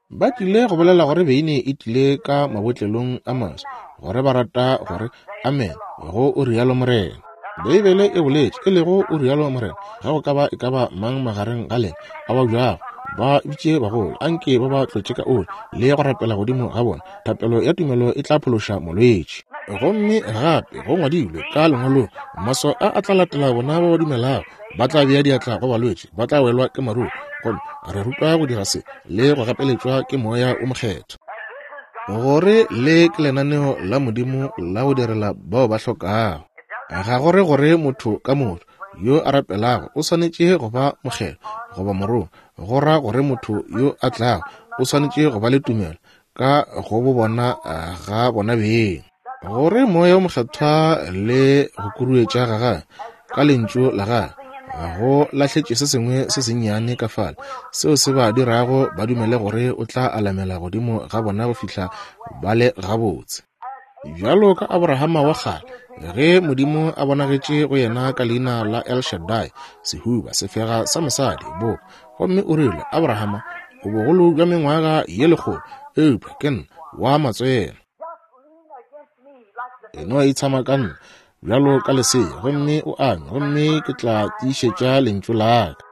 Ba tlile go bolela gore beine e tlile ka mabotlelong a maswa, gore ba rata gore amen go o rialo Morena. Beibele e boletše, e lego o rialo Morena, ga go ka ba e ka ba mang magareng ga lena a ba bjago, ba bitše bagolo, anke ba ba tlotše ka oli le go rapela godimo ga bona. Thapelo ya tumelo e tla phološa molwetši. Gomme gape go ngwadilwe ka lengwalong, maswao a a tla latela bona ba ba dumelago, ba tla bea diatla go balwetši, ba tla welwa ke maruru. Gomme re rutwa go dira se le go gapeletšwa ke Moya o Mokgethwa, gore le ke lenaneo la Modimo la go direla bao ba hlokago. Ga gore gore motho ka motho yo a rapelago o swanetše go ba mokgethwa goba morongwa, go ra gore motho yo a tlago o swanetše go ba le tumelo ka go bo bona ga bona beng, gore Moya o Mokgethwa le go kuruetša ga gagwe ka lentšu la gagwe go lahletše se sengwe se sennyane ka fale seo se ba dirago ba dumele gore o tla alamela godimo ga bona go fihla ba le gabotse. Bjalo ka Abrahama wa kgale, ge Modimo a bonagetše go yena ka leina la El Shaddai, sehuba sefega sa mosadi bo, gomme o rile, Abrahama, o bogolo bja mengwaga ye lekgolo, eupša ke nna wa matswele. E no itshama ka nna bjalo ka lesea, gomme o anywe, gomme ke tla tiišetša lentšu la ka.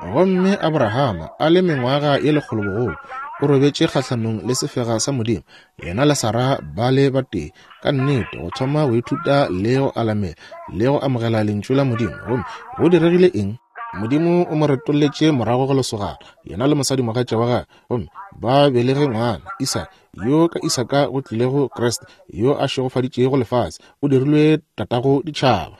Gomme Abrahama a le mengwaga ye lekgolo bogolo, o robetše kgahlanong le sefega sa Modimo, yena le Sara ba le batee, ka nnete go thoma go ithuta le go alamela le go amogela lentšu la Modimo. Gomme go diregile eng? Modimo o mo retolletše morago go lesogana, yena le mosadimogatša wa gagwe, gomme ba belege ngwana Isaka, yo ka Isaka go tlilego Kriste, yo a šegofaditšego lefase, o dirilwe tatago ditšhaba.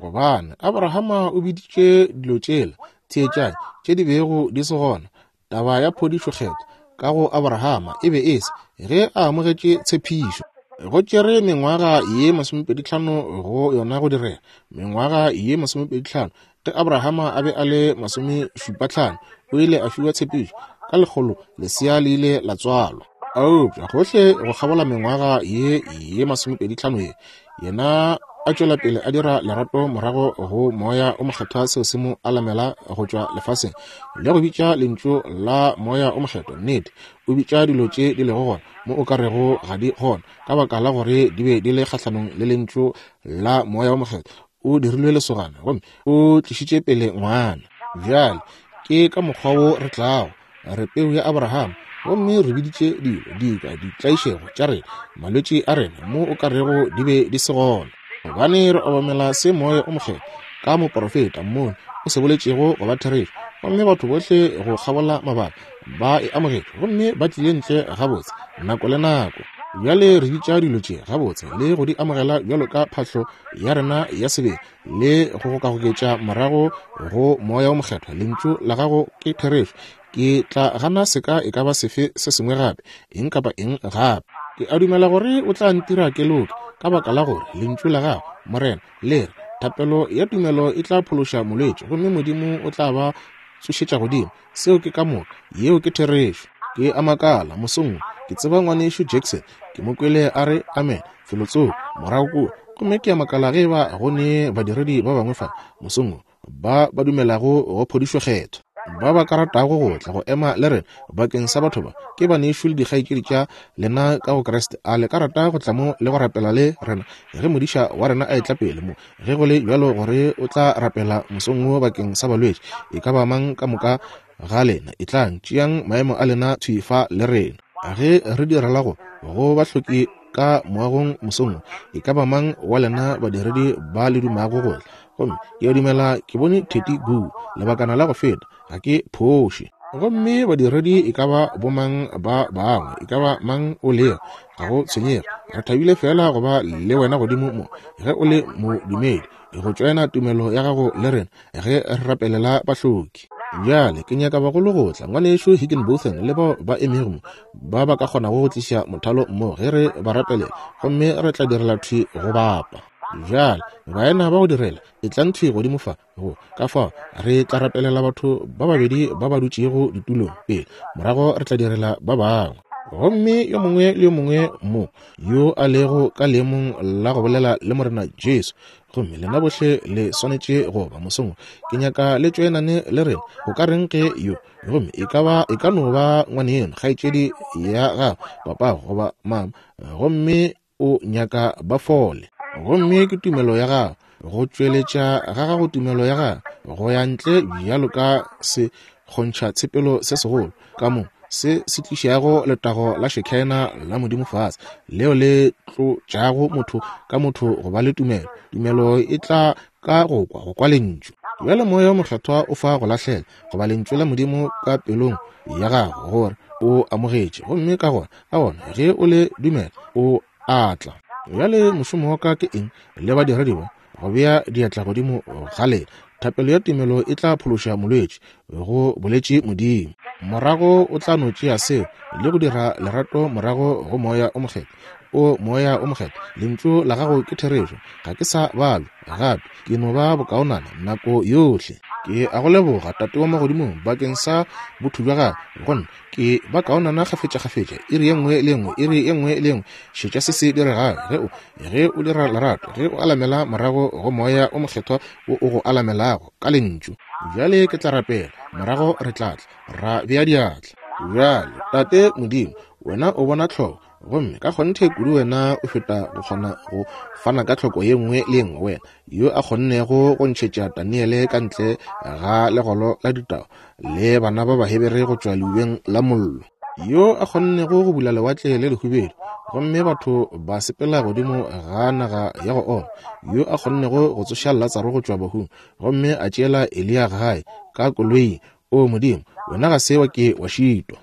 Gobane Abrahama o biditše dilo tšela, theetšang, tše di bego di se gona. Taba ya phodišo kgethwa ka go Abrahama e be e se ge a amogetše tshepišo. Go tšere mengwaga ye masomepedi tlhano go yona go direga, mengwaga ye masomepedi tlhano. Ge Abrahama a be a le masomešupa tlhano, o ile a fiwa tshepišo, ka lekgolo lesea le ile la tswalwa. Eupša gohle go kgabola mengwaga ye ye masomepedi tlhano ye, yena a tšwela pele a dira lerato morago go Moya o Mokgethwa, seo se mo alamela go tšwa lefaseng le go bitša lentšu la Moya o Mokgethwa. Nnete, o bitša dilo tše di lego gona mo o ka rego ga di gona, ka baka la gore di be di le kgahlanong le lentšu la Moya o Mokgethwa. O dirilwe lesogana gomme o tlišitše pele ngwana. Bjale ke ka mokgwa wo re tlago, re peu ya Abrahama, gomme re biditše dilo dika ditlaišego tša rena, malwetši a rena, mo o ka rego di be di se gona, gobane re obamela se Moya o Mokgethwa ka moporofeta mmone o se boletšego go ba therešo. Gomme batho bohle go kgabola mabaka ba e amogetše, gomme ba tlile ntle gabotse nako le nako. Bjale re bitša dilo tše gabotse le go di amogela bjalo ka phahlo ya rena ya sebele le go gokagoketša morago go Moya o Mokgethwa. Lentšu la gago ke therešo. Ke tla gana seka e ka ba sefe se sengwe gape, eng kapa eng gape. Ke a dumela gore o tla ntira ke loke, ka baka la gore lentšu la gago, Morena, le re thapelo ya tumelo e tla phološa molwetši, gomme Modimo o tla ba tsošetša godimo. Seo ke ka moka, yeo ke therešo. Ke a makala mosong, ke tseba ngwanešu Jackson, ke mo kwele a re amen felotsoko morago kua, gomme ke a makala ge ba go ne badiredi ba bangwe fa mosong ba ba dumelago go phodišo kgethwa, ba ba ka ratago go tla go ema le rena bakeng sa batho ba. Ke banešu le dikgaetšedi tša lena ka go Kriste. A le ka rata go tla mo le go rapela le rena ge modiša wa rena a etla pele mo? Ge go le bjalo gore o tla rapela mosong wo bakeng sa balwetši, e ka ba mang ka moka ga lena, e tlang, tšeang maemo a lena thwi fa le rena. Ge re direla go go bahloki ka moagong mosong, e ka ba mang wa lena badiredi ba le dumago go tla? Gomme ke a dumela ke bone Teddy Goo lebakana la go feta, ga ke phoše. Gomme badiredi e ka ba bomang ba bangwe, e ka ba mang o lego, ga go tshwenyege, re thabile fela go ba le wena godimo mo ge o le modumedi, go tšoena tumelo ya gago le rena ge re rapelela bahloki. Bjale ke nyaka bagolo go tla, ngwanešu Higginbotham le bao ba emego mo, ba ba ka kgonago go tliša mothalo mo ge re ba rapelela, gomme re tla direla thwi go bapa. Bjale baena ba go direla, e tlang thwi godimo fa go ka fao re tla rapelela batho ba babedi ba ba dutšego ditulong pele, morago re tla direla ba bangwe. Gomme yo mongwe le yo mongwe mo yo a lego ka leemong la go bolela le Morena Jesu, gomme lena bohle le swanetše go ba mosong, ke nyaka le tšoenane le rena. O ka reng ge yo, gomme e ka ba e ka no ba ngwaneno, kgaetšedi ya gago, papago goba mama, gomme o nyaka ba fole, gomme ke tumelo ya gago, go tšweletša ga gago tumelo ya gago go ya ntle bjalo ka se kgontšha tshepelo se segolo ka mo se se tlišago letago la Shekinah la Modimo fase, leo le tlotšago motho ka motho go ba le tumelo. Tumelo e tla ka go kwa, go kwa lentšu. Bjale Moya o Mokgethwa o fa go lahlela goba lentšu la Modimo ka pelong ya gago gore o amogetše, gomme ka gona ka gona ge o le dumela o a tla. Bjale mošomo wa ka ke eng le badiredi ba? Go bea diatla godimo ga lena. Thapelo ya tumelo e tla phološa molwetši, go boletše Modimo. Morago o tla no tšea seo le go dira lerato morago go Moya o Mokgethwa. O Moya o Mokgethwa, lentšu la gago ke therešo. Ga ke sa balwa gape, ke no ba bokaonana nako yohle. Ke a go leboga Tate wa magodimong bakeng sa botho bja gago go nna. Ke ba kaonana kgafetša-kgafetša, iri ye nngwe le nngwe, iri ye nngwe le nngwe. Šetša se se diregago ge o ge o dira lerato, ge o alamela morago go Moya o Mokgethwa wo o go alamelago ka lentšu. Bjale ke tla rapela, morago re tla tla ra bea diatla. Bjale Tate Modimo, wena o bona tlhoko, gomme ka kgonthe kudu wena o feta go kgona go fana ka tlhoko ye nngwe le ye nngwe. Wena yo a kgonnego go ntšhetša Daniele ka ntle ga legolo la ditau le bana ba Bahebere go tšwa leubeng la mollo, yo a kgonnego go bula lewatle le lehubedu gomme batho ba sepela godimo ga naga ya go oma, yo a kgonnego go tsoša Latsaro go tšwa bahung gomme a tšeela Eliya gae ka koloing. O Modimo, wena ga se wa ke wa šitwa.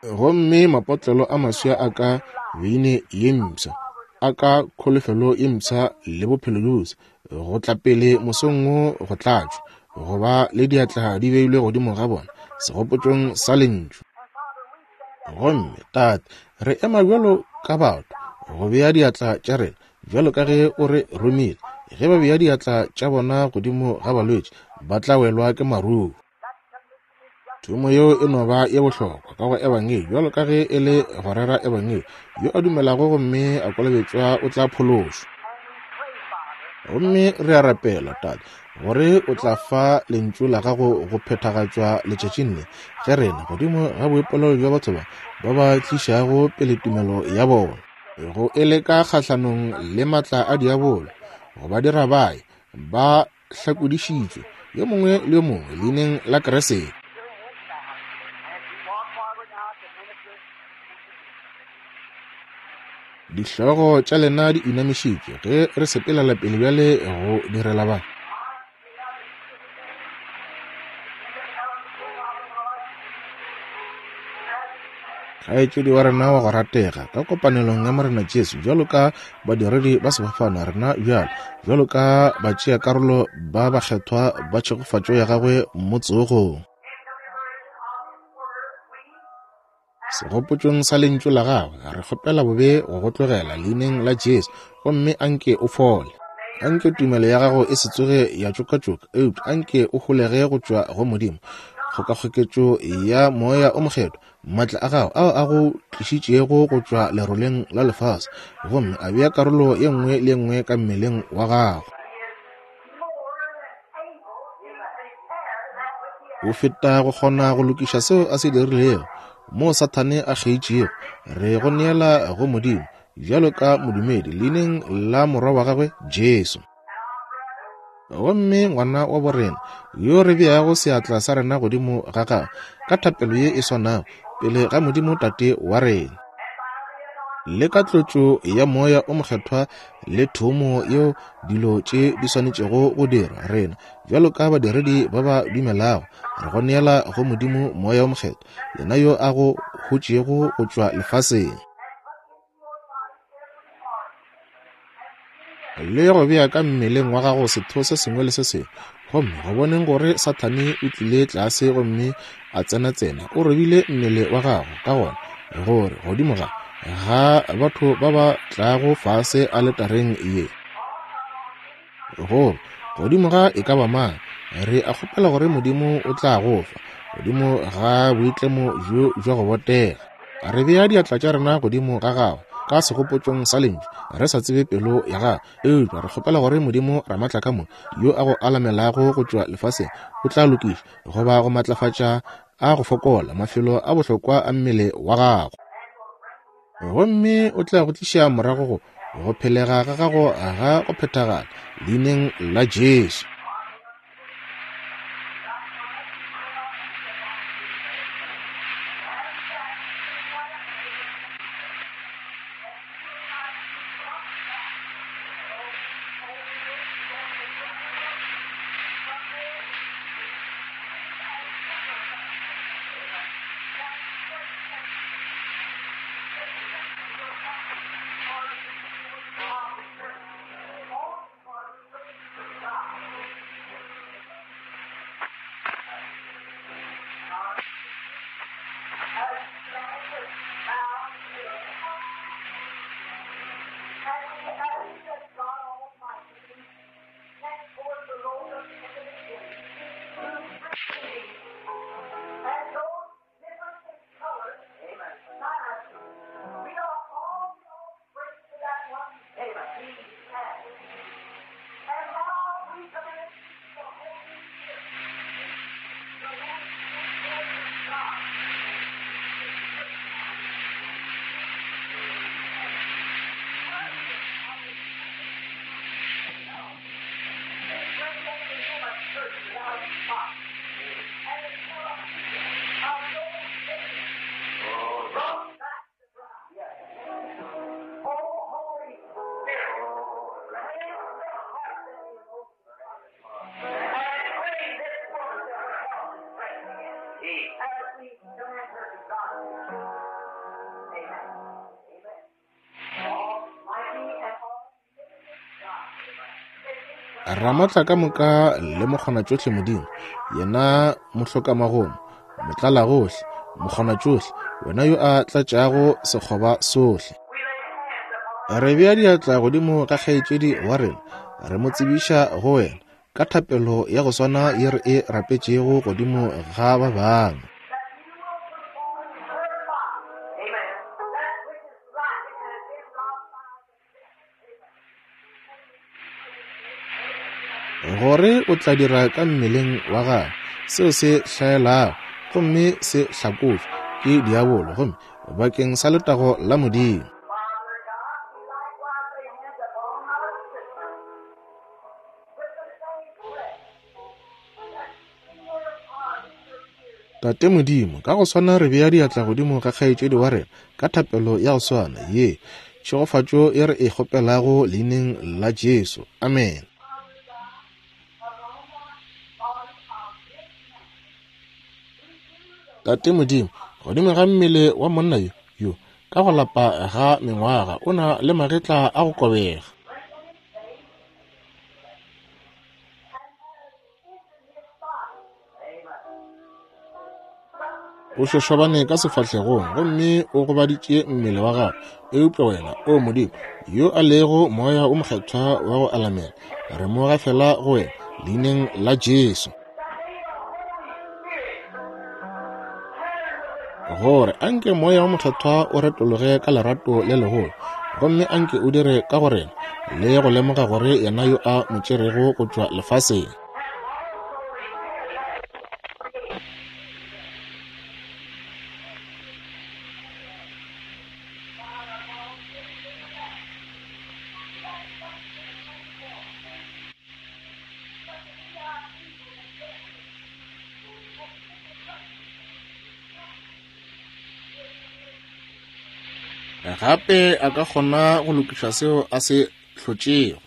Gomme mapotlelo a maswa a ka beine ye mpsha, a ka kholofelo ye mpsha le bophelo bjo, go tla pele mosong wo go tlatšwa, go ba le diatla di beilwe godimo ga bona segopotšong sa lentšu. Gomme Tate, re ema bjalo ka batho go bea diatla tša rena bjalo ka ge o re romile. Ge ba bea diatla tša bona godimo ga balwetši, ba tla welwa ke maruo. Thomo yeo e no ba ye bohlokwa ka go ebangedi bjalo ka ge e le go rera ebangedi. Yo a dumelago gomme a kolobetšwa o tla phološwa. Gomme re a rapela Tate gore o tla fa lentšu la gago go phethagatšwa letšatšing le, ge rena godimo ga boipolelo bja batho ba ba ba tlišago pele tumelo ya bona go e leka kgahlanong le matla a diabolo, go ba dira bae ba hlakodišitšwe yo mongwe le yo mongwe leineng la Kriste. Dihlogo tša lena di inamišitšwe ge re sepelela pele bjale go direla ba. Kgaetšedi wa rena wa go ratega ka kopanelong ya Morena Jesu, bjalo ka badiredi ba sefofane rena bjalo, bjalo ka batšeakarolo ba bakgethwa ba tšhegofatšo ya gagwe mo tsogong. Segopotšong sa lentšu la gagwe re kgopela bobe go go tlogela leineng la Jesu, gomme anke o fole. Anke tumelo ya gago e se tsoge ya tšokatšoka, eupša anke o holege go tšwa go Modimo. Kgokakgoketšo ya Moya o Mokgethwa, maatla a gago ao a go tlišitšego go tšwa leroleng la lefase, gomme a bea karolo ye nngwe le ye nngwe ka mmeleng wa gago. O feta go kgona go lokiša seo a se dirilego mo Sathane a kgeitšego. Re go neela go Modimo bjalo ka modumedi leineng la morwa wa gagwe Jesu. Gomme ngwana wa borena yo re beago seatla sa rena godimo ga gagwe ka thapelo ye e swanago pele ga Modimo Tate wa rena, le ka tlotšo ya Moya o Mokgethwa le thomo yeo dilo tše di swanetšego go dirwa, rena bjalo ka badiredi ba ba dumelago re go neela go Modimo Moya o Mokgethwa, yena yo a go hotšego go tšwa lefaseng le go bea ka mmeleng wa gago setho se sengwe le se sengwe. Gomme go boneng gore Sathane o tlile tlase gomme a tsena-tsena, o robile mmele wa gago ka gona gore godimo ga ga batho ba ba tlago fase aletareng ye, gore godimo ga e ka ba mang, re a kgopela gore Modimo o tla go fa godimo ga boitlemo bjo bja go botega. Re bea diatla tša rena godimo ga gagwe ka segopotšong sa lentšu, re sa tsebe pelo ya gagwe, eupša re kgopela gore Modimo Ramatlakamoka yo a go alamelago go tšwa lefaseng o tla lokiša goba go matlafatša a go fokola mafelo a bohlokwa a mmele wa gago, gomme o tla go tliša morago go go phelega ga gago ga go phethagala leineng la Jesu. Ramatlakamoka le mokgonatšohle Modimo, yena mohlokamagomo, motlalagohle, mokgonatšohle, wena yo a tlatšago sekgoba sohle. Re bea diatla godimo ga kgaetšedi wa rena, re mo tsebiša go wena ka thapelo ya go swana ye re e rapetšego godimo ga ba bangwe. Gore o tla dira ka mmeleng wa gagwe seo se hlaelago gomme se hlakotšwe ke diabolo, gomme bakeng sa letago la Modimo. Tate Modimo, ka go swana re bea diatla godimo ga kgaetšedi wa rena ka thapelo ya go swana ye tšhegofatšo ye re e kgopelago leineng la Jesu. Amen. Tate Modimo, godimo ga mmele wa monna yo yo ka go lapa ga mengwaga o na le magetla a go kobega. O šošobane ka sefahlegong gomme o gobaditše mmele wa gagwe, eupša wena, o Modimo, yo a lego moya o mokgethwa wa go alamela, re mo gafela go wena leineng la Jesu, gore anke moya wa mokgethwa o retologe ka lerato le legolo, gomme anke o dire ka go rena le go lemoga gore yena yo a mo tšerego go tšwa lefaseng. Gape a ka kgona go lokiša seo a se hlotšego.